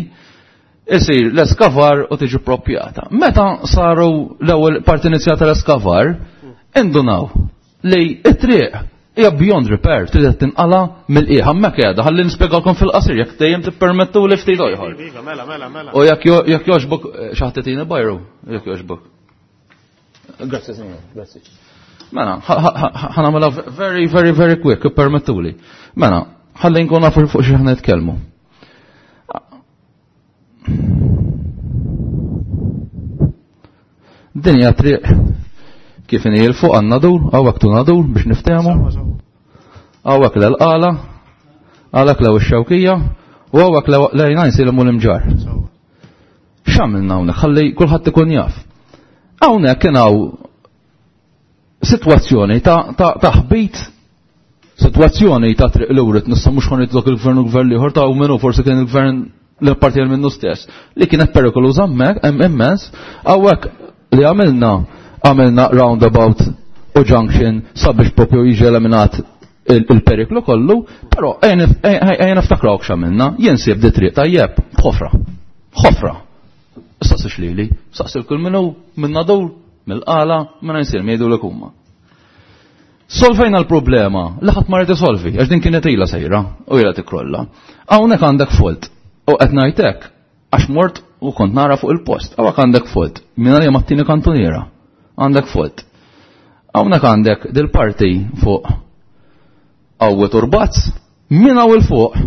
isir l-eskavar u tiġi propjata. Meta saru l-ewwel parti inizjata l-eskavar, indunaw li it-triq hija beyond repair, trid tinqala mill-qiegħ hemmhekk qiegħda ħalli nispjegalkom fil-qasir jekk dejjem tippermettu li ftit ieħor. Iva, mela, mela, mela. U jekk jogħġbok xi ħadd tagħtini bajru, jekk jogħġbok. Grazzi, signor, grazzi. Mela, ħanamela very, very, very quick, permettuli. Mela, ħalli nkun nafu fuq xi ħna nitkellmu. Din hija triq kif inhi l fuq għandna dur, hawnhekk tu nadur biex niftehmu. Hawnhekk l-qala, għalhekk lew ix-xewkija, u hawnhekk lejna nsilmu l-imġar. X'għamilna hawnhekk ħalli kulħadd ikun jaf. Hawnhekk kien hawn sitwazzjoni ta' ħbit, sitwazzjoni ta' triq l-urit, nista' mhux ħa il-gvern u gvern ieħor ta' u minnu forsi kien il-gvern l-parti minnu stess, li kienet perikoluża hemmhekk immens, hawnhekk li għamilna għamilna roundabout u junction sabiex propju jiġi eliminat il-periklu kollu, però ejja niftakrawk x'għamilna, jien sib di triq tajjeb, ħofra, ħofra. Saqsix lili, saqsil kull minnu minna dur, mill-qala, minna jsir jgħidu l huma. Solvejna l-problema, li ħadd ma rid isolvi, għax din kienet ilha sejra u ilha tikrolla. Hawnhekk għandek fault. U qed ngħidlek għax mort u kont nara fuq il-post. Hawnhekk għandek fault. Minn għalija mat-tieni kantuniera. Għandek fault. Hawnhekk għandek dil-parti fuq qawwi turbazz, minn hawn il fuq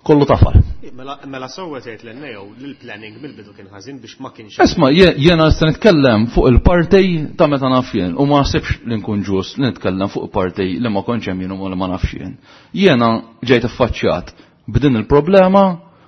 kollu tafal. Mela sewwa tgħid lil Neo li l-planning mill-bidu kien ħażin biex ma kienx. Isma' jiena nista' nitkellem fuq il-parti ta' meta naf jien u ma naħsibx li nkun ġust li nitkellem fuq parti li ma kontx hemm jien u li ma nafx jien. Jiena ġejt affaċċjat b'din il-problema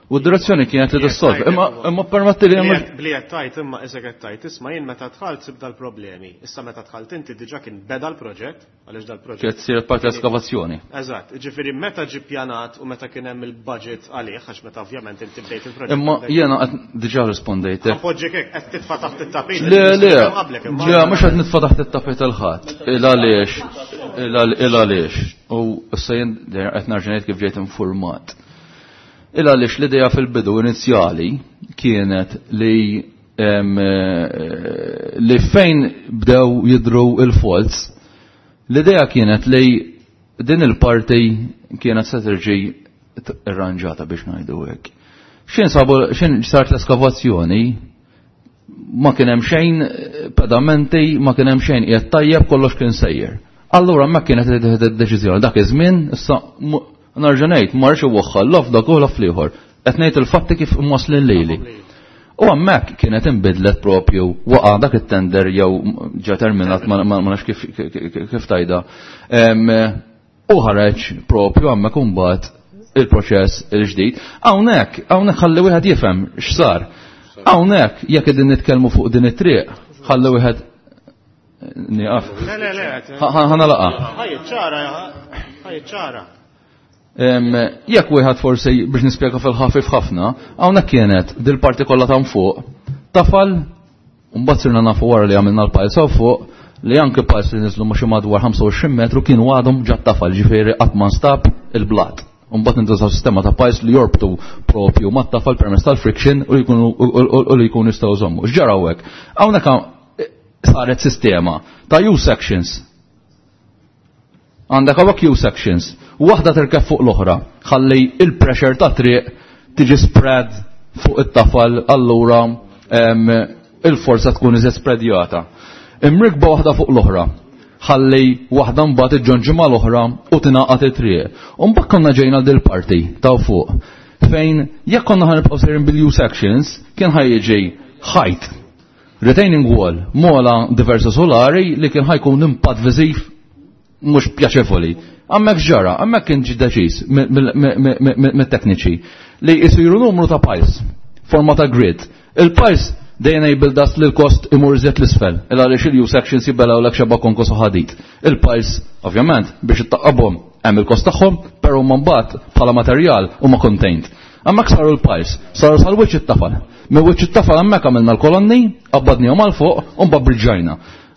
u d-direzzjoni kienet li tissolvi. Imma permetti li Bli qed tajt imma isek qed tajt isma' jien meta dħalt sib dal-problemi. Issa meta dħalt inti diġà kien beda l-proġett, għaliex dal-proġett. Kienet sir parti l-eskavazzjoni. Eżatt, ġifieri meta ġie pjanat u meta kien hemm il-budget għalih, għax meta ovvjament inti bdejt il-proġett. Imma jiena qed diġà rispondejtek. Appoġġek hekk qed titfa' taħt it-tapit. Le, le, le, mhux qed nitfa' taħt it-tapit il-ħadd. Il għaliex, il għaliex. U issa jien qed nerġa' ngħid kif ġejt informat. Il għaliex l-idea fil-bidu inizjali kienet li li fejn bdew jidru il-faults, l-idea kienet li din il-parti kienet se terġi irranġata biex ngħidu hekk. X'in sabu x'in sart l-eskavazzjoni ma kien hemm xejn pedamenti, ma kien hemm xejn qiegħed tajjeb, kollox kien sejjer. Allura ma kienet id-deċiżjoni dak iż-żmien issa nerġa' ngħid ma rridx iwaħħal laf dak u laf l-ieħor. Qed ngħid il-fatti kif imwaslin lili. U hemmhekk kienet inbidlet propju waqa' dak it-tender jew ġa terminat ma nafx kif tajda. U ħareġ propju hemmhekk imbagħad il-proċess il-ġdid. Hawnhekk, hawnhekk ħalli wieħed jifhem x'sar. Hawnhekk jekk qegħdin nitkellmu fuq din it-triq, ħalli wieħed nieqaf. Le, le, le. Ħana laqa. Ħaj ċara, ħaj ċara. Jekk wieħed forsi biex nispjega fil-ħafif ħafna, hawnhekk kienet dil-parti kollha ta' fuq, tafal, u mbagħad sirna nafu wara li għamilna l-pajs hawn fuq, li anke pajs li niżlu ma' xi madwar 25 metru kienu għadhom ġat tafal, ġifieri qatt ma nstab il-blat. U mbagħad intużaw sistema ta' pajs li jorbtu propju mat-tafal permezz tal-friction u li jkunu jistgħu jżommu. X'ġara hawnhekk? Hawnhekk saret sistema ta' U-sections. Għandek hawnhekk U-sections, waħda tirkeb fuq l-oħra, ħalli il-pressure ta' triq tiġi spread fuq it-tafal, allura il-forza tkun iżjed spreadjata. Imrikba waħda fuq l-oħra, ħalli waħda mbagħad iġġonġi mal-oħra u tingħaqad it-triq. U mbagħad konna ġejna dil parti ta' fuq fejn jekk konna ħanibqgħu sejrin bil-U sections kien ħajjiġi ħajt retaining wall mola diversa solari li kien ħajkun impatt viżiv mhux pjaċevoli. Hemmhekk ġara, hemmhekk kien ġi deċiż mit-tekniċi li jsiru numru ta' piles, forma ta' grid. Il-piles they enabled us li l-kost imur iżjed l-isfel, il għaliex il-U sections jibelaw l xeba konkos u ħadid. Il-piles, ovvjament, biex ittaqqabhom, Hemm il-kost tagħhom, però huma mbagħad bħala materjal huma contained. Hemmhekk saru l-piles, saru sal-wiċċ it-tafal. Minn wiċċ it-tafal hemmhekk għamilna l-kolonni, qabbadnihom għal fuq u mbagħad briġġajna.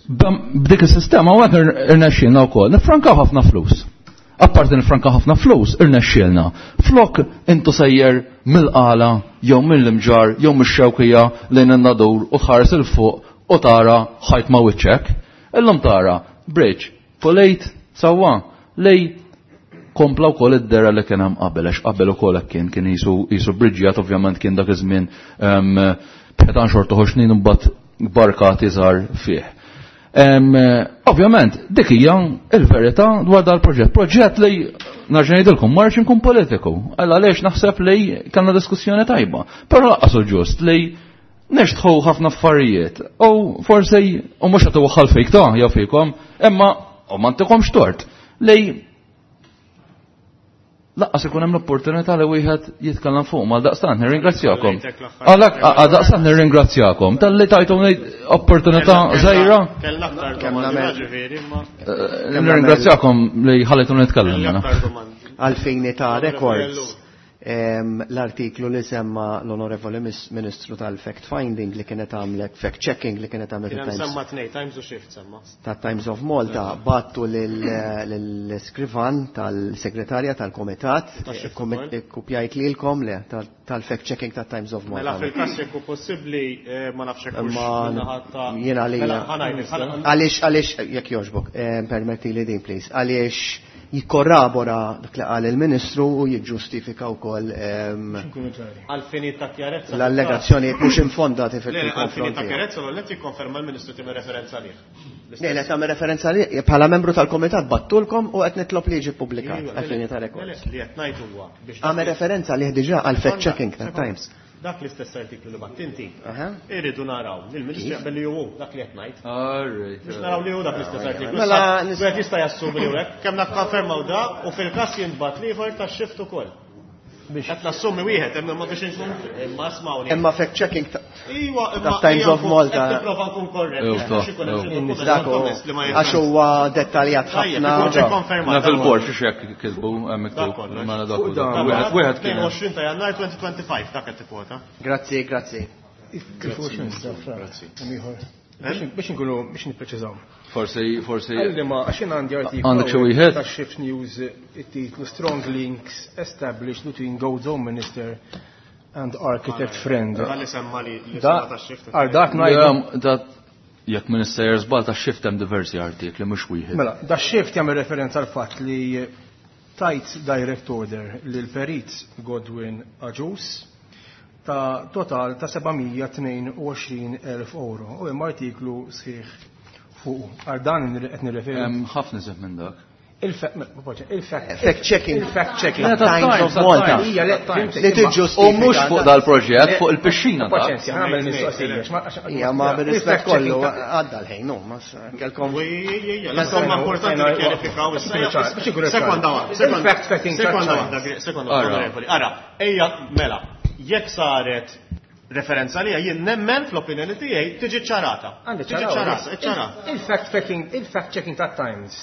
B'dik is-sistema hawnhekk irnexxielna wkoll nifrankaw ħafna flus. Apparti nifrankaw ħafna flus, irnexxielna. Flok intu sejjer mill-Qala jew mill-Imġarr jew mix-Xewkija lejn in-Nadur u tħares 'il fuq u tara ħajt ma' wiċċek. Illum tara bridge, pulejt, sewwa, li kompla wkoll id-dera li kien hemm qabel, għax qabel ukoll hekk kien, kien qisu qisu bridġjat ovvjament kien dak iż-żmien b'ħitan xorta ħoxnin imbagħad barkati żgħar fih. Ovvjament, dik hija il-verità dwar dal-proġett. Proġett li narġa' ngħidilkom ma rridx inkun politiku. Alla għaliex naħseb li kellna diskussjoni tajba. Però laqqas hu ġust li nixtħu ħafna affarijiet u forsi u mhux qed iwaħħal fik ta' jew fikom, imma u ma ntikomx tort li laqqas ikun hemm l-opportunità li wieħed jitkellem fuq mal daqstant nirringrazzjakom. Għalhekk għal daqstant nirringrazzjakom talli tajtuni opportunità żgħira. Nirringrazzjakom li ħallejtuni nitkellem. Għalfejn ta' records l-artiklu li semma l-Onorevoli Ministru tal-Fact Finding li kienet għamlet, Fact Checking li kienet għamlet Kien semma tnej, Times u Shift semma. Ta' Times of Malta, battu l-iskrivan tal-segretarja tal-komitat, kopjajt lilkom le, tal-fact checking ta' Times of Malta. Mela fil-kas jekk hu possibbli ma nafx hekk Jiena li. Għaliex, għaliex, jekk jogħġbok, permetti li din, please, għaliex jikkorrabora dak li qal il-Ministru u jiġġustifika wkoll Għal-fini ta' kjarezza. l-allegazzjonijiet mhux infondati fil-konfront. Għal-fini ta' kjarezza l-għallet jikkonferma l-Ministru tagħmel referenza għalih. Le, le, tagħmel referenza għalih bħala membru tal-Komitat battulkom u qed nitlob li jiġi ppubblikat għal-fini ta' records. Li qed ngħid huwa biex Għamel referenza għalih diġà għal fact checking ta' Times. Dak l-istess artiklu li batt inti. Irridu naraw li l-Ministru jaqbel li hu dak li qed ngħid. Biex naraw li hu dak l-istess artiklu. Mela, Wieħed jista' jassumi li hekk, kemm nakkonfermaw da u fil-każ jintbagħat l-ieħor tax-shift ukoll. Qed nassumi wieħed, imma biex inkun imma smawni. Imma fact checking ta' Iwa, imma Times of Malta. Qed nipprova nkun korrett. Biex ikun hemm xi dokument li ma Għax huwa dettaljat ħafna. Naf il-bord xi hekk kisbu hemm miktub. Mela dak wieħed kien. 22 ta' Jannar 2025 dak qed tikkwota. Grazzi, grazzi. Grazzi. Biex nkunu biex nippreċiżaw. Forsi, forsi. Għalli ma, għax jien għandi artiklu. Għandek xi wieħed? Ta' Shift News it-titlu Strong Links Established Between Gozo Minister and Architect Friend. Dan li semma li li semma ta' Shift. Għal dak ngħidu. Dat jekk minn sejjer żball ta' Shift hemm diversi artikli mhux wieħed. Mela, da Shift jagħmel referenza għal fatt li tajt direct order lil perit Godwin Agius ta' total ta' 722,000 euro u hemm artiklu sħiħ fuq. Għal dan qed nirreferi. Hemm ħafna iżjed minn dak. Il-fact checking. Il-fact checking. Le, ta' Times of Times, Malta. Times. Ija, le, Times. Li tiġġustifika. U mhux fuq dal-proġett, fuq il-pixxina dak. Paċenzja, ħamel mistoqsija. Ija, ma bil-rispett kollu għadda l-ħin, no, ma kelkom. Insomma, importanti li kjarifikaw issa. Sekonda waħda. Il-fact checking. Sekonda waħda, sekonda waħda, onorevoli. Ara, ejja, mela, jekk saret referenza li jien nemmen fl-opinjoni tiegħi tiġi ċarata. Tiġi ċarata, ċarata. Il-fact checking, il-fact checking ta' Times.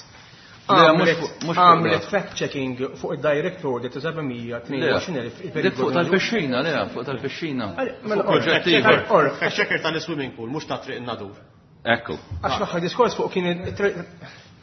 Le, mhux fuq Għamlet dak. fact checking fuq il-direct order ta' 722,000 Dik fuq tal-pixxina, le, fuq tal-pixxina. Mela, Fuq proġett ieħor. Fact checker tal-swimming pool, mhux ta' triq in-nadur. Ekku. Għax l-aħħar diskors fuq kien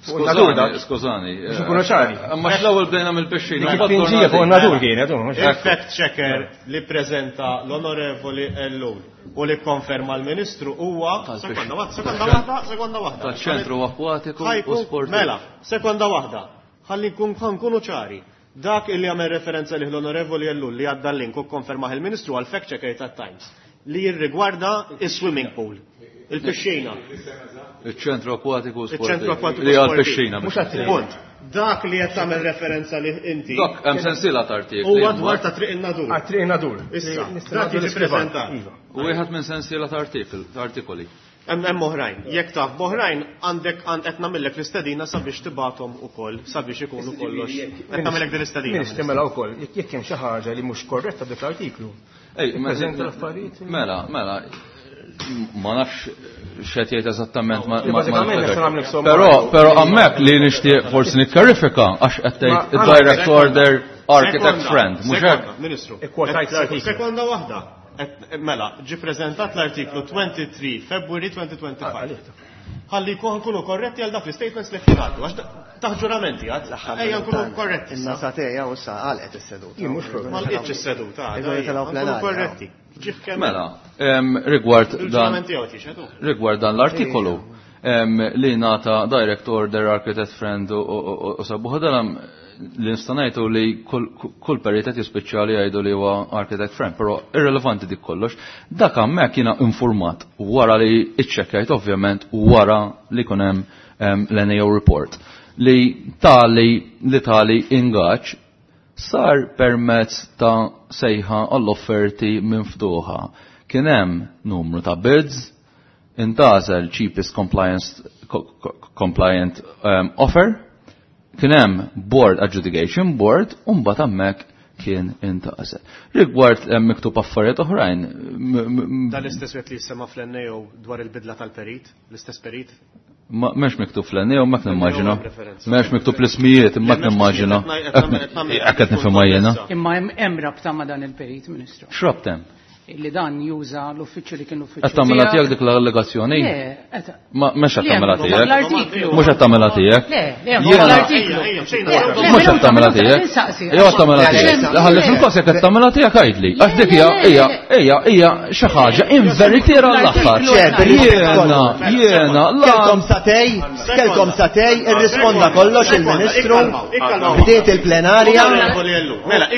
fuq in-nadur dak. Skużani, skużani. Biex nkunu ċari. Imma l-ewwel bdejna mill-pixxina. Dik it-tpinġija fuq in-nadur kienet, u mhux hekk. Il-fact checker li prezenta l-onorevoli Ellul u li konferma l-ministru huwa sekonda waħda, sekonda waħda, sekonda waħda. Taċ-ċentru akkwatiku u Ħajkun- sportiv. Mela, sekonda waħda. Ħalli nkun nkunu ċari. Dak illi għamel referenza li l-onorevoli Ellul li għadda l-link u konfermaħ il-ministru għal fact checker ta' Times li jirrigwarda il-swimming pool, il-pixxina. Il-ċentru akkwatiku u sportiv. Il-ċentru akkwatiku Li għal sportiv. pixxina. Mhux għat-triq. Punt. Dak li qed tagħmel referenza li inti. Dak hemm sensiela ta' artikli. Huwa dwar ta' triq in-nadur. Għat triq in-nadur. Issa, Nista' dak ngħaddu jiġi l-iskrivan. preżentat. Iva. U wieħed minn sensiela ta' artikoli. Hemm oħrajn. Jekk taf b'oħrajn għandek qed nagħmellek l-istedina sabiex tibgħathom ukoll sabiex ikunu kollox. Qed nagħmellek din l-istedina. Ministri mela wkoll, jekk hemm xi ħaġa li mhux korretta b'dik l-artiklu. Ej, Ippreżenta l-affarijiet. Mela, mela. Ma nafx x'qed jgħid eżattament ma Però però hemmhekk li nixtieq forsi nikklarifika għax qed tgħid id-direct order architect friend, mhux hekk? Ministru. Sekonda waħda. Mela, ġi preżentat l-artiklu 23 February 2025. Ħalli nkunu korretti għal dak l-statements li qed jingħaddu, għax taħt ġuramenti għad. Ejja nkunu korretti. In-nasa tiegħi u issa għalqet is-seduta. Ma lqitx is-seduta. Nkunu korretti. Mela, rigward dan rigward dan l-artikolu li nata direct order architect friend u sabuħ dan li nista' li kull perit qed jispiċċa li jgħidu li huwa architect friend, però irrelevanti dik kollox. Dak hemmhekk jiena informat wara li iċċekkajt ovvjament wara li kun hemm l-NAO report li tali li tali ingaġġ sar permezz ta' sejħa għall-offerti miftuħa. Kien hemm numru ta' bids, intgħażel cheapest compliance compliant offer, kien hemm board adjudication board, u mbagħad hemmhekk kien intgħażel. Rigward hemm miktub affarijiet oħrajn. Dan l-istess wieħed li jissema fl-NAO dwar il-bidla tal-perit, l-istess perit? M'hemmx miktub fl-NAO, ma nimmaġina. M'hemmx miktub l-ismijiet, imma nimmaġina. Hekk qed nifhimha jiena. Imma hemm rabta ma' dan il-perit, Ministru. X'rabta hemm? Illi dan juża l-uffiċċju li kien l-uffiċċju. Qed tagħmilha tiegħek dik l-allegazzjoni? Le, Ma mhux qed tagħmilha tiegħek. L-artiklu. Mhux qed tagħmilha tiegħek. Le, le, l-artiklu. Mhux qed tagħmilha tiegħek. Jew qed tagħmilha tiegħek. Ħalli fil-każ jekk qed tagħmilha tiegħek għidli. Għax dik hija hija hija hija xi ħaġa inveritiera l-aħħar. Jiena, jiena, Kelkom satej, kelkom satej, irrisponda kollox il-Ministru, bdiet il-plenarja. Mela,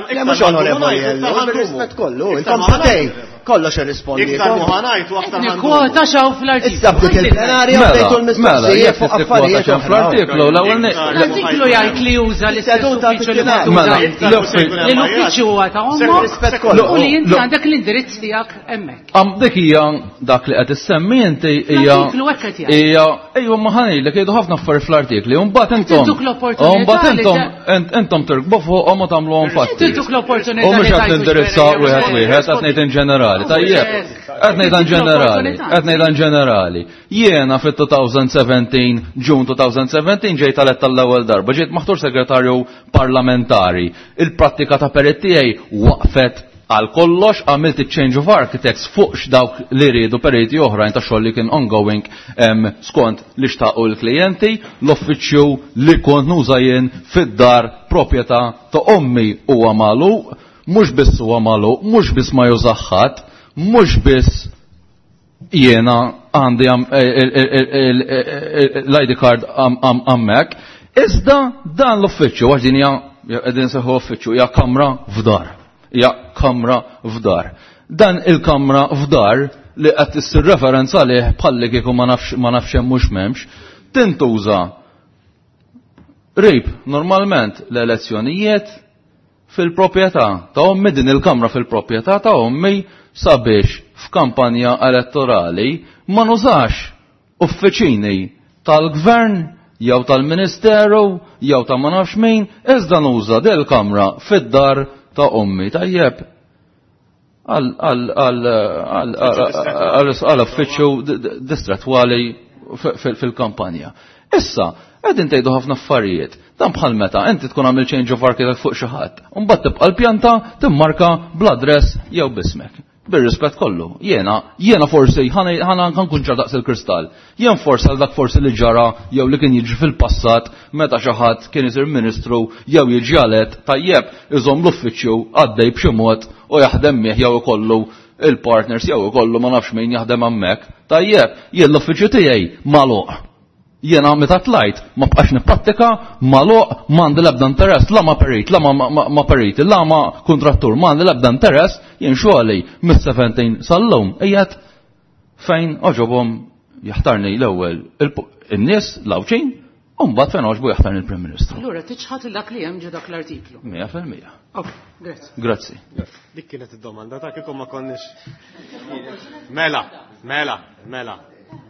Le, mhux onorevoli Ellu, rispett kollu, ilkom satej, kollox irrispondi. Iktar muħanajt u aktar Nikkwota xaw fl-artiklu. Issa bdiet il-plenarja u bdejtu Mela, l-mistoqsijiet fuq affarijiet oħra. Fl-artiklu l-ewwel L-artiklu jgħid li juża l-istess Seduta uffiċċju li fit-finali. Mela, tuża. Li l-uffiċċju huwa ta' ommok Rispett kollu. u li inti għandek l-indirizz tiegħek hemmhekk. Am dik hija dak li qed issemmi inti hija L-artiklu hekk qed jgħid. hija ejwa ma ħanejlek jgħidu ħafna affarijiet fl-artikli u mbagħad intom Intuk l-opportunità u mbagħad li intom intom tirkbu fuqhom u tagħmluhom fatti. Intuk l-opportunità U mhux li qed tgħidu nindirizza x'vera jew wieħed x'vera. wieħed qed ngħid in ġenerali. Tajjeb, qed ngħid in ġenerali, qed ngħid in ġenerali. Jiena fit-2017, June 2017 ġejt elett tal-ewwel darba, ġejt maħtur segretarju parlamentari. Il-prattika ta' perit tiegħi waqfet għal kollox, għamilt il-change of architects fuq x'dawk li riedu periti oħrajn ta' xogħol li kien ongoing skont li xtaqu l-klijenti, l-uffiċċju li kont nuża jien fid-dar proprjetà ta' ommi huwa magħluq, mhux biss huwa magħluq, mhux biss ma jużaħħat, mhux biss jiena għandi l-ID card hemmhekk, iżda dan l-uffiċċju għax din hija qegħdin seħħu uffiċċju hija kamra f'dar. Hija kamra f'dar. Dan il-kamra f'dar li qed issir referenza għalih bħalli kieku ma nafx ma nafx hemm mhux m'hemmx, tintuża rib normalment l-elezzjonijiet fil-proprjetà ta' ommi, din il-kamra fil-proprjetà ta' ommi sabiex f'kampanja elettorali ma nużax uffiċini tal-gvern jew tal-ministeru jew ta' ma nafx min, iżda nuża del kamra fid-dar ta' ommi. Tajjeb, għal uffiċċju distretwali fil-kampanja. Issa, qegħdin tgħidu ħafna affarijiet. Dan bħal meta inti tkun għamil change of architect fuq xi ħadd, u mbagħad tibqa' l-pjanta timmarka bl-adress jew bismek. Bir-rispett kollu, jiena forsi ħana nkun ċar daqs il-kristall. Jien forsi għal dak forsi li ġara jew li kien jiġri fil-passat meta xi ħadd kien isir ministru jew jiġi għalet tajjeb iżomm l-uffiċċju għaddej b'xi mod u jaħdem mih jew ikollu il-partners jew ikollu ma nafx min jaħdem hemmhekk. Tajjeb, jien l-uffiċċju tiegħi magħluq. Jiena meta tlajt ma bqax nipprattika magħluq, m'għandi l-ebda interess, la ma perit, la ma periti, la ma kontrattur, m'għandi l-ebda interess, jien xogħli mis-17 sal-lum qiegħed fejn oġobhom jaħtarni l-ewwel in-nies l-Għawdxin, u mbagħad fejn oġbu jaħtarni l-Prim Ministru. Allura tiċħad dak li hemm ġo dak l-artiklu. 100%. Ok, grazzi. Grazzi. Dik kienet id-domanda ta' kieku ma konniex. Mela, mela, mela.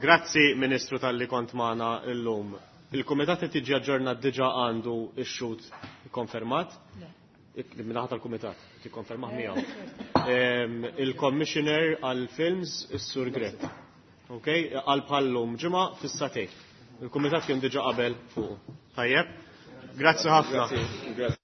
Grazzi Ministru tal-li kont magħna llum. Il-Kumitat qed jiġi aġġornat diġà għandu x-xhud konfermat. Minnaħat tal-Kumitat, tikkonfermah miegħu. Il-Commissioner għal-Films, is-Sur Grech. Ok, għal bħallum ġimgħa fis-satej. Il-Kumitat kien diġà qabel fuq. Tajjeb? Grazzi ħafna.